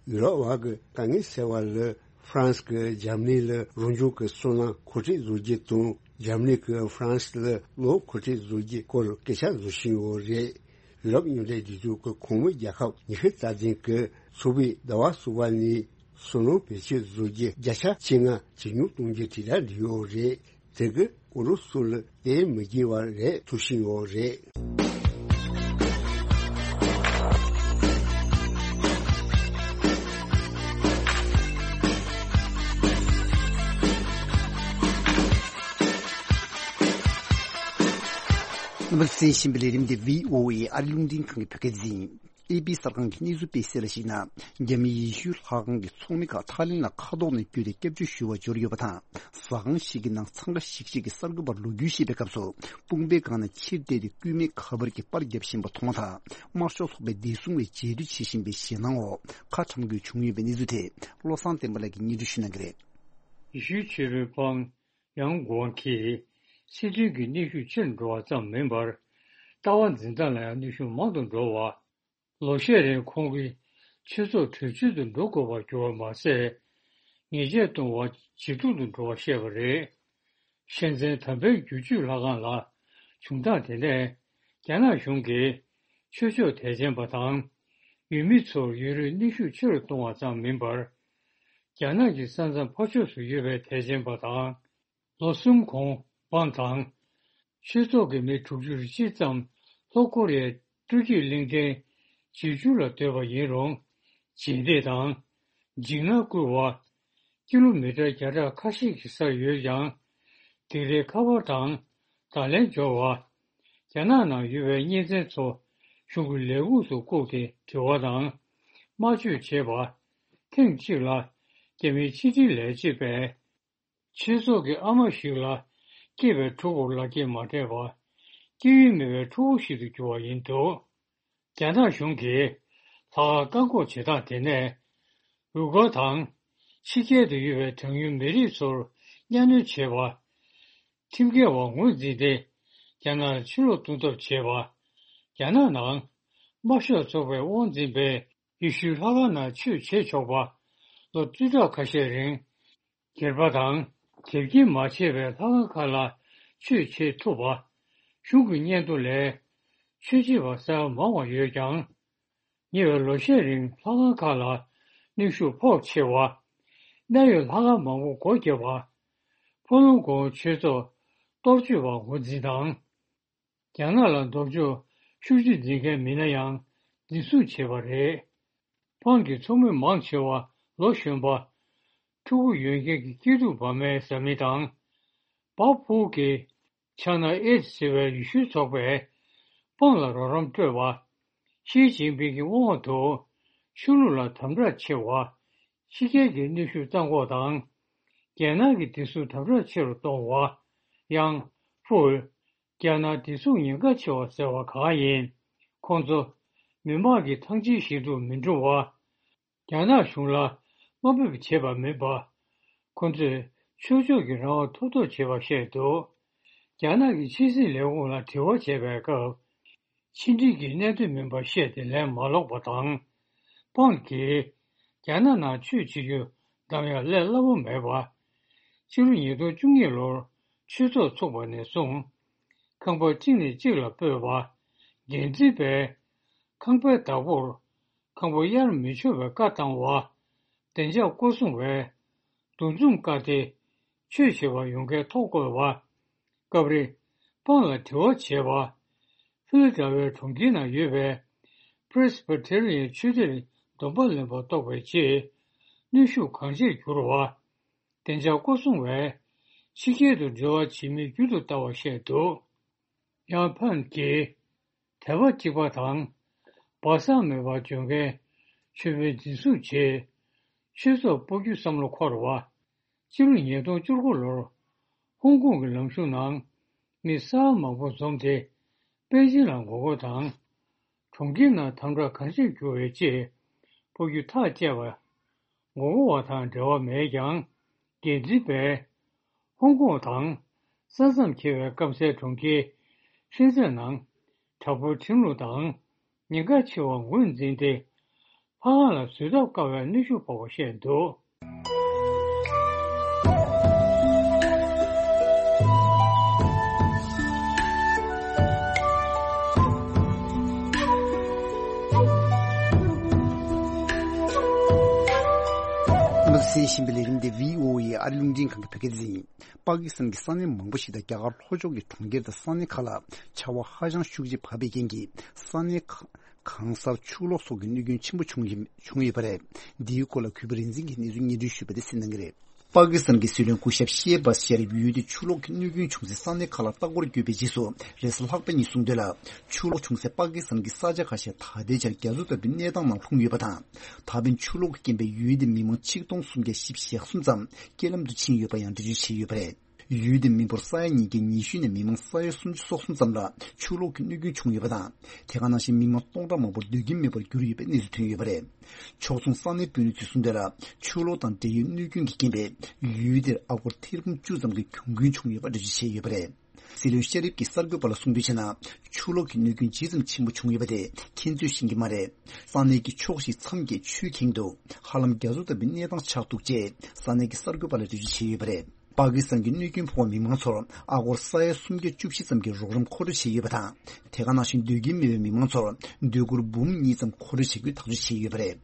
ཡུ་རོབ་བར་གྱི་དཀའ་ངལ་སེལ་བ་ལ་ཧྥ་རན་སི་གིས་འཇར་མ་ནི་ལ་རང་བྱུང་གི་སོལ་རླངས་མཁོ་སྤྲོད་བཟོ་རྒྱུ་དང་འཇར་མ་ནི་གིས་ཧྥ་རན་སི་ལ་གློག་མཁོ་སྤྲོད་བཟོ་རྒྱུའི་སྐོར་སྐད་ཆ་བཟོ་བཞིན་ཡོད་རེད། ཡུ་རོབ་མཉམ་འབྲེལ་རྒྱལ་ཚོགས་ཀྱི་གོང་མའི་རྒྱལ་ཁབ་ཉི་ཤུ་རྩ་བདུན་གྱིས་ཚོགས་པའི་ཟླ་བ་གསུམ་པ་ནས་སོལ་རླངས་བེད་སྤྱོད་བཟོ་རྒྱུ་བརྒྱ་ཆ་བཅོ་ལྔ་ཇེ་ཉུང་གཏོང་རྒྱུ་དྲིལ་བསྒྲགས་བྱས་ཡོད་རེད། དེ་གིས་ཨུ་རུ་སུ་ལ་དེ་མི་དགོས་པ་རེད་ཐུག་བཞིན་ཡོད་རེད། རྣམ་པ་གསན་བཞིན་པའི་ལས་རིམ་འདི་བྷི་ཨོ་ཨེ་ཨ་རི་རླུང་འཕྲིན་ཁང་གི་བོད་སྐད་སྡེ་ཚན་ཡིན། ཨེ་པི་གསར་ཁང་གིས་གནས་ཚུལ་སྤེལ་གསལ་ལ་གཞིགས་ན། རྒྱ་མི་ཡེ་ཤུའི་ལྷ་ཁང་གི་ཚོགས་མི་ཁག་ཐའི་ལེན་ལ་མཁའ་ཐོག་ནས་བརྒྱུད་དེ་སྐྱབས་བཅོལ་ཞུ་བར་འབྱོར་ཡོད་པ་དང་། ཟ་ཁང་ཞིག་གི་ནང་འཚང་ཁ་ཤིག་ཤིག་གིས་གསར་འགོད་པར་ལོ་རྒྱུས་བཤད་པའི་སྐབས་སུ། དཔུང་པའི་སྒང་ནས་ཕྱིར་བལྟས་ཏེ་སྐུད་མེད་ཁ་པར་གྱིས་པར་བརྒྱབ་བཞིན་པ་མཐོང་བ་དང་། དམར་ཤོག་ཚོགས་པའི་བདེ་སྲུང་བས་རྗེས་མཐུད་བྱེད་བཞིན་པའི་ཞེད་སྣང་འོག་ཁ་ཁྲམ་དགོས་བྱུང་ཡོད་པའི་གནས་ཚུལ་དེ། བློ་བཟང་བསྟན་པ་ལགས་ཀྱིས་སྙན་སྒྲོན་ཞུ་གནང་གི་རེད། ཡེ་ཤུའི་ཆོས་པའི་དཔང་ཡང་གོང་གིས་སྲིད་དོན་གྱི་གནོན་ཤུགས་ཆེར་འགྲོ་བ་ཙམ་མིན་པར། ལྟ་བ་འཛིན་སྟངས་ལ་ཡང་གནོན་ཤུགས་མང་དུ་འགྲོ་བ། ལོ་ཤས་རིང་ཁོང་གིས་ཆོས་ཚོགས་བྲོས་བྱོལ་དུ་འགྲོ་དགོས་པར་གྱུར་པ་མ་ཟད། ཉེས་ཆད་གཏོང་བ་ཇེ་སྡུག་ཏུ་འགྲོ་བར་བཤད་པ་རེད། ཤན་ཙེན་དམ་པའི་རྒྱུད་སྤྱོད་ལྷ་ཁང་ལ་བྱུང་སྟངས་དེ་ནས། རྒྱ་ནག་གཞུང་གིས་ཆོས་ཕྱོགས་དད་ཅན་པ་དང་། ཡུལ་མི་ཚོར་ཡུན་རིང་གནོན་ཤུགས་ཆེ་རུ་གཏོང་བ་ཙམ་མིན་པར། རྒྱ་ནག་གི་ས་མཚམས་ཕར་ཕྱོགས་སུ་ཡོད་པའི་དད་ཅན་པ་དང་། ལོ་གསུམ་གོང་། པང་དང་། ཆོས་ཚོགས་ཀྱི་མི་དྲུག་ཅུ་རེ་གཅིག་ཙམ་ལྷོ་ཀོ་རི་ཡའི་སྤྲོ་སྐྱིད་གླིང་ཕྲན་ཇེ་ཆུང་ལ་སྡོད་པ་ཡིན་རུང་། རྗེས་འདེད་དང་། འཇིགས་སྣང་བསྐུལ་བ། ཀི་ལོ་མི་ཊར་བརྒྱ་ཕྲག་ཁ་ཤས་ཀྱི་སར་ཡོད་ཀྱང་། སྡིགས་རའི་ཁ་པར་དང་བརྡ་ལན་འབྱོར་བ། རྒྱ་ནག་ནང་ཡོད་པའི་གཉེན་ཚན་ཚོ་གཞུང་གི་ལས་ཁུངས་སུ་བཀུག་སྟེ་དྲི་བ་དང་། དམར་མཆོད་བྱེད་པ། ཐེངས་གཅིག་ལ་རྒྱ་མིའི་ཕྱི་དྲིལ་ལས་བྱེད་པས། ཆོས་ཚོགས་ཀྱི་ཨ་མ་ཞིག་ལ་སྐྱེས་པའི་ཕྲུ་གུར་ལག་འཁྱེར་མ་སྤྲད་པར། སྐྱེ་ཡུལ་མེད་པའི་ཕྲུ་གུ་ཞིག་ཏུ་གྱུར་བ་ཡིན་འདུག་རྒྱ་ནག་གཞུང་གིས་ལྷག་དཀར་བཀག་འགོག་བྱེད་སྟངས་དེ་ནས། ཝུ་གུར་དང་། ཕྱི་རྒྱལ་དུ་ཡོད་པའི་གྲངས་ཉུང་མི་རིགས་ཚོར་གཉའ་གནོན་བྱེད་པ། ཁྲིམས་འགལ་བ་ངོས་འཛིན་ཏེ། རྒྱ་ནག་ལ་ཕྱིར་ལོག་གཏོང་ཐབས་བྱེད་པ། རྒྱ་ནག་ནང་དམར་ཤོག་ཚོགས་པའི་དབང་འཛིན་པས། ཡེ་ཤུའི་ལྷ་ཁང་ནང་ཆོས་བྱེད་ཆོག་པ། ལོ་བཅུ་ཕྲག་ཁ་ཤས་རིང་། སྒེར་པ་དང་། དེབ་སྐྱེལ་མ་བྱས་པའི་ལྷ་ཁང་ཁག་ལ་ཆོས་བྱེད་ཐུབ་པ། གཞུང་གི་སྙན་ཐོ་ལས། ཆོས་བྱེད་པ་གསར་པ་མང་བ་ཡོད་ཀྱང་། ཉེ་བའི་ལོ་ཤས་རིང་ལྷ་ཁང་ཁག་ལ་གནོན་ཤུགས་ཕོག་ཆེ་བ། གནད་ཡོད་ལྷ་ཁང་མང་པོ་སྒོ་བརྒྱབ་པ། ཕོ་ལུང་གོང་ཆོས་ཚོགས་གཏོར་བཅོས་པ་ངོས་འཛིན་དང་། རྒྱ་ནག་ལ་ལྡོག་ཕྱོགས་ཤུགས་ཆེ་འཛིན་མཁན་མི་སྣ་ཡང་འཛིན་བཟུང་བྱས་པ་རེད། ཕང་གི་ཚོགས་མི་མང་ཆེ་བ་ལོ་གཞོན་པ། ཕྲུ་གུ་ཡོད་མཁན་གྱི་སྐྱིད་སྡུག་བ་མའི་བཟའ་མི་དང་། བ་ཕུའུ་གི་ཆ་ན་ཨེ་ཟེར་བའི་ཡེ་ཤུའི་ཚོགས་པས་པང་ལ་རོགས་རམ་སྤྲོད་པ། ཞི་ཅིན་ཕིང་གི་དབང་འོག་ཏུ་ཆོས་ལུགས་ལ་དམ་དྲག་ཆེ་བ། ཕྱི་རྒྱལ་གྱི་གནོན་ཤུགས་གཏང་འགོག་དང་། རྒྱལ་ནང་གི་བདེ་སྲུང་དམ་དྲག་ཆེ་རུ་གཏོང་བ། ཡང་ཧྥུའུ། རྒྱ་ནག་བདེ་སྲུང་ཉེན་ཁ་ཆེ་བ་ཟེར་བ་གང་ཡིན། ཁོང་ཚོ་མི་དམངས་ཀྱི་ཐང་ཆེན་ཞིག་ཏུ་མི་འགྲོ་བ། རྒྱ་ནག་གཞུང་ལ་དམའ་འབེབས་བྱེད་པ་མིན་པ། ཁོ་ཚོས་ཆོས་ཕྱོགས་ཀྱི་རང་དབང་ཐོབ་ཐབས་བྱེད་པ་བཤད་འདུག་རྒྱ་ནག་གི་ཕྱི་སྲིད་ལས་ཁུངས་ལ་དྲི་བ་བྱས་པའི་སྐབས། ཕྱི་འབྲེལ་གྱི་གནད་དོན་མིན་པ་བཤད་དེ་ལན་མ་ལོག་པ་དང་། པང་གིས་རྒྱ་ནག་ནང་ཆོས་བྱེད་རྒྱུ་བདམས་ཡག་སླད་སླ་པོ་མེད་པ། ཕྱི་ལོ་ཉིས་སྟོང་བཅུ་གཉིས་ལོར་ཆོས་ཚོགས་ཚུགས་པ་ནས་བཟུང་། ཁང་པ་གཅིག་ནས་གཅིག་ལ་སྤོས་པ། འགན་འཛིན་པས་ཁང་པའི་བདག་པོར་ཁང་པ་གཡར་མི་ཆོག་པའི་བཀའ་བཏང་བ། བདེ་འཇགས་སྐོར་སྲུང་བས་འདུ་འཛོམས་བཀག་སྟེ་ཆོས་བྱེད་པར་ཡོང་མཁན་ཐོ་བཀོད་པ། སྐབས་རེ་པང་ལ་དྲི་བ་བྱས་པ། ཧྥི་ལ་ཌེལ་ཕི་ཡ་གྲོང་ཁྱེར་ནང་ཡོད་པའི་པི་རེ་སི་བྷི་ཏེ་རི་ཡན་ཆོས་སྡེར་སྡོམ་པ་ལེན་པར་གཏོགས་པའི་རྗེས། གནོན་ཤུགས་གང་ཆེར་གྱུར་བ། བདེ་འཇགས་སྐོར་སྲུང་བས་ཕྱི་རྒྱལ་དུ་འབྲེལ་བ་བྱེད་མི་རྒྱུན་དུ་བལྟ་བར་བཤད་འདུག་ཡང་ཕན་གྱིས། དད་པ་གཅིག་པ་དང་། སྦ་གསང་མེད་པར་འཇོན་མཁན་ཆོས་དཔོན་འཛིན་བཟུང་བྱས། ཆོས་ཚོགས་སྤོ་རྒྱུ་བསམ་བློ་འཁོར་བ། སྤྱི་ལོ་ཉིས་སྟོང་བཅུ་དགུ་ལོར། ཧོང་ཀོང་གི་ལམ་གཞུང་ནང་མི་གསར་པ་མང་པོ་འཛོམས་ཏེ། པེ་ཅིན་ལ་ངོ་རྒོལ་དང་། གྲོང་ཁྱེར་ནང་དམ་དྲག་གང་ཆེར་གྱུར་བའི་རྗེས། སྤོ་རྒྱུ་ཐག་བཅད་པ། ངོ་རྒོལ་བ་དང་འབྲེལ་བ་མེད་ཀྱང་། འགན་འཛིན་པས། ཧོང་ཀོང་དང་ས་མཚམས་འཁེལ་བའི་སྐམ་སའི་གྲོང་ཁྱེར་ཧྲིན་ཙེན་ནང་དྲག་པོའི་ཁྲིམས་ལུགས་དང་ཉེན་ཁ་ཆེ་བ་ངོས་འཛིན་ཏེ། ལྷ་ཁང་ལ་འཛུལ་ཐབས་དཀའ་བའི་གནོན་ཤུགས་ཕོག་པ་བཤད་འདུག་གསན་བཞིན་པའི་ལས་རིམ་འདི་བྷི་ཨོ་ཨེ་ཨ་རི་རླུང་འཕྲིན་ཁང་གི་བོད་སྐད་སྡེ་ཚན་ཡིན། པ་ཀི་སི་ཐན་གྱི་ས་གནས་མང་པོ་ཞིག་དང་རྒྱ་གར་ལྷོ་ཕྱོགས་ཀྱི་གྲོང་ཁྱེར་དང་ས་གནས་ཁག་ལ་ཆར་བ་ཧ་ཅང་ཤུགས་ཆེ་བབས་པའི་རྐྱེན་གྱིས་ས་གནས་ཁག་གང་སར་ཆུ་ལོག་སོགས་ཀྱི་གནོད་སྐྱོན་ཆེན་པོ་བྱུང་བཞིན་བྱུང་ཡོད་པ་རེད། འདིའི་སྐོར་ལ་གུས་པ་རིག་འཛིན་གྱིས་གནས་ཚུལ་སྙན་སྒྲོན་ཞུས་པ་དེ་གསན་གནང་གི་རེད། པ་ཀི་སི་ཐན་གྱི་སྲིད་བློན་སྐུ་ཞབས་ཤེ་བཱ་ཤེ་རིབ་ཡུལ་དེའི་ཆུ་ལོག་གི་གནོད་སྐྱོན་བྱུང་སའི་ས་གནས་ཁག་ལ་ལྟ་སྐོར་བསྐྱོད་པའི་རྗེས་སུ། རེས་གཟའ་ལྷག་པ་ཉིན་གསུངས་དོན་ལ། ཆུ་ལོག་བྱུང་སའི་པ་ཀི་སི་ཐན་གྱི་ས་ཆ་ཁ་ཤས་ད་ལྟའི་ཆར་རྒྱ་མཚོ་ལྟ་བུའི་གནས་སྟངས་ནང་ལྷུང་ཡོད་པ་དང་། ད་ཕན་ཆུ་ལོག་གི་རྐྱེན་པས་ཡུལ་དེའི་མི་མང་ཆིག་སྟོང་སུམ་བརྒྱ་བཞི་བཅུ་ཞེ་གསུམ་ཙམ་རྐྱེན་ལམ་དུ་ཕྱིན་ཡོད་པ་ཡང་འགྲེལ་བརྗོད་བྱས་ཡོད་པ་རེད། ཡུལ་དེའི་མི་འབོར་ས་ཡ་ཉིས་བརྒྱ་ཉི་ཤུ་ནས་མི་མང་ས་ཡ་སུམ་ཅུ་སོ་གསུམ་ཙམ་ལ་ཆུ་ལོག་གི་གནོད་སྐྱོན་བྱུང་ཡོད་པ་དང་། དེ་ག་ནང་བཞིན་མི་མང་སྟོང་ཕྲག་མང་པོར་སྡོད་ཁྱིམ་མེད་པར་གྱུར་ཡོད་པའི་གནས་ཚུལ་ཐོན་ཡོད་པ་རེད། ཕྱོགས་མཚུངས་ས་གནས་དཔོན་རིགས་ཚོས་གསུངས་དོན་ལ། ཆུ་ལོག་དང་འབྲེལ་ཡོད་གནོད་སྐྱོན་གྱི་རྐྱེན་པས་ཡུལ་དེར་ཨ་སྒོར་ཐེར་འབུམ་བཅུ་ཙམ་གྱི་གྱོང་གུན་བྱུང་ཡོད་པ་འགྲེལ་བརྗོད་བྱས་ཡོད་པ་རེད། སྲིད་བློན་ཤེ་རིབ་ཀྱིས་གསར་འགོད་པ་ལ་གསུངས་དོན་བྱས་ན། ཆུ་ལོག་གི་གནོད་སྐྱོན་ཇི་ཙམ་ཆེན་པོ་བྱུང་ཡོད་པ་དེ་ཁྱེད་ཚོས་ཤེས་ཀྱི་མ་རེད། ས་གནས་ཀྱི་ཕྱོགས་བཞི་མཚམས་བརྒྱད་ཆུས་ཁེངས་འདུག་ཧ་ལམ་རྒྱ་མཚོ་ལྟ་བུའི་གནས་སྟངས་ཆགས་འདུག་ཅེས་ས་གནས་ཀྱི་གསར་འགོད་པ་ལ་འགྲེལ་བརྗོད་བྱས་ཡོད་པ་རེད། པ་ཀི་སི་ཐན་གྱི་གནོད་སྐྱོན་ཕོག་པའི་མི་མང་ཚོར་ཨ་སྒོར་ས་ཡ་སུམ་བརྒྱ་བཅུ་བཞི་ཙམ་གྱི་རོགས་རམ་མཁོ་སྤྲོད་བྱས་ཡོད་པ་དང་། དེ་ག་ནང་བཞིན་སྡོད་ཁྱིམ་མེད་པའི་མི་མང་ཚོར་སྡོད་གུར་འབུམ་གཉིས་ཙམ་མཁོ་སྤྲོད་བྱེད་རྒྱུའི་ཐག་གཅོད་བྱས་ཡོད་པ་རེད།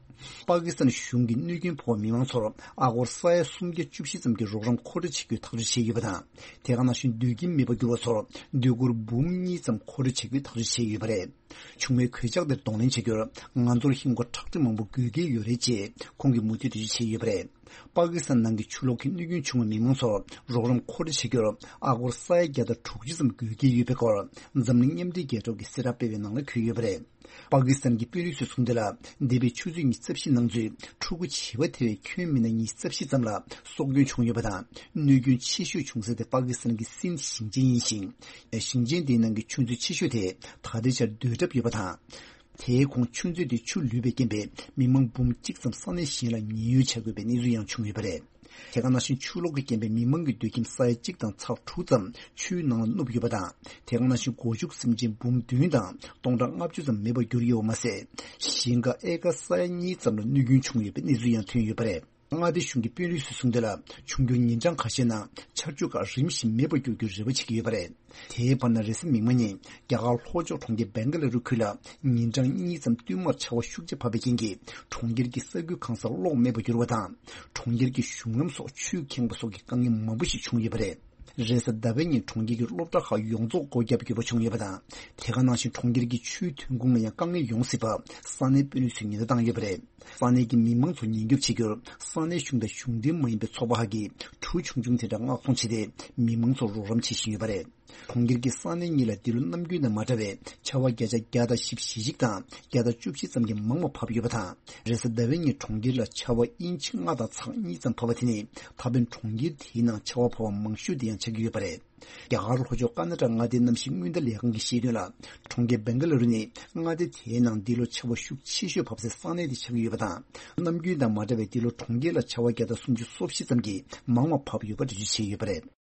པ་ཀི་སི་ཐན་གཞུང་གིས་གནོད་སྐྱོན་ཕོག་པའི་མི་མང་ཚོར་ཨ་སྒོར་ས་ཡ་སུམ་བརྒྱ་བཅུ་བཞི་ཙམ་གྱི་རོགས་རམ་མཁོ་སྤྲོད་བྱེད་རྒྱུའི་ཐག་གཅོད་བྱས་ཡོད་པ་དང་། དེ་ག་ནང་བཞིན་སྡོད་ཁྱིམ་མེད་པར་གྱུར་བ་ཚོར་སྡོད་གུར་འབུམ་གཉིས་ཙམ་མཁོ་སྤྲོད་བྱེད་རྒྱུའི་ཐག་གཅོད་བྱས་ཡོད་པ་རེད། བྱུང་བའི་གོད་ཆག་དེར་གདོང་ལེན་བྱ་རྒྱུར་ང་ཚོར་ཧིན་སྒོར་ཁྲག་ཁྲིག་མང་པོ་དགོས་ཀྱི་ཡོད་རེད་ཅེས་ཁོང་གིས་མུ་མཐུད་འགྲེལ་བརྗོད་བྱས་ཡོད་པ་རེད། པ་ཀི་སི་ཐན་ནང་གི་ཆུ་ལོག་གི་གནོད་སྐྱོན་བྱུང་བའི་མི་མང་ཚོར་རོགས་རམ་མཁོ་སྤྲོད་བྱེད་རྒྱུར་ཨ་སྒོར་ས་ཡ་བརྒྱ་དང་དྲུག་ཅུ་ཙམ་དགོས་ཀྱི་ཡོད་པའི་སྐོར་འཛམ་གླིང་མཉམ་འབྲེལ་རྒྱལ་ཚོགས་ཀྱིས་གསལ་བསྒྲགས་སྤེལ་བའི་ནང་ལ་འཁོད་ཡོད་པ་རེད། པ་ཀི་སི་ཐན་གྱི་དཔོན་རིགས་ཚོས་གསུངས་དོན་ལ། འདས་པའི་ཆུ་ཚོད་ཉི་ཤུ་རྩ་བཞི་ནང་ཚུད་ཕྲུ་གུ་བྱིས་པ་ཐེ་བའི་ཁྱོན་མི་སྣ་ཉི་ཤུ་རྩ་བཞི་ཙམ་ལ་སྲོག་སྐྱོན་བྱུང་ཡོད་པ་དང་། གནོད་སྐྱོན་ཆེ་ཤོས་བྱུང་ས་དེ་པ་ཀི་སི་ཐན་གྱི་སིན་ཞིང་ཆེན་ཡིན་ཞིང་། ཞིང་ཆེན་དེའི་ནང་གི་ཆུ་མཛོད་ཆེ་ཤོས་དེ་ད་ལྟའི་ཆར་སྡོད་གྲབས་ཡོད་པ་དང་། དེའི་གོང་ཆུ་མཛོད་དེ་ཆུ་ལུད་པའི་རྐྱེན་པས་མི་མང་འབུམ་གཅིག་ཙམ་ས་གནས་གཞན་ལ་ཉེན་གཡོལ་བྱ་དགོས་པའི་གནས་ཚུལ་ཡང་བྱུང་ཡོད་པ་རེད། དེ་ག་ནང་བཞིན་ཆུ་ལོག་གི་རྐྱེན་པས་མི་མང་གི་སྡོད་ཁྱིམ་ས་ཡ་གཅིག་དང་ཚེག་དྲུག་ཙམ་ཆུའི་ནང་ལ་བསྣུབས་ཡོད་པ་དང་། དེ་ག་ནང་བཞིན་སྒོ་ཕྱུགས་སེམས་ཅན་འབུམ་བདུན་དང་སྟོང་ཕྲག་ལྔ་བཅུ་ཙམ་མེད་པར་གྱུར་ཡོད་པ་མ་ཟད། ཞིང་ཁ་ཨེ་ཀར་ས་ཡ་གཉིས་ཙམ་ལ་གནོད་སྐྱོན་བྱུང་ཡོད་པའི་གནས་ཚུལ་ཡང་ཐོན་ཡོད་པ་རེད། མངའ་སྡེ་གཞུང་གི་དཔོན་རིགས་ཚོས་གསུངས་དོན་ལ། འབྱུང་འགྱུར་ཉིན་གྲངས་ཁ་ཤས་ནང་ཆར་ཆུ་ཁག་རིམ་བཞིན་མེད་པར་འགྱུར་རྒྱུའི་རེ་བ་བྱེད་ཀྱི་ཡོད་པ་རེད། དེའི་བར་ན་རེས་གཟའ་མིག་དམར་ཉིན་རྒྱ་གར་ལྷོ་ཕྱོགས་གྲོང་ཁྱེར་སྦེང་ག་ལ་རུ་ཁུལ་ལ་ཉིན་གྲངས་གཉིས་ཙམ་བསྟུད་མར་ཆར་པ་ཤུགས་ཆེ་བབས་པའི་རྐྱེན་གྱིས་གྲོང་ཁྱེར་གྱི་ས་ཁུལ་གང་སར་གློག་མེད་པར་གྱུར་བ་དང་། གྲོང་ཁྱེར་གྱི་གཞུང་ལམ་སོགས་ཆུས་ཁེངས་པ་སོགས་ཀྱི་དཀའ་ངལ་མང་པོ་ཞིག་བྱུང་ཡོད་པ་རེད། རེས་གཟའ་ཟླ་བའི་ཉིན་གྲོང་ཁྱེར་གྱི་སློབ་གྲྭ་ཁག་ཡོངས་རྫོགས་སྒོ་བརྒྱབ་དགོས་པ་བྱུང་ཡོད་པ་དང་། དེ་ག་ནང་བཞིན་གྲོང་ཁྱེར་གྱི་ཆུའི་ཐོན་ཁུངས་ལ་ཡང་དཀའ་ངལ་ཡོང་སྲིད་པ་ས་གནས་དཔོན་རིགས་ཚོས་ཉེན་བརྡ་བཏང་ཡོད་པ་རེད། ས་གནས་ཀྱི་མི་མང་ཚོར་ཉེན་སྐྱོབ་བྱེད་རྒྱུར་ས་གནས་གཞུང་དང་གཞུང་འབྲེལ་མ་ཡིན་པའི་ཚོགས་པ་ཁག་གིས་གྲུ་ཆུང་ཆུང་དེ་འདྲ་མངགས་གཏོང་བྱས་ཏེ་མི་མང་ཚོར་རོགས་རམ་བྱེད་བཞིན་ཡོད་པ་རེད། གྲོང་ཁྱེར་གྱི་ས་གནས་གཉིས་ལ་འདི་ལོ་ནམ་རྒྱུན་དང་མ་འདྲ་བའི་ཆར་པ་བརྒྱ་ཆ་བརྒྱ་དང་བཞི་བཅུ་ཞེ་གཅིག་དང་བརྒྱ་དང་བཅུ་བཞི་ཙམ་གྱི་མང་བ་བབས་ཡོད་པ་དང་། རེས་གཟའ་ཟླ་བའི་ཉིན་གྲོང་ཁྱེར་ལ་ཆར་པ་ཨིན་ཆི་ལྔ་དང་ཚེག་གཉིས་ཙམ་བབས་པ་དེ་ནི་ད་ཕན་གྲོང་ཁྱེར་དེའི་ནང་ཆར་པ་བབས་པ་མང་ཤོས་དེ་ཡང་ཆགས་ཀྱི་ཡོད་པ་རེད། རྒྱ་གར་ལྷོ་ཕྱོགས་ཀར་ནཱ་ཊ་མངའ་སྡེའི་གནམ་གཤིས་སྔོན་བརྡ་ལས་ཁང་གིས་བཤད་དོན་ལ། གྲོང་ཁྱེར་སྦེང་ག་ལ་རུ་ནི་མངའ་སྡེ་དེའི་ནང་འདི་ལོ་ཆར་པ་ཤུགས་ཆེ་ཤོས་བབས་སའི་ས་གནས་དེ་ཆགས་ཀྱི་ཡོད་པ་དང་། ནམ་རྒྱུན་དང་མ་འདྲ་བའི་འདི་ལོ་གྲོང་ཁྱེར་ལ་ཆར་པ་བརྒྱ་དང་སུམ་ཅུ་སོ་བཞི་ཙམ་གྱིས་མང་བ་བབས་ཡོད་པ་འགྲེལ་བརྗོད་བྱས་ཡོད་པ་རེད།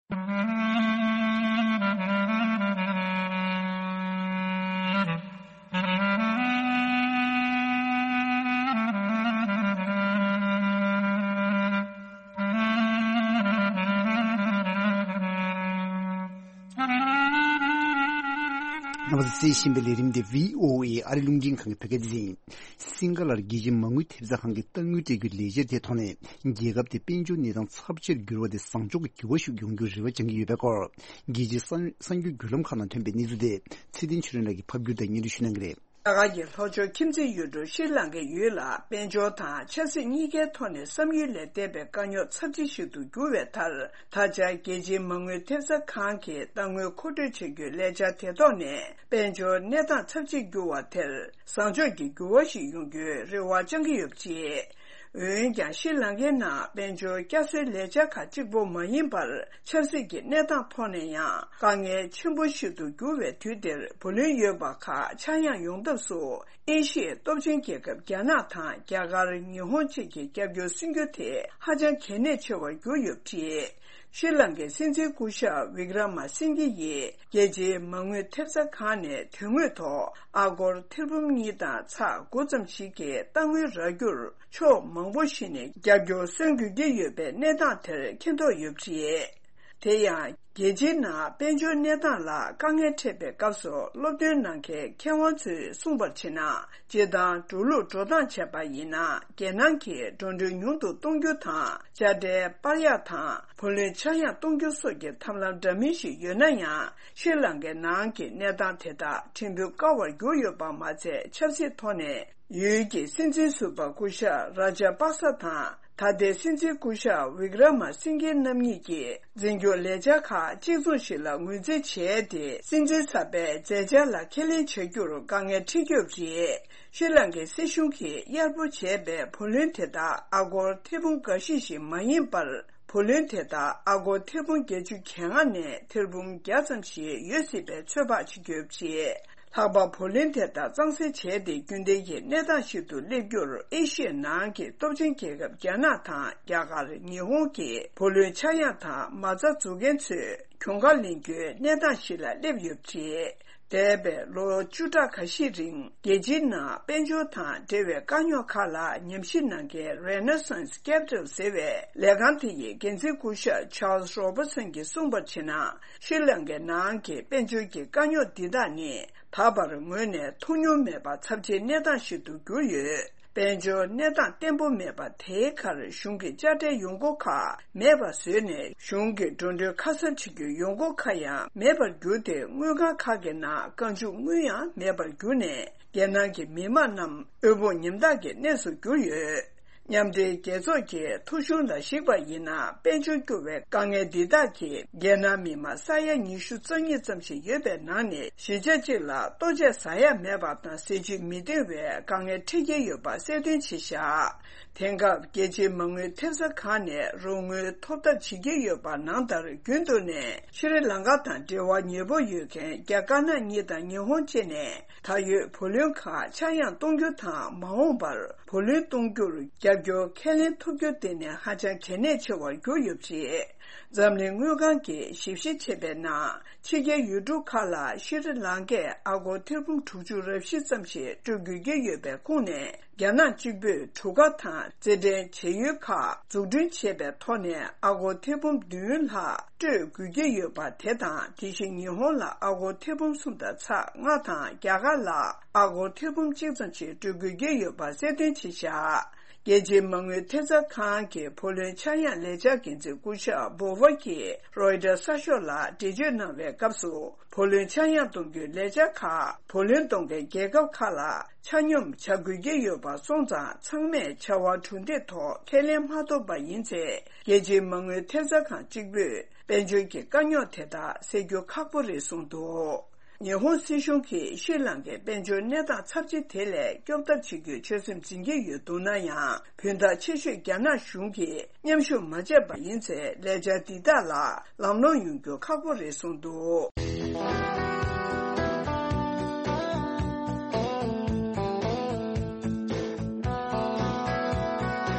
རྣམ་པ་ཚོས་གསན་བཞིན་པའི་ལས་རིམ་འདི་བྷི་ཨོ་ཨེ་ཨ་རི་རླུང་འཕྲིན་ཁང་གི་བོད་སྐད་སྡེ་ཚན་ཡིན། སིང་ག་ལར་རྒྱལ་སྤྱིའི་མ་དངུལ་ཐེབས་རྩ་ཁང་གིས་གཏའ་དངུལ་སྤྲད་རྒྱུའི་ལས་འཆར་དེའི་ཐོག་ནས་རྒྱལ་ཁབ་དེ་དཔལ་འབྱོར་གནས་སྟངས་ཚབས་ཆེར་འགྱུར་བ་དེ་བཟང་ཕྱོགས་ཀྱི་འགྱུར་བ་ཞིག་ཡོང་རྒྱུར་རེ་བ་བཅང་གི་ཡོད་པའི་སྐོར། རྒྱལ་སྤྱིའི་གསར་གསར་འགྱུར་བརྒྱུད་ལམ་ཁག་ནང་ཐོན་པའི་གནས་ཚུལ་དེ་ཚེ་བརྟན་ཆོས་སྒྲོན་ལགས་ཀྱིས་ཕབ་བསྒྱུར་དང་སྙན་སྒྲོན་ཞུ་གནང་གི་རེད། རྒྱ་གར་གྱི་ལྷོ་ཕྱོགས་ཁྱིམ་མཚེས་ཡུལ་གྲུ་ཤྲི་ལང་ཀའི་ཡུལ་ལ་དཔལ་འབྱོར་དང་ཆབ་སྲིད་གཉིས་ཀའི་ཐོག་ནས་བསམ་ཡུལ་ལས་འདས་པའི་དཀའ་རྙོག་ཚབས་ཆེ་ཞིག་ཏུ་གྱུར་བའི་མཐར། ད་ཆ་རྒྱལ་སྤྱིའི་མ་དངུལ་ཐེབས་རྩ་ཁང་གིས་གཏའ་དངུལ་མཁོ་སྤྲོད་བྱ་རྒྱུའི་ལས་འཆར་དེ་ཐོག་ནས་དཔལ་འབྱོར་གནས་སྟངས་ཚབས་ཆེར་འགྱུར་བ་དེར་བཟང་ཕྱོགས་ཀྱི་འགྱུར་བ་ཞིག་ཡོང་རྒྱུའི་རེ་བ་བཅང་གི་ཡོད་པ་རེད། འོན་ཀྱང་ཤྲི་ལང་ཀའི་ནང་དཔལ་འབྱོར་བསྐྱར་གསོའི་ལས་འཆར་ཁག་གཅིག་པོ་མ་ཡིན་པར། ཆབ་སྲིད་ཀྱི་གནས་སྟངས་ཐོག་ནས་ཡང་དཀའ་ངལ་ཆེན་པོ་ཞིག་ཏུ་གྱུར་བའི་དུས་འདིར་བུ་ལོན་ཡོད་པ་ཁག་ཆག་ཡང་ཡོང་ཐབས་སུ། ཨེ་ཤི་ཡའི་སྟོབས་ཆེན་རྒྱལ་ཁབ་རྒྱ་ནག་དང་རྒྱ་གར། ཉི་ཧོང་བཅས་ཀྱི་རྒྱབ་སྐྱོར་སྲུང་རྒྱུ་དེ་ཧ་ཅང་གལ་གནད་ཆེ་བར་གྱུར་ཡོད་པ་རེད། ཤྲི་ལང་ཀའི་སྲིད་འཛིན་སྐུ་ཞབས་ཝི་ཀྲ་མ་སིང་གྷེ་ཡིས་རྒྱལ་སྤྱིའི་མ་དངུལ་ཐེབས་རྩ་ཁང་ནས་དོན་དངོས་ཐོག་ཨ་སྒོར་ཐེར་འབུམ་གཉིས་དང་ཚེག་དགུ་ཙམ་ཞིག་གི་གཏའ་དངུལ་རག་རྒྱུར་ཕྱོགས་མང་པོ་ཞིག་ནས་རྒྱབ་སྐྱོར་སོན་དགོས་ཀྱི་ཡོད་པའི་གནས་སྟངས་དེར་མཁྱེན་རྟོགས་ཡོད་པ་རེད། དེ་ཡང་། རྒྱལ་སྤྱིའི་ནང་དཔལ་འབྱོར་གནས་སྟངས་ལ་དཀའ་ངལ་འཕྲད་པའི་སྐབས་སུ་སློབ་སྟོན་གནང་མཁན་མཁས་དབང་ཚོས་གསུངས་པར་བྱས་ན། སྤྱིར་བཏང་འགྲོ་ལུགས་འགྲོ་སྟངས་བྱས་པ་ཡིན་ན། རྒྱལ་ནང་གི་འགྲོ་གྲོན་ཉུང་དུ་གཏོང་རྒྱུ་དང་། དཔྱ་ཁྲལ་སྤར་ཡག་དང་། བུ་ལོན་ཆག་ཡང་གཏོང་རྒྱུ་སོགས་ཀྱི་ཐབས་ལམ་འདྲ་མིན་ཞིག་ཡོད་ན་ཡང་། ཤྲི་ལང་ཀའི་ནང་གི་གནས་སྟངས་དེ་དག་ཁྲིམས་མཐུན་དཀའ་བར་གྱུར་ཡོད་པ་མ་ཚད། ཆབ་སྲིད་ཐོག་ནས་ཡུལ་གྱི་སྲིད་འཛིན་ཟུར་པ་སྐུ་ཞབས་ར་ཇ་པག་ས་དང་། ད་ལྟའི་སྲིད་འཛིན་སྐུ་ཞབས་ཝི་ཀྲ་མ་སིང་གྷེ་རྣམ་གཉིས་ཀྱིས་འཛིན་སྐྱོང་ལས་འཆར་ཁག་གཅིག་མཚུངས་ཤིག་ལ་ངོས་འཛིན་བྱས་ཏེ། སྲིད་འཛིན་གསར་པའི་མཛད་འཆར་ལ་ཁས་ལེན་བྱ་རྒྱུར་དཀའ་ངལ་འཕྲད་ཀྱི་ཡོད་པ་རེད། ཤྲི་ལང་ཀའི་སྲིད་གཞུང་གིས་གཡར་པོ་བྱས་པའི་བུ་ལོན་དེ་དག་ཨ་སྒོར་ཐེར་འབུམ་འགའ་ཤས་ཤིག་མ་ཡིན་པར། བུ་ལོན་དེ་དག་ཨ་སྒོར་ཐེར་འབུམ་བརྒྱད་ཅུ་གྱ་ལྔ་ནས་ཐེར་འབུམ་བརྒྱ་ཙམ་ཞིག་ཡོད་སྲིད་པའི་ཚོད་དཔག་བྱེད་ཀྱི་ཡོད་པ་རེད། ལྷག་པར་བུ་ལོན་དེ་དག་གཙང་སེལ་བྱས་ཏེ། རྒྱུན་ལྡན་གྱི་གནས་སྟངས་ཤིག་ཏུ་སླེབས་རྒྱུར། ཨེ་ཤི་ཡའི་ནང་གི་སྟོབས་ཆེན་རྒྱལ་ཁབ་རྒྱ་ནག་དང་། རྒྱ་གར། ཉི་ཧོང་གི་བུ་ལོན་ཆག་ཡང་དང་། མ་རྩ་འཛུགས་མཁན་ཚོས་གྱོང་ཁ་ལེན་རྒྱུའི་གནས་སྟངས་ཤིག་ལ་སླེབས་ཡོད་པ་རེད། འདས་པའི་ལོ་བཅུ་ཕྲག་ཁ་ཤས་རིང་། རྒྱལ་སྤྱིའི་ནང་དཔལ་འབྱོར་དང་འབྲེལ་བའི་དཀའ་རྙོག་ཁག་ལ་ཉམས་ཞིབ་གནང་མཁན་Renaissance Capital ཟེར་བའི་ལས་ཁང་དེ་ཡི་འགན་འཛིན་སྐུ་ཞབས་Charles Robertson གྱིས་གསུངས་པར་བྱས་ན། ཤྲི་ལང་ཀའི་ནང་གི་དཔལ་འབྱོར་གྱི་དཀའ་རྙོག་འདི་དག་ནི། ད་བར་ངོས་ནས་མཐོང་མྱོང་མེད་པ་ཚབས་ཆེའི་གནས་སྟངས་ཤིག་ཏུ་གྱུར་ཡོད། དཔལ་འབྱོར་གནས་སྟངས་བརྟན་པོ་མེད་པ་དེའི་ཁར། གཞུང་གི་དཔྱ་ཁྲལ་ཡོང་སྒོ་ཁག་མེད་པ་བཟོས་ནས། གཞུང་གི་འགྲོ་གྲོན་ཁ་གསབ་བྱེད་རྒྱུའི་ཡོང་སྒོ་ཁག་ཡང་མེད་པར་གྱུར་ཏེ། དངུལ་ཁང་ཁག་གི་ནང་རྐང་བཅུག་དངུལ་ཡང་མེད་པར་གྱུར་ནས། རྒྱལ་ནང་གི་མི་དམངས་རྣམས་དབུལ་ཕོངས་ཉམ་ཐག་གི་གནས་སུ་གྱུར་ཡོད། མཉམ་འབྲེལ་རྒྱལ་ཚོགས་ཀྱི་ཐོ་གཞུང་ལ་གཞིགས་པ་ཡིན་ན། དཔལ་འབྱོར་སྐྱོ་བའི་དཀའ་ངལ་འདི་དག་གིས་རྒྱལ་ནང་མི་མང་ས་ཡ་ཉི་ཤུ་རྩ་གཉིས་ཙམ་ཞིག་ཡོད་པའི་ནང་ནས། བཞི་ཆ་གཅིག་ལ་ལྟོ་ཆས་ཟ་ཡ་མེད་པ་དང་། ཟས་བཅུད་མི་འདང་བའི་དཀའ་ངལ་འཕྲད་ཀྱི་ཡོད་པ་གསལ་སྟོན་བྱས་བཞག་དེང་སྐབས་རྒྱལ་སྤྱིའི་མ་དངུལ་ཐེབས་རྩ་ཁང་ནས་རོགས་དངུལ་ཐོབ་ཐབས་བྱེད་ཀྱི་ཡོད་པ་ནང་ལྟར། རྒྱུན་དུ་ནས་ཤྲི་ལང་ཀ་དང་འབྲེལ་བ་ཉེ་པོ་ཡོད་མཁན་རྒྱ་དཀར་ནག་གཉིས་དང་ཉི་ཧོང་བཅས་ནས། ད་ཡོད་བུ་ལོན་ཁག་ཆག་ཡང་གཏོང་རྒྱུ་དང་། མ་འོངས་པར་བུ་ལོན་གཏོང་རྒྱུར་རྒྱབ་སྐྱོར་ཁས་ལེན་ཐུབ་རྒྱུ་དེ་ནི་ཧ་ཅང་གལ་གནད་ཆེ་བར་གྱུར་ཡོད་པ་རེད། འཛམ་གླིང་དངུལ་ཁང་གིས་ཞིབ་བཤེར་བྱས་པའི་ནང་། ཕྱི་རྒྱལ་ཡུལ་གྲུ་ཁག་ལ་ཤྲི་ལང་ཀས་ཨ་སྒོར་ཐེར་འབུམ་དྲུག་ཅུ་རེ་བཞི་ཙམ་ཞིག་སྤྲོད་དགོས་ཀྱི་ཡོད་པའི་ཁོངས་ནས། རྒྱ་ནག་གཅིག་པུས་གྲུ་ཁ་དང་རྩེད་འགྲན་བྱེད་ཡུལ་ཁག་འཛུགས་སྐྲུན་བྱས་པའི་ཐོག་ནས། ཨ་སྒོར་ཐེར་འབུམ་བདུན་ལྷག་སྤྲོད་དགོས་ཀྱི་ཡོད་པ་དེ་དང་། དེ་བཞིན་ཉི་ཧོང་ལ་ཨ་སྒོར་ཐེར་འབུམ་གསུམ་དང་ཚེག་ལྔ་དང་། རྒྱ་གར་ལ་ཨ་སྒོར་ཐེར་འབུམ་གཅིག་ཙམ་ཞིག་སྤྲོད་དགོས་ཀྱི་ཡོད་པ་གསལ་སྟོན་བྱས་བཞག་རྒྱལ་སྤྱིའི་མ་དངུལ་ཐེབས་རྩ་ཁང་གི་བུ་ལོན་ཆག་ཡང་ལས་འཆར་འགན་འཛིན་སྐུ་ཞབས་Bauer གྱིས་Reuters གསར་ཤོག་ལ་འགྲེལ་བརྗོད་གནང་བའི་སྐབས་སུ། བུ་ལོན་ཆག་ཡང་གཏོང་རྒྱུའི་ལས་འཆར་ཁག་བུ་ལོན་གཏོང་མཁན་རྒྱལ་ཁབ་ཁག་ལ་ཆ་སྙོམས་བྱ་དགོས་ཀྱི་ཡོད་པ་སོང་ཙང་། ཚང་མས་བྱ་བ་གྲུབ་འབྲས་ཐོག་ཁས་ལེན་མ་ཐུབ་པ་ཡིན་ཚེ། རྒྱལ་སྤྱིའི་མ་དངུལ་ཐེབས་རྩ་ཁང་གཅིག་པུས་དཔལ་འབྱོར་གྱི་དཀའ་རྙོག་དེ་དག་སེལ་རྒྱུ་ཁག་པོ་རེད་གསུངས་འདུག་ཉི་ཧོང་སྲིད་གཞུང་གིས་ཤྲི་ལང་ཀའི་དཔལ་འབྱོར་གནས་སྟངས་ཚབས་ཆེ་དེ་ལས་སྐྱོབ་ཐབས་བྱེད་རྒྱུའི་ཆོད་སེམས་འཛིན་གྱི་ཡོད་འདུག་ན་ཡང་། བུན་བདག་ཆེ་ཤོས་རྒྱ་ནག་གཞུང་གིས་མཉམ་ཞུགས་མ་བྱས་པ་ཡིན་ཚེ། ལས་འཆར་འདི་དག་ལ་ལམ་ལྷོང་ཡོང་རྒྱུ་ཁག་པོ་རེད་གསུངས་འདུག་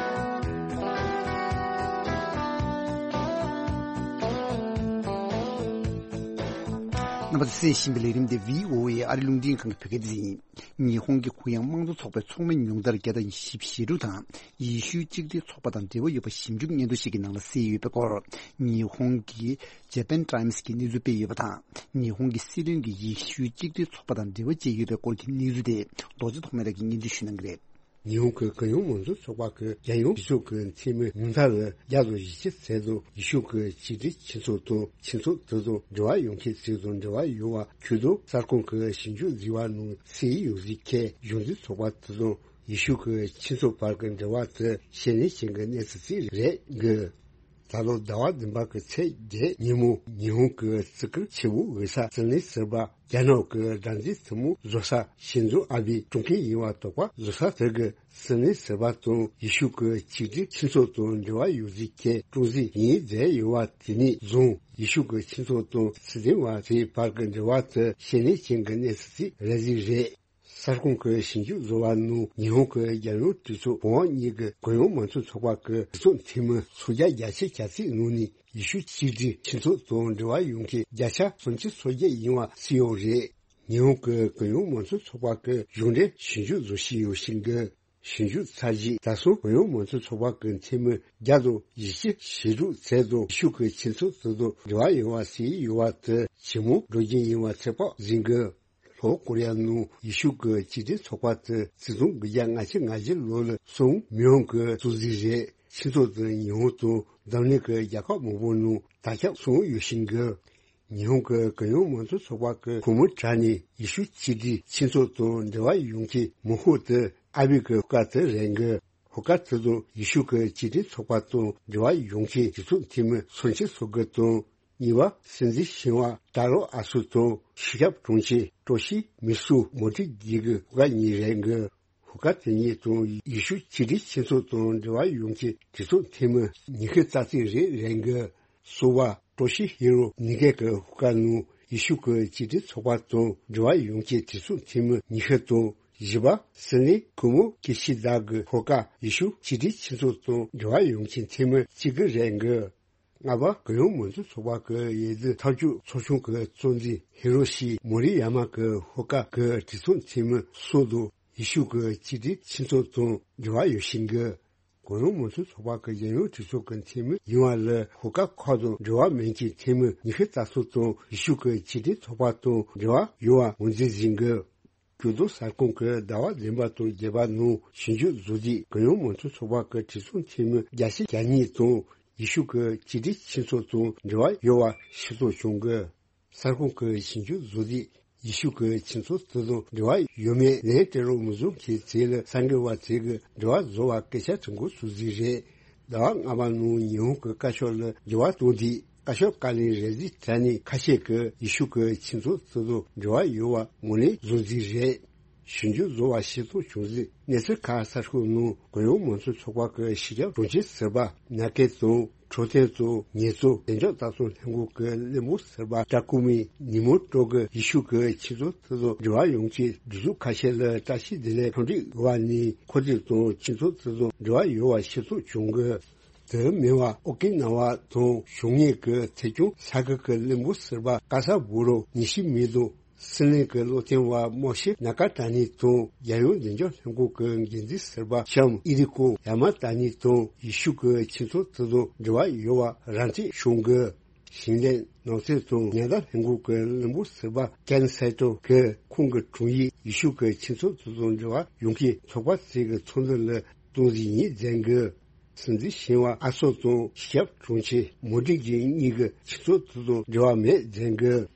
རྣམ་པ་ཚོས་གསན་བཞིན་པའི་ལས་རིམ་འདི་བྷི་ཨོ་ཨེ་ཨ་རི་རླུང་འཕྲིན་ཁང་གི་བོད་སྐད་སྡེ་ཚན་ཡིན། ཉི་ཧོང་གི་གུ་ཡངས་དམངས་གཙོ་ཚོགས་པའི་ཚོགས་མི་ཉུང་མཐར་བརྒྱ་དང་བཞི་བཅུ་ཞེ་དྲུག་དང་། ཡེ་ཤུའི་གཅིག་སྒྲིལ་ཚོགས་པ་དང་འབྲེལ་བ་ཡོད་པ་ཞིབ་འཇུག་སྙན་ཐོ་ཞིག་གི་ནང་ལ་གསལ་ཡོད་པའི་སྐོར། ཉི་ཧོང་གི་ཇ་པན་ཊའིམ་སི་གིས་གནས་ཚུལ་སྤེལ་ཡོད་པ་དང་། ཉི་ཧོང་གི་སྲིད་བློན་གྱིས་ཡེ་ཤུའི་གཅིག་སྒྲིལ་ཚོགས་པ་དང་འབྲེལ་བ་བཅད་ཡོད་པའི་སྐོར་གྱི་གནས་ཚུལ་དེ། རྡོ་རྗེ་ཐོགས་མེད་ལགས་ཀྱིས་སྙན་སྒྲོན་ཞུ་གནང་གི་རེད། ཉི་ཧོང་གི་གུ་ཡངས་མང་གཙོ་ཚོགས་པ་གིས་རྒྱལ་ཡོངས་གཞི་ཚོགས་ཀྱི་འཐུས་མི་ཉུང་མཐར་བརྒྱ་དང་བཞི་བཅུ་ཙམ་དུ་ཡེ་ཤུ་གི་གཅིག་སྒྲིལ་སྤྱི་ཚོགས་དང་སྤྱི་ཚོགས་དེ་དང་འབྲེལ་བ་ཡོད་མཁན་ཚོ་དང་འབྲེལ་བ་ཡོད་པ་ཁུལ་དུ་གསར་ཁང་གི་ཞིབ་འཇུག་བཟོས་པ་ནང་གསལ་ཡོད་ཟིག་གི་གཞུང་འཛིན་ཚོགས་པ་དེ་དང་ཡེ་ཤུ་གི་སྤྱི་ཚོགས་བར་གྱི་འབྲེལ་བ་དེ་ཞེ་ནས་ཞན་གྱི་གནས་ཚུལ་ཅིག་རེད་གི། ད་ལོ་ཟླ་བ་བདུན་པ་གི་ཚེས་བརྒྱད་ཉིན་མོ་ཉི་ཧོང་གི་བརྩི་བཀུར་ཆེ་བོ་འོས་ས་སྲིད་བློན་ཟུར་པ་རྒྱ་ནག་གི་སྒྲ་འཛིན་ཐུན་མོང་བཟོ་ས་ཤིན་ཛོ་ཨ་བེ་གྲོངས་མཁན་ཡིན་པ་དོགས་པ་བཟོ་ས་དེ་གི་སྲིད་བློན་ཟུར་པ་དང་ཡེ་ཤུ་གི་གཅིག་སྒྲིལ་སྤྱི་ཚོགས་དང་འབྲེལ་བ་ཡོད་ཟིག་གི་ཀྲུང་ཟིང་ཡིན་མཛད་ཡོད་པ་དེ་ནས་བཟུང་ཡེ་ཤུ་གི་སྤྱི་ཚོགས་དང་སྲིད་དོན་པ་ཚོའི་བར་གྱི་འབྲེལ་བ་དེ་ཞེ་ནས་ཞན་གྱི་གནས་ཚུལ་ཅིག་རེད་ཟིག་རེད། གསར་ཁང་གི་ཞིབ་འཇུག་བཟོ་བ་ནང་ཉི་ཧོང་གི་རྒྱལ་ཡོངས་གྲོས་ཚོགས་བོད་དབང་གཉིས་ཀྱི་གུ་ཡངས་མང་གཙོ་ཚོགས་པ་གི་གྲོས་ཚོགས་འཐུས་མི་སུམ་བརྒྱ་བརྒྱད་ཅུ་གྱ་གཅིག་ནང་ནས་ཡེ་ཤུ་གཅིག་སྒྲིལ་སྤྱི་ཚོགས་དང་འབྲེལ་བ་ཡོད་མཁན་བརྒྱ་ཆ་སུམ་ཅུ་སོ་བརྒྱད་ཡིན་པ་གསལ་ཡོད་རེད། ཉི་ཧོང་གི་གུ་ཡངས་མང་གཙོ་ཚོགས་པ་གི་གཞུང་འབྲེལ་ཞིབ་འཇུག་བཟོ་བཞིན་ཡོད་ཤིང་གི། ཞིབ་འཇུག་ཚར་རྗེས་ད་སོ་གུ་ཡངས་མང་གཙོ་ཚོགས་པ་གི་འཐུས་མི་བརྒྱ་དང་བཞི་བཅུ་ཞེ་དྲུག་ཙམ་དུ་ཡེ་ཤུ་གི་སྤྱི་ཚོགས་དེ་དང་འབྲེལ་བ་ཡོད་པ་གསལ་ཡོད་པ་དེ་ཇེ་མང་འགྲོ་རྒྱུ་ཡིན་པ་ཚོད་དཔག་ཟིན་གི། ལྷོ་ཀོ་རི་ཡ་ནང་ཡེ་ཤུ་གི་གཅིག་སྒྲིལ་ཚོགས་པ་དེ་ཆིག་སྟོང་དགུ་བརྒྱ་ལྔ་བཅུ་ང་བཞི་ལོ་ལ་སོང་མི་ཡོང་གི་གཙོ་འཛིན་རེད། ཕྱི་ཚོགས་དེ་ཉི་ཧོང་དང་འཛམ་གླིང་གི་རྒྱལ་ཁབ་མང་པོ་ནང་དར་ཁྱབ་སོང་ཡོད་ཤིང་གི། ཉི་ཧོང་གི་གུ་ཡངས་མང་གཙོ་ཚོགས་པ་གི་གོང་མའི་གྲས་ནས་ཡེ་ཤུ་གཅིག་སྒྲིལ་སྤྱི་ཚོགས་དང་འབྲེལ་བ་ཡོད་མཁན་མང་ཤོས་དེ་ཨ་བེ་གི་སྐབས་དེ་རེད་གི། ཧོ་ཀ་ཏེ་དུ་ཡེ་ཤུ་གི་སྤྱི་མགྲིན་ཚོགས་པ་དང་འབྲེལ་བ་ཡོང་མཁན་གྲོས་ཚོགས་འཐུས་མི་མཚོན་ཆེན་སོ་གི་དང་། གཉིས་པ་སྲིད་འཛིན་ཞིང་བ་ཏཱ་རོ་ཨ་སུ་དང་ཕྱི་ཁྱབ་དྲུང་ཆེ་ཀྲོ་ཤི་མི་སུ་མོ་ཏི་གི་གི་ཧོ་ཀ་གཉིས་རེད་གི། ཧོ་ཀ་དེ་གཉིས་དང་ཡེ་ཤུ་སྤྱི་མགྲིན་ཁྱིམ་ཚང་དང་འབྲེལ་བ་ཡོང་མཁན་གྲོས་ཚོགས་འཐུས་མི་ཉི་ཤུ་རྩ་གཅིག་རེ་རེད་གི། གསུམ་པ་ཀྲོ་ཤི་ཧི་རོ་ནི་གེ་གི་ཧོ་ཀ་ནང་ཡེ་ཤུ་གི་སྤྱི་མགྲིན་ཚོགས་པ་དང་འབྲེལ་བ་ཡོང་མཁན་གྲོས་ཚོགས་འཐུས་མི་ཉི་ཤུ་དང་། བཞི་པ་སི་ནི་ཁུ་མོ་ཀི་ཤི་དཱ་གི་ཧོ་ཀ་ཡེ་ཤུ་སྤྱི་མགྲིན་ཁྱིམ་ཚང་དང་འབྲེལ་བ་ཡོང་མཁན་འཐུས་མི་གཅིག་གི་རེད་གི། ལྔ་པ་གུ་ཡངས་མང་གཙོ་ཚོགས་པ་གི་འོས་བསྡུ་ཐབས་ཇུས་ཚོགས་ཆུང་གི་གཙོ་འཛིན་ཧི་རོ་ཤི་མོ་རི་ཡ་མ་གི་ཧོ་ཀ་གི་གྲོས་ཚོགས་འཐུས་མི་སོགས་དང་ཡེ་ཤུ་གི་སྤྱི་མགྲིན་ཁྱིམ་ཚང་དང་འབྲེལ་བ་ཡོད་བཞིན་གི། གུ་ཡངས་མང་གཙོ་ཚོགས་པ་གི་རྒྱལ་ཡོངས་གྲོས་ཚོགས་ཀྱི་འཐུས་མི་ཡིན་པ་ལ་ཧོ་ཀ་ཁག་དང་འབྲེལ་བ་མེད་མཁན་འཐུས་མི་ཉི་ཤུ་རྩ་གསུམ་དང་ཡེ་ཤུ་གི་སྤྱི་མགྲིན་ཚོགས་པ་དང་འབྲེལ་བ་ཡོད་པ་ངོས་འཛིན་ཡིན་གི། གྱོད་དོན་གསར་ཁང་གི་ཟླ་བ་བདུན་པ་དང་བརྒྱད་པ་ནང་ཞིབ་འཇུག་བཟོ་དུས་གུ་ཡངས་མང་གཙོ་ཚོགས་པ་གི་གྲོས་ཚོགས་འཐུས་མི་བརྒྱ་ཆ་གྱ་གཉིས་དང་ཡེ་ཤུ་གི་སྤྱི་མགྲིན་ཁྱིམ་ཚང་དང་འབྲེལ་བ་ཡོད་པ་ཤེས་རྟོགས་བྱུང་གི། གསར་ཁང་གི་ཞིབ་འཇུག་བཟོ་དུས་ཡེ་ཤུ་གི་ཁྱིམ་ཚང་དེ་དང་འབྲེལ་བ་ཡོད་མེད་ལན་སྤྲད་རོགས་མི་བཟོ་མཁན་ཚོ་ལ་གསར་འགོད་པ་ཚོས་གི་འབྲེལ་བ་བཟོ་བར་སྐད་ཆ་དྲི་འགོ་ཚུགས་རྩིས་རེད། ཟླ་བ་ལྔ་པ་ནང་ཉི་ཧོང་གི་བཀའ་ཤག་ལ་འགྱུར་བ་གཏོང་དུས་བཀའ་ཤག་བཀའ་བློན་རེ་ཟིག་དྲ་ནས་ཁ་ཤས་ཀྱིས་ཡེ་ཤུ་གི་ཁྱིམ་ཚང་དེ་དང་འབྲེལ་བ་ཡོད་པ་ངོས་ལེན་བཟོ་རྩིས་རེད། ཞིབ་འཇུག་བཟོ་བ་ཤེས་རྟོགས་བྱུང་རྩིས་གནས་ཚུལ་ཁག་གསར་ཤོག་ནང་གུ་ཡངས་མང་གཙོ་ཚོགས་པ་གི་ཕྱི་ཁྱབ་དྲུང་ཆེ་ཟུར་པ་ན་ཀེ་དང་འཕྲོད་བསྟེན་དང་ཉེས་གསོག་བདེ་འཇགས་ལྟ་སྲུང་ལྷན་ཁང་གི་བློན་པོ་ཟུར་པ་ཀྲ་ཀུ་མི་ཉི་མོ་ཀྲོ་གིས་ཡེ་ཤུ་གི་ཁྱིམ་ཚང་དེ་དང་འབྲེལ་བ་ཡོད་མཁན་སྒྲིག་འཛུགས་ཁ་ཤས་ལ་བཀྲ་ཤིས་བདེ་ལེགས་འཚམས་འདྲི་ཞུ་བ་ནས་ཁོ་ཚོ་དང་ཁྱིམ་ཚང་དེ་དང་འབྲེལ་བ་ཡོད་པ་ཤེས་རྟོགས་བྱུང་གི། དེ་མིན་པ་ཨོ་ཀི་ན་ཝ་དང་བྱུང་ཉེན་གྱི་ཐད་སྐྱོང་ས་ཁུལ་གྱི་བློན་པོ་ཟུར་པ་ཀ་ས་བུ་རོ་ཉི་ཤི་མི་དང་སྲིད་བློན་གྱི་བློ་མཐུན་པ་མོ་ཤེ་ན་ཀ་ཏྲ་ནི་དང་རྒྱལ་ཡོངས་བདེ་འཇགས་ལྷན་ཁང་གི་འགན་འཛིན་ཟུར་པ་ཤམ་ཨི་རི་ཀོ་ཡ་མ་ཏ་ནི་དང་ཡེ་ཤུ་གི་ཁྱིམ་ཚང་དེ་དང་འབྲེལ་བ་ཡོད་པ་ར་འཕྲོད་བྱུང་གི། ཞིང་ལས་ནགས་ཚལ་དང་ཉ་ཟླ་ལྷན་ཁང་གི་བློན་པོ་ཟུར་པ་ཀན་སའི་ཏོ་གིས་ཁོང་གི་དྲུང་ཡིག་ཡེ་ཤུ་གི་ཁྱིམ་ཚང་དེ་དང་འབྲེལ་བ་ཡོད་མཁན་ཚོགས་པ་ཞིག་གི་ཚོགས་འདུ་ལ་གཏོང་རྩིས་ཡིན་ཟེར་གི། སྲིད་འཛིན་ཞིང་བ་ཨ་སོ་དང་ཞབས་དྲུང་ཆེ་མོ་ཌི་གི་གཉིས་ཀྱི་ཁྱིམ་ཚང་དེ་དང་འབྲེལ་བ་མེད་ཟེར་གི།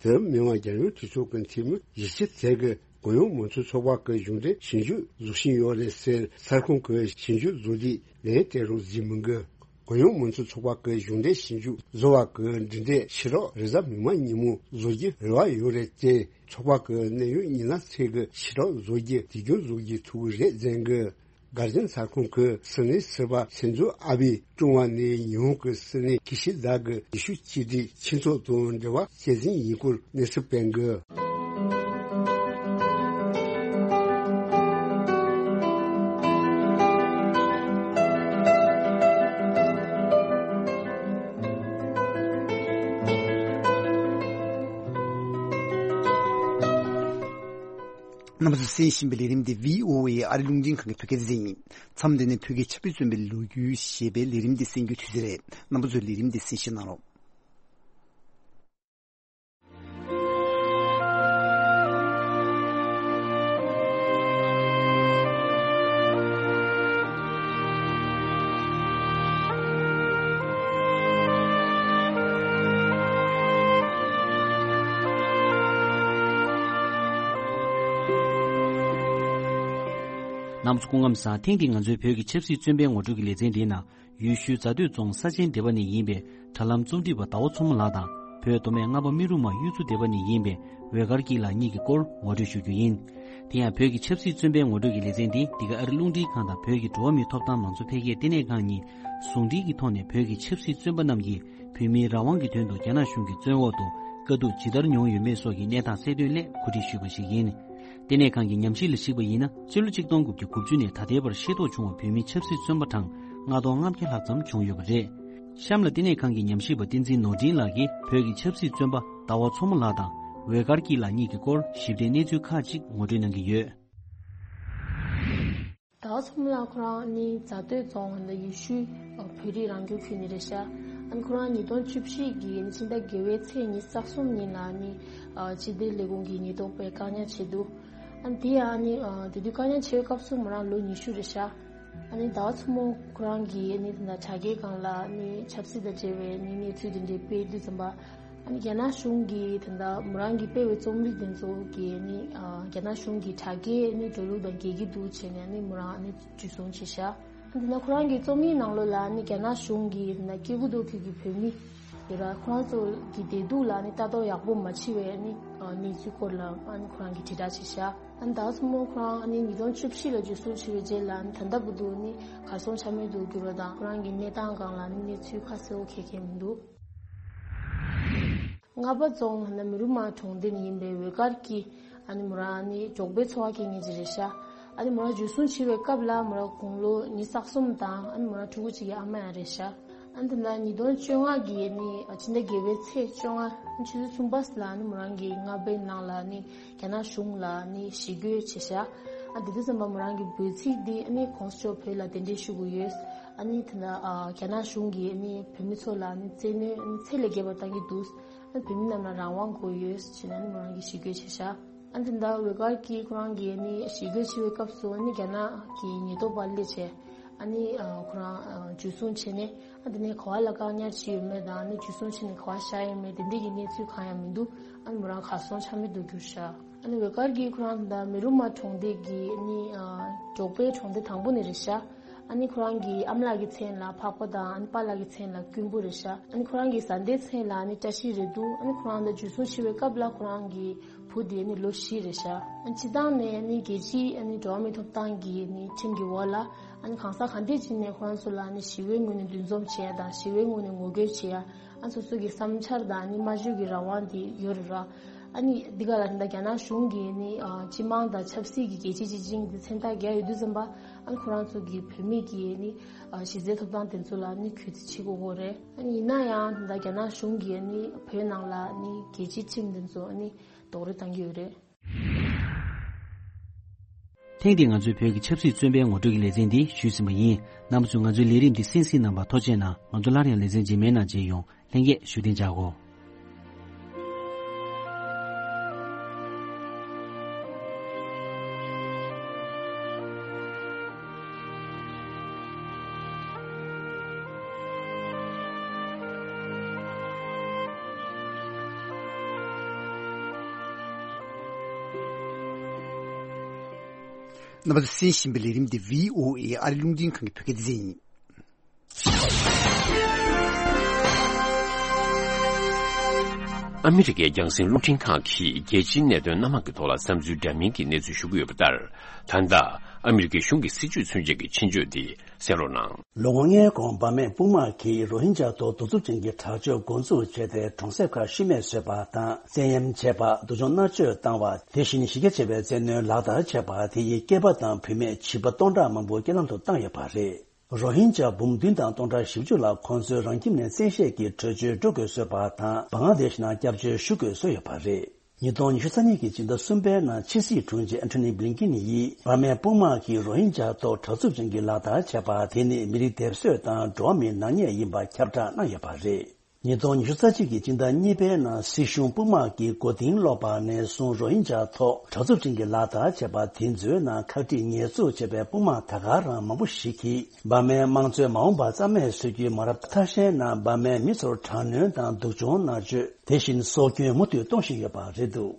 དེར་མི་དབང་རྒྱལ་ཡོངས་གྲོས་ཚོགས་ཀྱི་འཐུས་མི་བཞི་བཅུ་ཙམ་གྱིས་གུ་ཡངས་མང་གཙོ་ཚོགས་པ་གི་གཞུང་འབྲེལ་ཞིབ་འཇུག་བཟོ་བཞིན་ཡོད་རེད་ཟེར་གསར་ཁང་གི་ཞིབ་འཇུག་བཟོ་དུས་ལན་སྤྲད་རོགས་ཟེར་མི་འགི། གུ་ཡངས་མང་གཙོ་ཚོགས་པ་གི་གཞུང་འབྲེལ་ཞིབ་འཇུག་བཟོ་བ་གི་འབྲེལ་འདྲིས་ཕྱི་རོགས་རེས་གཟའ་མིག་དམར་ཉིན་མོ་བཟོ་རྒྱུ་རེ་བ་ཡོད་རེད་དེ། ཚོགས་པ་གི་གནད་ཡོད་མི་སྣ་ཚོས་གི་ཕྱི་རོགས་བཟོ་རྒྱུ་དུས་རྒྱུན་བཟོ་རྒྱུ་ཐུབ་ཀྱི་རེད་ཟེར་གི། སྒར་ཇན་ས་ཁོངས་ཀྱི་སྲིད་བློན་ཟུར་པ་སིན་ཛོ་ཨ་བྷེ་ཀྲུང་བ་ནས་ཉི་ཧོང་གི་སྲིད་བློན་ཀི་ཤི་དཱ་གི་ཡེ་ཤུ་གཅིག་སྒྲིལ་ཁྱིམ་ཚང་དང་འབྲེལ་བ་སྐྱེད་སྲིང་ཡིན་སྐོར་གནས་ཚུལ་སྤེལ་གི། རྣམ་པ་ཚོས་གསན་བཞིན་པའི་ལས་རིམ་འདི་བྷི་ཨོ་ཨེ་ཨ་རི་རླུང་འཕྲིན་ཁང་གི་བོད་སྐད་སྡེ་ཚན་ཡིན། མཚམས་འདི་ནས་བོད་ཀྱི་ཆབ་སྲིད་བཙོན་པའི་ལོ་རྒྱུས་ཞེས་པའི་ལས་རིམ་འདི་གསན་རྒྱུའི་དུས་ཚོད་རེད། རྣམ་པ་ཚོས་ལས་རིམ་འདི་གསན་བཞེས་གནང་རོགས། རྣམ་པ་ཚོ་སྐུ་ཁམས་བཟང་། ཐེངས་འདིའི་ང་ཚོའི་བོད་ཀྱི་ཆབ་སྲིད་བཙོན་པའི་ངོ་སྤྲོད་ཀྱི་ལེ་ཚན་འདིའི་ནང་། ཡུལ་ཤུལ་རྫ་སྟོད་རྫོང་ས་ཆེན་སྡེ་པ་ནས་ཡིན་པའི་དྲ་ལམ་རྩོམ་སྒྲིག་པ་ཟླ་བ་མཚོ་མོ་ལགས་དང་། བོད་མདོ་སྨད་རྔ་པ་སྨན་རུ་མ་གཡུ་མཚོ་སྡེ་པ་ནས་ཡིན་པའི་འོད་དཀར་སྐྱིད་ལགས་གཉིས་ཀྱི་སྐོར་ངོ་སྤྲོད་ཞུ་རྒྱུ་ཡིན། དེ་ཡང་བོད་ཀྱི་ཆབ་སྲིད་བཙོན་པའི་ངོ་སྤྲོད་ཀྱི་ལེ་ཚན་འདི་འདི་ག་ཨ་རི་རླུང་འཕྲིན་ཁང་དང་བོད་ཀྱི་འགྲོ་བ་མིའི་ཐོབ་ཐང་མང་གཙོ་འཕེལ་རྒྱས་ལྟེ་གནས་ཁང་གཉིས་ཟུང་འབྲེལ་གྱི་ཐོག་ནས་བོད་ཀྱི་ཆབ་སྲིད་བཙོན་པ་རྣམས་ཀྱིས་བོད་མིའི་རང་དབང་གི་དོན་དུ་རྒྱ་ནག་གཞུང་གི་བཙོན་འོག་ཏུ་དཀའ་སྡུག་ཇི་ལྟར་མྱོང་ཡོད་མེད་སོགས་ཀྱི་གནས་སྟངས་གསལ་སྟོན་སླད་གོ་སྒྲིག་ཞུས་པ་ཞིག་ཡིན། ལྟེ་གནས་ཁང་གི་ཉམས་ཞིབ་ལ་གཞིགས་པ་ཡིན་ན། སྤྱི་ལོ་གཅིག་སྟོང་དགུ་བརྒྱ་དགུ་བཅུ་ནས་ད་ལྟའི་བར་ཤེས་རྟོགས་བྱུང་བ་བོད་མི་ཆབ་སྲིད་བཙོན་པ་གྲངས་ལྔ་སྟོང་ལྔ་བརྒྱ་ལྷག་ཙམ་བྱུང་ཡོད་པ་རེད། གཤམ་ལ་ལྟེ་གནས་ཁང་གི་ཉམས་ཞིབ་པ་བསྟན་འཛིན་ནོར་འཕྲིན་ལགས་ཀྱིས་བོད་ཀྱི་ཆབ་སྲིད་བཙོན་པ་ཟླ་བ་མཚོ་མོ་ལགས་དང་འོད་དཀར་སྐྱིད་ལགས་གཉིས་ཀྱི་སྐོར་ཞིབ་ཕྲའི་གནས་ཚུལ་ཁག་ཅིག་ངོ་སྤྲོད་གནང་གི་ཡོད། ཟླ་བ་མཚོ་མོ་ལགས་ཁོ་རང་ནི་རྫ་སྟོད་རྫོང་ནི་ཡུལ་ཤུལ་བོད་རིགས་རང་སྐྱོང་ཁུལ་ནས་རེད་ཤག་ཨ་ནི་ཁོ་རང་ཉིས་སྟོང་བཅུ་བཞི་གི་ཕྱི་ཟླ་བརྒྱད་པའི་ཚེས་ཉི་ཤུ་རྩ་གསུམ་ཉིན་ལ་ནི་ཨ་སྤྱི་བདེ་ལས་ཁུངས་ཀྱི་ཉེན་རྟོག་པས་བཀག་ཉར་བྱས་འདུག་ཨ་ནི་དེ་ཡང་ནི་ཨ་དེ་དུས་བཀག་ཉར་བྱས་པའི་སྐབས་སུ་མོ་རང་ལོ་ཉི་ཤུ་རེད་ཤག་ཨ་ནི་ཟླ་བ་མཚོ་མོ་ཁོ་རང་གིས་ནི་དེ་འདྲ་དྲ་རྒྱའི་སྒང་ལ་ནི་ཆབ་སྲིད་དང་འབྲེལ་བའི་ནི་གནས་ཚུལ་དེ་འདྲའི་སྤེལ་དུས་ཙམ་པ། ཨ་ནི་རྒྱ་ནག་གཞུང་གིས་ད་ལྟ་མོ་རང་གིས་སྤེལ་བའི་རྩོམ་རིག་དེ་ཚོ་གིས་ཨ་ནི་ཨ་རྒྱ་ནག་གཞུང་གི་དྲ་རྒྱའི་ཨ་ནི་འགྲོ་ལུགས་དང་འགལ་གྱི་འདུག་བྱས་ནས་ཨ་ནི་མོ་རང་ཨ་ནི་འཇུ་བཟུང་བྱས་ཤག་ཨ་ནི་ད་ལྟ་ཁོ་རང་གི་རྩོམ་ཡིག་ནང་ལོགས་ལ་ཨ་ནི་རྒྱ་ནག་གཞུང་གིས་ད་ལྟ་སྐྱེ་དགུ་མདོ་ཁུལ་གྱི་བོད་མི་ཡོད་ར། ཁོ་རང་ཚོ་གི་བདེ་སྡུག་ལ་ཨ་ནི་ལྟ་རྟོག་ཡག་པོ་མ་བྱས་པའི་ཨ་ནི་ཨ་གནས་ཚུལ་སྐོར་ལ་ཨ་ནི་ཁོ་རང་གིས་དྲིལ་བསྒྲགས་བྱས་ཤག་ཨ་ནི་ད་སོ་མོ་ཁོ་རང་ཨ་ནི་ཉིས་སྟོང་བཅུ་བཞི་ལ་འཇུ་བཟུང་བྱས་པའི་རྗེས་ལ་ཨ་ནི་ད་ལྟ་བར་དུ་ཨ་ནི་གར་སོང་ཆ་མེད་དུ་གྱུར་བ་དང་། ཁོ་རང་གི་གནས་སྟངས་སྒང་ལ་ཨ་ནི་གནས་ཚུལ་ཁ་གསལ་པོ་གང་ཡང་མི་འདུག་རྔ་པ་རྫོང་ལྷ་ན་མི་རུ་མ་གྲོང་སྡེ་ནས་ཡིན་པའི་འོད་དཀར་གྱིས་ཨ་ནི་མོ་རང་ཨ་ནི་འབྲོག་པའི་འཚོ་བ་སྐྱེལ་མཁན་ཅིག་རེད་ཤག་ཨ་ནི་མོ་རང་འཇུ་བཟུང་བྱས་པའི་སྐབས་ལ་མོ་རང་དགུང་ལོ་ཉི་ཤུ་རྩ་གསུམ་དང་། ཨ་ནི་མོ་རང་ཕྲུ་གུ་གཅིག་གི་ཨ་མ་ཡང་རེད་ཤག་ཨ་ནི་ད་ལྟ་ཉིས་སྟོང་བཅོ་ལྔ་གི་ཨ་ནི་ཕྱི་ཟླ་བརྒྱད་པའི་ཚེས་བཅོ་ལྔ་ཆུ་ཚོད་གསུམ་པ་ལ་ཨ་ནི་མོ་རང་གི་རྔ་པའི་ནང་ལ་ཨ་ནི་རྒྱ་ནག་གཞུང་ལ་ཨ་ནི་ཞི་རྒོལ་བྱས་ཤག་ཨ་དེ་དུས་ཙམ་པ་མོ་རང་གི་འབོད་ཚིག་འདི་ཨ་ནི་གོང་ས་མཆོག་བོད་ལ་གདན་འདྲེན་ཞུ་དགོས་ཡོད། ཨ་ནི་ད་ལྟ་ཨ་རྒྱ་ནག་གཞུང་གིས་ཨ་ནི་བོད་མི་ཚོ་ལ་ཨ་ནི་བཙན་གནོན་ཨ་ནི་ཚད་ལས་བརྒལ་བ་བཏང་གི་འདུག་ཨ་ནི་བོད་མི་རྣམས་ལ་རང་དབང་དགོས་ཡོད་ཅེས་ཨ་ནི་མོ་རང་གིས་ཞི་རྒོལ་བྱས་ཤག་ཨ་ནི་ད་ལྟ་འོད་དཀར་གྱིས་ཁོ་རང་གིས་ཨ་ནི་ཞི་རྒོལ་བྱེད་པའི་སྐབས་སུ་ཨ་ནི་རྒྱ་ནག་གི་ཉེན་རྟོག་པ་སླེབས་བྱས་ཨ་ནི་ཨ་ཁོ་རང་ཨ་འཇུ་བཟུང་བྱས་ནས། ཨ་དེ་ནས་ག་བ་ལ་བཀག་ཉར་བྱས་ཡོད་མེད་དང་། ཨ་ནི་འཇུ་བཟུང་བྱས་ནས་ག་བ་བཞག་ཡོད་མེད་དེ་འདྲའི་གི་གནས་ཚུལ་གང་ཡང་མི་འདུག་ཨ་ནི་མོ་རང་གར་སོང་ཆ་མེད་དུ་གྱུར་ཤག་ཨ་ནི་འོད་དཀར་གྱིས་ཁོ་རང་ད་མི་རུ་མ་གྲོང་སྡེ་གི་ཨ་ནི་ཨ་འབྲོག་པའི་གྲོང་སྡེ་དང་པོ་ནས་རེད་ཤག་ཨ་ནི་ཁོ་རང་གི་ཨ་མ་ལགས་ཀྱི་མཚན་ལ་འཕགས་པ་དང་། ཨ་ནི་པཱ་ལགས་ཀྱི་མཚན་ལ་ཀུན་པོ་རེད་ཤག་ཨ་ནི་ཁོ་རང་གི་བཟའ་ཟླའི་མཚན་ལ་ཨ་ནི་བཀྲ་ཤིས་རེད་འདུག་ཨ་ནི་ཁོ་རང་ད་འཇུ་བཟུང་བྱས་པའི་སྐབས་ལ་ཁོ་རང་གི་བུ་དེ་ནི་ལོ་བཞི་རེད་ཤག་ཨ་ནི་སྤྱིར་བཏང་ནས་ནི་རྒྱལ་སྤྱིའི་ཨ་ནི་འགྲོ་བ་མིའི་ཐོབ་ཐང་གི་ནི་ཁྲིམས་ཀྱི་འོག་ལ་ཨ་ནི་གང་ཟག་གང་འདྲ་ཅིག་ནས་ཁོ་རང་ཚོ་ལ་ནི་ཞི་བའི་ངོས་ནས་འདུ་འཛོམས་བྱེད་ཡ་དང་། ཞི་བའི་ངོས་ནས་ངོ་རྒོལ་བྱེད་ཡ། ཨ་ནི་སོ་སོ་གི་བསམ་འཆར་དང་ནི་སྨྲ་བརྗོད་ཀྱི་རང་དབང་དེ་ཡོད་རེད་ར། ཨ་ནི་འདི་ག་ལ་ད་རྒྱ་ནག་གཞུང་གིས་ནི་ཨ་སྤྱི་དམངས་དང་ཆབ་སྲིད་ཀྱི་རྒྱལ་སྤྱི་སྤྱི་བྱིངས་དེ་མཚན་རྟགས་བརྒྱབ་ཡོད་དུས་ཙམ་པ། ཨ་ནི་ཁོ་རང་ཚོ་གི་བོད་མི་གི་ནི་ཨ་གཞི་རྩའི་ཐོབ་ཐང་དེ་ཚོ་ལ་ནི་གུས་བརྩི་བྱེད་དགོས་ཀྱི་རེད། ཨ་ནི་ཡིན་ན་ཡང་ད་རྒྱ་ནག་གཞུང་གིས་ནི་བོད་ནང་ལ་ནི་རྒྱལ་སྤྱིའི་ཁྲིམས་དེ་ཚོ་ནི་རྡོག་རོལ་བཏང་གི་ཡོད་རེད། ཐེངས་འདིའི་ང་ཚོའི་བོད་ཀྱི་ཆབ་སྲིད་བཙོན་པའི་ངོ་སྤྲོད་ཀྱི་ལེ་ཚན་འདི་ཞུས་ཟིན་པ་ཡིན། རྣམ་པ་ཚོས་ང་ཚོའི་ལས་རིམ་འདི་གསན་གཟིགས་གནང་བར་ཐུགས་རྗེ་གནང་། ང་ཚོ་སླར་ཡང་ལེ་ཚན་རྗེས་མའི་ནང་མཇལ་ཡོང་། ལྷན་རྒྱས་བཞུགས་གདན་འཇགས་སྒོ། རྣམ་པ་ཚོས་གསན་བཞིན་པའི་ལས་རིམ་འདི་བྷི་ཨོ་ཨེ་ཨ་རི་རླུང་འཕྲིན་ཁང་གི་བོད་སྐད་སྡེ་ཚན་ཡིན། ཨ་མི་རི་ཀའི་རྒྱང་སྲིང་རླུང་འཕྲིན་ཁང་གིས་རྒྱལ་སྤྱིའི་གནད་དོན་སྣ་མང་གི་ཐོག་ལ་བསམ་ཚུལ་འདྲ་མིན་གྱི་གནས་ཚུལ་ཞུ་གི་ཡོད་པ་ལྟར། ད་ལྟ་ཨ་མི་རི་ཀའི་གཞུང་གི་སྲིད་བྱུས་མཚོན་བྱེད་ཀྱི་ཆེད་བརྗོད་འདི་གསན་རོགས་གནང་། ལོ་ངོ་ལྔའི་གོང་འབར་མའི་དཔུང་དམག་གིས་རོ་ཧིན་ཇཱ་ཐོག་གདུག་རྩུབ་ཅན་གྱི་དྲག་སྤྱོད་འགོ་འཛུགས་བྱས་ཏེ། གྲོང་གསེབ་ཁག་ཤི་རྨས་བཟོས་པ་དང་། བཙན་གཡེམ་བྱས་པ། སྡུག་སྦྱོང་མནར་གཅོད་བཏང་བ། དེ་བཞིན་གཞིས་ཀ་ཆེ་བའི་བཙན་གནོན་ལག་བསྟར་བྱས་པ་དེ་ཡིས་སྐྱེས་པ་དང་བུད་མེད་བྱིས་པ་སྟོང་ཕྲག་མང་པོ་རྐྱེན་ལམ་དུ་བཏང་ཡོད་པ་རེད། རོ་ཧིན་ཇཱ་འབུམ་བདུན་དང་སྟོང་ཕྲག་བཞི་བཅུ་ལ་ཁོང་ཚོའི་རང་ཁྱིམ་ནས་བཙན་ཤེད་ཀྱིས་བྲོས་བྱོལ་འགྲོ་དགོས་བཟོས་པ་དང་། བང་ལ་དེཤ་ནང་སྐྱབས་བཅོལ་ཞུ་དགོས་བཟོས་ཡོད་པ་རེད། ཉིས་སྟོང་ཉི་ཤུ་རྩ་གཉིས་ཀྱི་སྤྱི་ཟླ་གསུམ་པའི་ནང་ཕྱི་སྲིད་དྲུང་ཆེ་ཨན་ཐོ་ནི་བྷི་ལིན་ཀིན་ཡིས་འབར་མའི་དཔུང་དམག་གིས་རོ་ཧིན་ཇཱ་ཐོག་དྲག་རྩུབ་ཅན་གྱི་ལག་བསྟར་བྱས་པ་དེ་ནི་མི་རིགས་སྡེབ་གསོད་དང་འགྲོ་བ་མིའི་ནག་ཉེས་ཡིན་པ་ཁྱབ་བསྒྲགས་གནང་ཡོད་པ་རེད། ཉིས་སྟོང་ཉི་ཤུ་རྩ་གཅིག་གི་སྤྱི་ཟླ་གཉིས་པའི་ནང་སྲིད་གཞུང་དཔུང་དམག་གིས་མགོ་རྟིང་སློག་པ་ནས་བཟུང་རོ་ཧིན་ཇཱ་ཐོག་དྲག་རྩུབ་ཅན་གྱི་ལག་བསྟར་བྱས་པ་དེ་ཚོའི་ནང་ཁག་དཀྲིས་ཉེས་འཛུགས་བྱས་པའི་དཔུང་དམག་ད་ག་རང་མང་པོ་ཞིག་གིས། འབར་མའི་དམངས་གཙོའི་མ་འོངས་པ་རྩ་མེད་བཟོ་རྒྱུའི་མ་རབས་ཐ་ཤལ་ནང་འབར་མའི་མི་ཚོར་དྲག་གནོན་དང་སྡུག་སྦྱོང་མནར་གཅོད། དེ་བཞིན་སྲོག་སྐྱོན་མུ་མཐུད་གཏོང་བཞིན་ཡོད་པ་རེད་འདུག་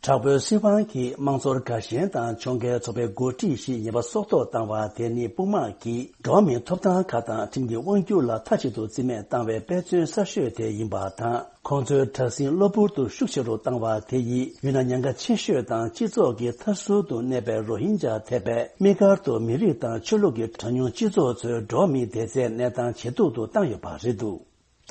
དྲག་པོའི་སྲིད་དབང་གིས་དམངས་འཚོར་དགའ་ཞེན་དང་ཕྱོགས་འགལ་ཚོགས་པའི་འགོ་ཁྲིད་བཞི་ཉེས་པ་སྲོག་ཐོག་བཏང་བ་དེ་ནི་དཔུང་དམག་གིས་འགྲོ་བ་མིའི་ཐོབ་ཐང་ཁག་དང་ཁྲིམས་ཀྱི་དབང་སྒྱུར་ལ་མཐའ་གཅིག་ཏུ་རྩིས་མེད་བཏང་བའི་དཔེ་མཚོན་གསར་ཤོས་དེ་ཡིན་པ་དང་། ཁོང་ཚོའི་དྲག་ཟིང་གློ་བུར་དུ་ཤུགས་ཆེ་རུ་བཏང་བ་དེ་ཡིས་ཡུལ་ན་ཉེན་ཁ་ཆེ་ཤོས་དང་སྤྱི་ཚོགས་ཀྱི་མཐའ་ཟུར་དུ་གནས་པའི་རོ་ཧིན་ཇཱ་ཐེ་བའི་དམིགས་བཀར་དུ་མི་རིགས་དང་ཆོས་ལུགས་ཀྱི་གྲངས་ཉུང་སྤྱི་ཚོགས་ཚོའི་འགྲོ་བ་མིའི་བདེ་རྩའི་གནས་སྟངས་ཇེ་སྡུག་ཏུ་བཏང་ཡོད་པ་རེད་འདུག་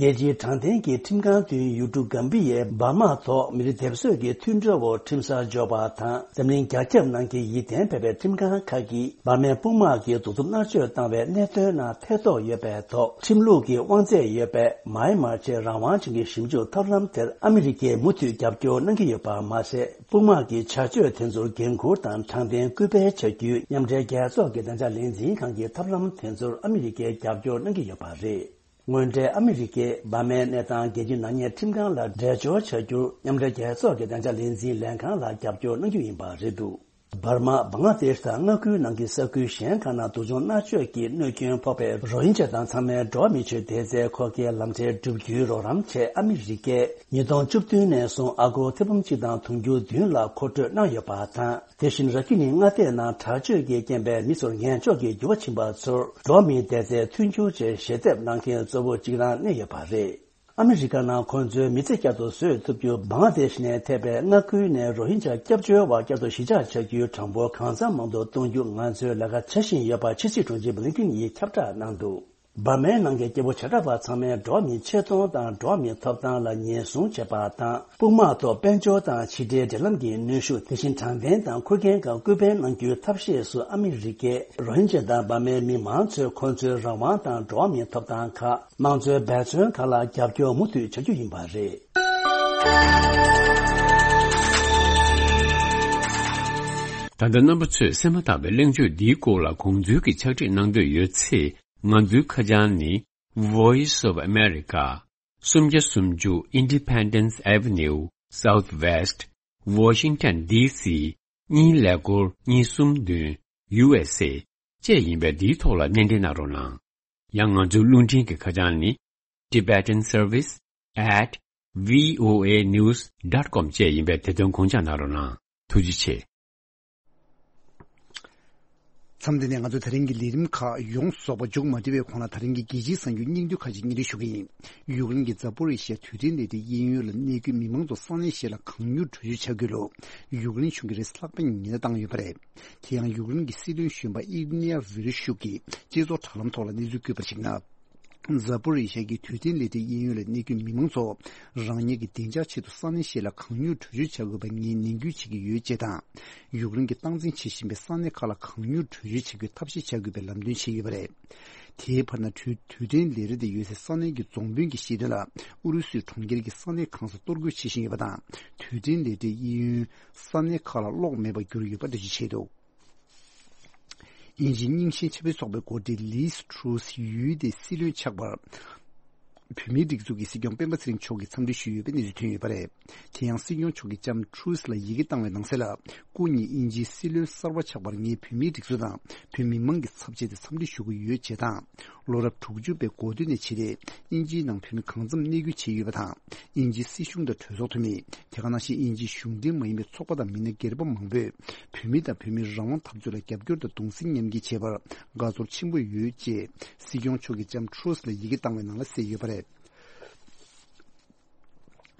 རྒྱལ་སྤྱིའི་དྲང་བདེན་གྱི་ཁྲིམས་ཁང་མདུན་ཡུལ་གྲུ་གམ་བི་ཡའི་འབར་མ་ཐོག་མི་རིགས་སྡེབ་གསོད་ཀྱི་མཐུན་གྲོས་འོག་ཁྲིམས་གསར་འཇོག་པ་དང་། འཛམ་གླིང་རྒྱ་ཁྱབ་ནང་གི་ཡིད་བརྟན་ཕེབས་པའི་ཁྲིམས་ཁང་ཁག་གིས་འབར་མའི་དཔུང་དམག་གིས་གདུག་རྩུབ་མནར་གཅོད་བཏང་བའི་གནད་དོན་ནང་ཐེ་གཏོགས་ཡོད་པའི་ཐོག་ཁྲིམས་ལུགས་ཀྱི་དབང་ཚད་ཡོད་པའི་མཱ་ཡན་མར་ཆེས་རང་དབང་ཅན་གྱི་ཞིབ་འཇུག་ཐབས་ལམ་དེར་ཨ་མི་རི་ཀས་མུ་མཐུད་རྒྱབ་སྐྱོར་གནང་གི་ཡོད་པ་མ་ཟད། དཔུང་དམག་གི་བྱ་སྤྱོད་དེ་ཚོར་འགན་འཁུར་དང་དྲང་བདེན་སྐུལ་སྤེལ་བྱ་རྒྱུའི་མཉམ་འབྲེལ་རྒྱལ་ཚོགས་ཀྱི་བདེ་འཇགས་ལས་འཛིན་ཁང་གི་ཐབས་ལམ་དེ་ཚོར་ཨ་མི་རི་ཀས་རྒྱབ་སྐྱོར་གནང་གི་ཡོད་པ་རེད། དངོས་འབྲེལ་ཨ་མི་རི་ཀས་འབར་མའི་གནས་སྟངས་རྒྱལ་སྤྱིའི་ནག་ཉེས་ཁྲིམས་ཁང་ལ་འགྲེལ་བརྗོད་བྱ་རྒྱུར་མཉམ་འབྲེལ་རྒྱལ་ཚོགས་ཀྱི་བདེ་འཇགས་ལས་འཛིན་ལྷན་ཁང་ལ་རྒྱབ་སྐྱོར་གནང་རྒྱུ་ཡིན་པ་རེད་འདུག་འབར་མ། བང་ལ་དེཤ་དང་མངའ་ཁུལ་ནང་གི་ས་ཁུལ་གཞན་ཁག་ནང་སྡུག་སྦྱོང་མནར་གཅོད་ཀྱི་གནོད་སྐྱོན་ཕོག་པའི་རོ་ཧིན་ཇཱ་དང་ཚང་མའི་འགྲོ་བ་མིའི་ཆེད་དོན་དེ་ཚོའི་ཁོག་རྒྱའི་ལམ་ཐིག་བསྒྲུབ་རྒྱུའི་རོགས་རམ་ཆེད་ཨ་མི་རི་ཀས་ཉིས་སྟོང་བཅུ་བདུན་ནས་བཟུང་ཨ་སྒོར་ཐེར་འབུམ་གཅིག་དང་དུང་ཕྱུར་བདུན་ལ་མཁོ་སྤྲོད་གནང་ཡོད་པ་དང་། དེ་བཞིན་ར་ཁི་ནི་མངའ་སྡེ་ནང་དྲག་སྤྱོད་ཀྱི་རྐྱེན་པས་མི་ཚོར་ངན་ཕྱོགས་ཀྱི་འགྱུར་བ་ཕྱིན་པ་ཚོར་འགྲོ་བ་མིའི་བདེ་རྩའི་མཐུན་འགྱུར་ཆེད་ཞལ་འདེབས་གནང་མཁན་གཙོ་བོ་གཅིག་རང་གནས་ཡོད་པ་རེད། ཨ་མི་རི་ཀ་ནང་ཁོང་ཚོའི་མི་ཚེ་བསྐྱར་དུ་བཟོས་ཐུབ་རྒྱུ་བང་ལ་དེཤ་ནས་ཐེ་བའི་མངའ་ཁུལ་ནས་རོ་ཧིན་ཇཱ་སྐྱབས་བཅོལ་བ་བསྐྱར་དུ་གཞིས་ཆགས་བྱ་རྒྱུའི་གྲངས་འབོར་གང་འཚམ་མང་དུ་གཏོང་རྒྱུ་ང་ཚོས་ལས་ཀ་བྱ་བཞིན་ཡོད་པ་ཕྱི་སྲིད་དྲུང་ཆེ་བྷི་ལིན་ཀིན་ཡིས་ཁྱབ་བསྒྲགས་གནང་འདུག་འབར་མའི་ནང་གི་སྐྱེ་བོ་བྱེ་བྲག་པ་ཚང་མས་འགྲོ་བ་མིའི་ཆེ་མཐོང་དང་འགྲོ་བ་མིའི་ཐོབ་ཐང་ལ་ཉེན་སྲུང་བྱེད་པ་དང་། དཔུང་དམག་ཐོག་དཔལ་འབྱོར་དང་ཕྱི་འབྲེལ་འབྲེལ་ལམ་གྱི་གནོན་ཤུགས། དེ་བཞིན་དྲང་བདེན་དང་ཁུར་ཁན་སྒང་སྐུལ་སྤེལ་གནང་རྒྱུའི་ཐབས་ཤེས་སུ་ཨ་མི་རི་ཀས་རོ་ཧིན་ཇཱ་དང་འབར་མའི་མི་མང་ཚོས་ཁོང་ཚོའི་རང་དབང་དང་འགྲོ་བ་མིའི་ཐོབ་ཐང་ཁག་དམངས་གཙོའི་འབད་བརྩོན་ཁག་ལ་རྒྱབ་སྐྱོར་མུ་མཐུད་བྱ་རྒྱུ་ཡིན་པ་རེད། ད་ལྟ་རྣམ་པ་ཚོས་གསན་མ་ཐག་པའི་གླེང་བརྗོད་འདིའི་སྐོར་ལ་དགོངས་ཚུལ་གྱི་ཕྱག་བྲིས་གནང་འདོད་ཡོད་ཚེ། ང་ཚོའི་ཁ་བྱང་ནི། Voice of America། སུམ་བརྒྱ་སུམ་ཅུ་Independence Avenue Southwest Washington D C གཉིས་ཀླད་ཀོར་གཉིས་གསུམ་བདུན་U S A བཅས་ཡིན་པས། འདིའི་ཐོག་ལ་སྣེ་འདྲེན་གནང་རོགས་གནང་། ཡང་ང་ཚོའི་རླུང་འཕྲིན་གྱི་ཁ་བྱང་ནི། Tibetan Service at V O A News dot com བཅས་ཡིན་པས། དེ་དོན་དགོངས་འཇགས་གནང་རོགས་གནང་། ཐུགས་རྗེ་ཆེ། མཚམས་འདི་ནས་ང་ཚོ་ད་རིང་གི་ལས་རིམ་ཁག་ཡོངས་རྫོགས་པ་མཇུག་མ་སྒྲིལ་བའི་གོང་ལ། ད་རིང་གི་རྒྱལ་སྤྱིའི་གསར་འགྱུར་སྙིང་བསྡུས་ཁག་ཅིག་སྙན་སྒྲོན་ཞུ་གི་ཡིན། ཡུཀ་རེན་གྱི་ཛ་པོ་རི་ཤ་དུས་དྲན་ལས་རིགས་གཡས་གཡོན་ལ་གནས་འཁོད་མི་མང་ཚོ་ས་གནས་གཞན་ལ་གང་མྱུར་བྲོས་བྱོལ་བྱ་དགོས་ལུགས་ཡུཀ་རེན་གཞུང་གིས་རེས་ལྷག་པའི་ཉེན་བརྡ་བཏང་ཡོད་པ་རེད། དེ་ཡང་ཡུཀ་རེན་གྱི་སྲིད་བློན་གཞོན་པ་ཨིར་ནེ་ཝི་རི་ཤུག་གིས་སྤྱི་ཚོགས་དྲ་ལམ་ཐོག་ལ་གནས་ཚུལ་བཀོད་པར་གཞིགས་ན། ཛ་པོ་རི་ཤ་གི་དུས་དྲན་ལས་རིགས་གཡས་གཡོན་ལ་གནས་འཁོད་མི་མང་ཚོ་རང་ཉིད་ཀྱི་བདེ་འཇགས་ཆེད་དུ་ས་གནས་གཞན་ལ་གང་མྱུར་བྲོས་བྱོལ་བྱ་དགོས་པ་ངས་ནན་སྐུལ་བྱེད་ཀྱི་ཡོད་ཅེས་དང་། ཡུཀ་རེན་གྱིས་སྟངས་འཛིན་བྱེད་བཞིན་པའི་ས་གནས་ཁག་ལ་གང་མྱུར་བྲོས་བྱོལ་བྱེད་དགོས་ཐབས་ཤེས་བྱ་དགོས་པའི་ལམ་སྟོན་བྱས་ཡོད་པ་རེད། དེའི་བར་ན། དུས་དུས་དྲན་ལས་རིམ་དེ་ཡོད་སའི་ས་གནས་ཀྱི་རྫོང་དཔོན་གྱིས་བཤད་དོན་ལ། ཨུ་རུ་སུའི་གྲོང་ཁྱེར་གྱི་ས་གནས་གང་སར་གཏོར་རྒོལ་བྱེད་བཞིན་ཡོད་པ་དང་། དུས་དྲན་ལས་རིམ་གཡས་གཡོན་ས་གནས་ཁག་ལ་གློག་མེད་པར་གྱུར་ཡོད་པ་འགྲེལ་བརྗོད་བྱས་འདུག་དབྱིན་ཇིའི་རྙིང་ཞེན་ཆབ་སྲིད་ཚོགས་པའི་འགོ་ཁྲིད་ལིས་ཊྲུས་ཡུལ་དེའི་སྲིད་བློན་ཆགས་པར། བོད་མིའི་སྒྲིག་འཛུགས་ཀྱི་སྲིད་སྐྱོང་སྤེན་པ་ཚེ་རིང་མཆོག་གིས་འཚམས་འདྲི་ཞུས་ཡོད་པའི་གནས་ཚུལ་ཐོན་ཡོད་པ་རེད། དེ་ཡང་སྲིད་སྐྱོང་མཆོག་གིས་ལྕམ་ཊྲུས་ལ་ཡི་གེ་བཏང་བའི་ནང་གསལ་ལ། སྐུ་ཉིད་དབྱིན་ཇིའི་སྲིད་བློན་གསར་པ་ཆགས་པར་ངས་བོད་མིའི་སྒྲིག་འཛུགས་དང་བོད་མི་མང་གི་ཚབ་བྱས་ཏེ་འཚམས་འདྲི་ཞུ་གི་ཡོད་ཅེས་དང་། ལོ་རབས་དྲུག་ཅུ་པའི་འགོ་སྟོད་ནས་བྱས་ཏེ་དབྱིན་ཇིའི་ནང་བོད་མི་གང་འཚམ་གནས་སྐྱོང་བྱས་ཡོད་པ་དང་། དབྱིན་ཇིའི་སྲིད་གཞུང་དང་གྲོས་ཚོགས་འཐུས་མི། དེ་ག་ནང་བཞིན་དབྱིན་ཇིའི་གཞུང་འབྲེལ་མ་ཡིན་པའི་ཚོགས་པ་དང་མི་སྣ་སྒེར་པ་མང་པོས་བོད་མི་དང་བོད་མིའི་རང་དབང་འཐབ་རྩོད་ལ་རྒྱབ་སྐྱོར་དང་གདུང་སེམས་མཉམ་སྐྱེད་བྱས་པར་དགའ་ཚོར་ཆེན་པོ་ཡོད་ཅེས་སྲིད་སྐྱོང་མཆོག་གིས་ལྕམ་ཊྲུས་ལ་ཡི་གེ་བཏང་བའི་ནང་ལ་གསལ་ཡོད་པ་རེད།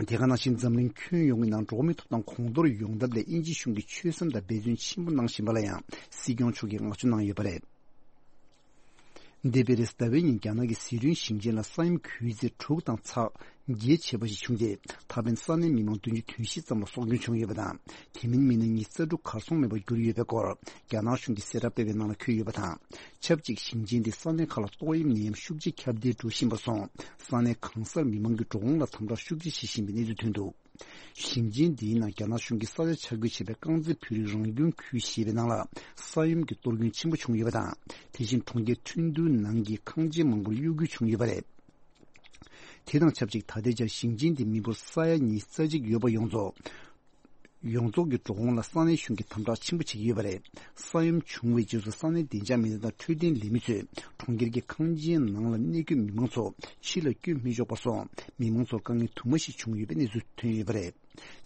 དེ་ག་ནང་བཞིན་འཛམ་གླིང་ཁྱོན་ཡོངས་ཀྱི་ནང་འགྲོ་བ་མིའི་ཐོབ་ཐང་གོང་མཐོར་ཡོང་ཐབས་ལ་དབྱིན་ཇི་གཞུང་གིས་ཆོད་སེམས་དང་འབད་བརྩོན་ཆེན་པོ་གནང་བཞིན་པ་ལ་ཡང་སྲིད་སྐྱོང་མཆོག་གིས་བསྔགས་བརྗོད་གནང་ཡོད་པ་རེད། འདས་པའི་རེས་ཟླ་བའི་ཉིན་རྒྱ་ནག་གི་ཟི་ཁྲོན་ཞིང་ཆེན་ལ་ས་ཡོམ་གྱི་ཚད་དྲུག་དང་ཚེག་བརྒྱད་བྱས་པ་ཞིག་བྱུང་སྟེ། ད་ཕན་ས་གནས་མི་མང་བདུན་ཅུ་དོན་བཞི་ཙམ་ལ་སྲོག་སྐྱོན་བྱུང་ཡོད་པ་དང་། དེ་མིན་མི་སྣ་ཉི་ཤུ་རྩ་དྲུག་གར་སོང་མེད་པར་གྱུར་ཡོད་པའི་སྐོར་རྒྱ་ནག་གཞུང་གིས་གསལ་བསྒྲགས་སྤེལ་བའི་ནང་ལ་འཁོད་ཡོད་པ་དང་། ཆབས་ཅིག་ཞིང་ཆེན་དེའི་ས་གནས་ཁག་ལ་ཏོག་དབྱིབས་ནད་ཡམས་ཤུགས་ཆེ་ཁྱབ་གདལ་འགྲོ་བཞིན་པ་སོང་། ས་གནས་གང་སར་མི་མང་གི་འགྲོ་འོང་ལ་དམ་དྲག་ཤུགས་ཆེ་བྱེད་བཞིན་པའི་གནས་ཚུལ་ཐོན་འདུག་ཞིང་ཆེན་འདིའི་ནང་རྒྱ་ནག་གཞུང་གིས་ས་ཆ་ཆ་བགོས་བྱས་པའི་རྐང་རྩེད་འཕུར་རིང་རང་སྐྱོང་ཁུལ་ཞེས་པའི་ནང་ལ་ས་ཡོམ་གྱི་གཏོར་སྐྱོན་ཆེན་པོ་བྱུང་ཡོད་པ་དང་། དེ་བཞིན་གྲོང་ཁྱེར་ཁྲིན་ཏུའུ་ནང་གི་ཁང་ཆེན་མང་པོར་གཡོ་འགུལ་བྱུང་ཡོད་པ་རེད། དེ་དང་ཆབས་ཅིག་ད་ལྟའི་ཆར་ཞིང་ཆེན་འདིའི་མི་འབོར་ས་ཡ་ཉི་ཤུ་རྩ་གཅིག་ཡོད་པ་ཡོངས་རྫོགས། ཡོངས་རྫོགས་ཀྱི་འགྲོ་འོང་ལ་ས་གནས་གཞུང་གིས་དམ་དྲག་ཆེན་པོ་བྱེད་ཀྱི་ཡོད་པ་རེད། ས་ཡོམ་བྱུང་བའི་རྗེས་སུ་ས་གནས་བདེ་འཇགས་མི་སྣ་དང་འཕྲོད་བསྟེན་ལས་མི་ཚོས་གྲོང་ཁྱེར་གྱི་ཁང་ཆེན་ནང་ལ་གནས་འཁོད་མི་མང་ཚོ་ཕྱི་ལ་བསྐྱོད་མི་ཆོག་པར་སོང་། མི་མང་ཚོར་དཀའ་ངལ་དུ་མ་ཞིག་བྱུང་ཡོད་པའི་གནས་ཚུལ་ཐོན་ཡོད་པ་རེད།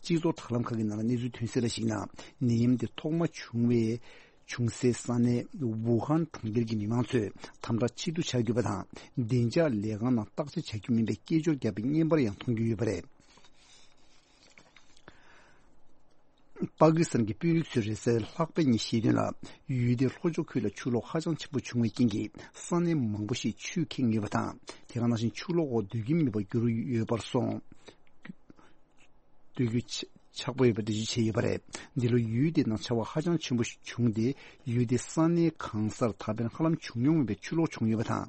སྤྱི་ཚོགས་དྲ་ལམ་ཁག་གི་ནང་ལ་གནས་ཚུལ་ཐོན་གསལ་ལ་གཞིགས་ན། ནད་ཡམས་དེ་ཐོག་མ་བྱུང་བའི་བྱུང་སའི་ས་གནས་ཝུ་ཧན་གྲོང་ཁྱེར་གྱི་མི་མང་ཚོས་དམ་དྲག་ཆེད་དུ་བྱ་དགོས་པ་དང་། བདེ་འཇགས་ལས་ཁང་ནང་བརྟག་དཔྱད་བྱ་རྒྱུ་མིན་པའི་སྐད་ཅོར་བརྒྱབ་པའི་བརྙན་པར་ཡང་མཐོང་རྒྱུ་ཡོད་པ་རེད། པ་ཀི་སི་ཐན་གྱི་དཔོན་རིགས་ཚོས་རེས་གཟའ་ལྷག་པའི་ཉིན་བཤད་དོན་ལ། ཡུལ་དེའི་ལྷོ་ཕྱོགས་ཁུལ་ལ་ཆུ་ལོག་ཧ་ཅང་ཆེན་པོ་བྱུང་བའི་རྐྱེན་གྱིས་ས་གནས་མང་པོ་ཞིག་ཆུས་ཁེངས་ཡོད་པ་དང་། དེ་ག་ནང་བཞིན་ཆུ་ལོག་འོག་སྡོད་ཀྱི་མེད་པར་གྱུར་ཡོད་པར་སོང་། སྡོད་རྒྱུ་ཆགས་པོ་ཡོད་པ་འགྲེལ་བརྗོད་བྱས་ཡོད་པ་རེད། འདི་ལོ་ཡུལ་དེའི་ནང་ཆར་པ་ཧ་ཅང་ཆེན་པོ་ཞིག་བྱུང་སྟེ། ཡུལ་དེའི་ས་གནས་གང་སར་ད་ཕན་ཧ་ལམ་བྱུང་མྱོང་མེད་པའི་ཆུ་ལོག་བྱུང་ཡོད་པ་དང་།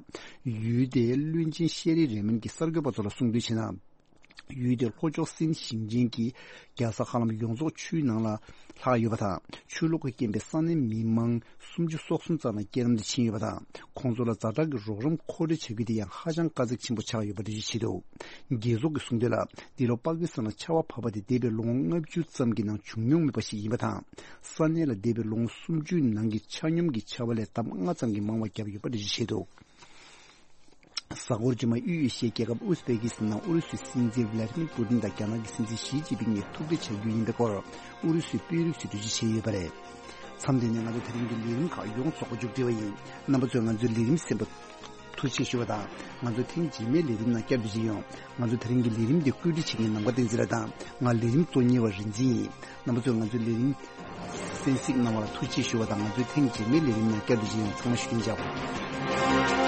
ཡུལ་དེའི་བློན་ཆེན་ཤེ་རི་རེ་མན་གྱིས་གསར་འགོད་པ་ཚོ་ལ་གསུངས་དོན་བྱས་ན། ཡུལ་དེའི་ལྷོ་ཕྱོགས་སིན་ཞིང་ཆེན་གྱི་རྒྱལ་ས་ཧ་ལམ་ཡོངས་རྫོགས་ཆུའི་ནང་ལ་ལྷག་ཡོད་པ་དང་། ཆུ་ལོག་གི་རྐྱེན་པས་ས་གནས་མི་མང་སུམ་ཅུ་སོ་གསུམ་ཙམ་ལ་རྐྱེན་རམ་དུ་ཕྱིན་ཡོད་པ་དང་། ཁོང་ཚོ་ལ་ཛ་དྲག་གི་རོགས་རམ་མཁོ་སྤྲོད་བྱ་རྒྱུ་དེ་ཡང་ཧ་ཅང་དཀའ་ཚེགས་ཆེན་པོ་ཆགས་ཡོད་པ་འགྲེལ་བརྗོད་བྱས་འདུག་རྒྱལ་ཚོགས་ཀྱིས་གསུངས་དོན་ལ། འདི་ལོ་པ་ཀི་སི་ཐན་ལ་ཆར་པ་བབས་པ་དེ་འདས་པའི་ལོ་ངོ་ལྔ་བཅུ་ཙམ་གྱི་ནང་བྱུང་མྱོང་མེད་པ་ཞིག་ཡིན་པ་དང་། ས་གནས་ལ་འདས་པའི་ལོ་ངོ་སུམ་ཅུའི་ནང་གི་ཆ་སྙོམས་ཀྱི་ཆར་པ་ལས་ལྡབ་ལྔ་ཙམ་གྱིས་མང་བ་བརྒྱབ་ཡོད་པ་འགྲེལ་བརྗོད་བྱས་འདུག་གཟའ་འཁོར་རྗེས་མ་དབུས་ཨེ་ཤི་ཡའི་རྒྱལ་ཁབ་ཨུ་ཛི་བེ་ཀི་སི་ཐན་ནང་ཨུ་རུ་སུའི་སྲིད་འཛིན་ཝི་ལ་ཏི་མིར་པུ་ཏིན་དང་རྒྱ་ནག་གི་སྲིད་འཛིན་ཞི་ཅིན་ཕིང་གཉིས་ཐུག་འཕྲད་བྱ་རྒྱུ་ཡིན་པའི་སྐོར་ཨུ་རུ་སུའི་དཔོན་རིགས་ཚོས་འགྲེལ་བརྗོད་བྱས་ཡོད་པ་རེད། མཚམས་འདི་ནས་ང་ཚོ་དེ་རིང་གི་ལས་རིམ་ཁག་ཡོངས་རྫོགས་པ་མཇུག་སྒྲིལ་བ་ཡིན། རྣམ་པ་ཚོས་ང་ཚོའི་ལས་རིམ་གསན་པ་ཐུགས་རྗེ་ཆེ་ཞུ་བ་དང་། ང་ཚོ་ཐེངས་རྗེས་མའི་ལས་རིམ་ནང་བསྐྱར་དུ་མཇལ་ཡོང་། ང་ཚོ་དེ་རིང་གི་ལས་རིམ་འདི་བཀོད་སྒྲིག་བྱེད་མཁན་ནམ་མཁའ་བསྟན་འཛིན་ལགས་དང་། ང་ལས་རིམ་གཙོ་གཉེར་བ་རིན་འཛིན་ཡིན། རྣམ་པ་ཚོས་ང་ཚོའི་ལས་རིམ་གསན་གཟིགས་གནང་བ་ལ་ཐུགས་རྗེ་ཆེ་ཞུ་བ་དང་། ང་ཚོའི་ཐེངས་རྗེས་མའི་ལས་རིམ་ནང་བསྐྱར་དུ་མཇལ་ཡོང་། ཚང་མ་བཞུགས་གདན་འཇགས།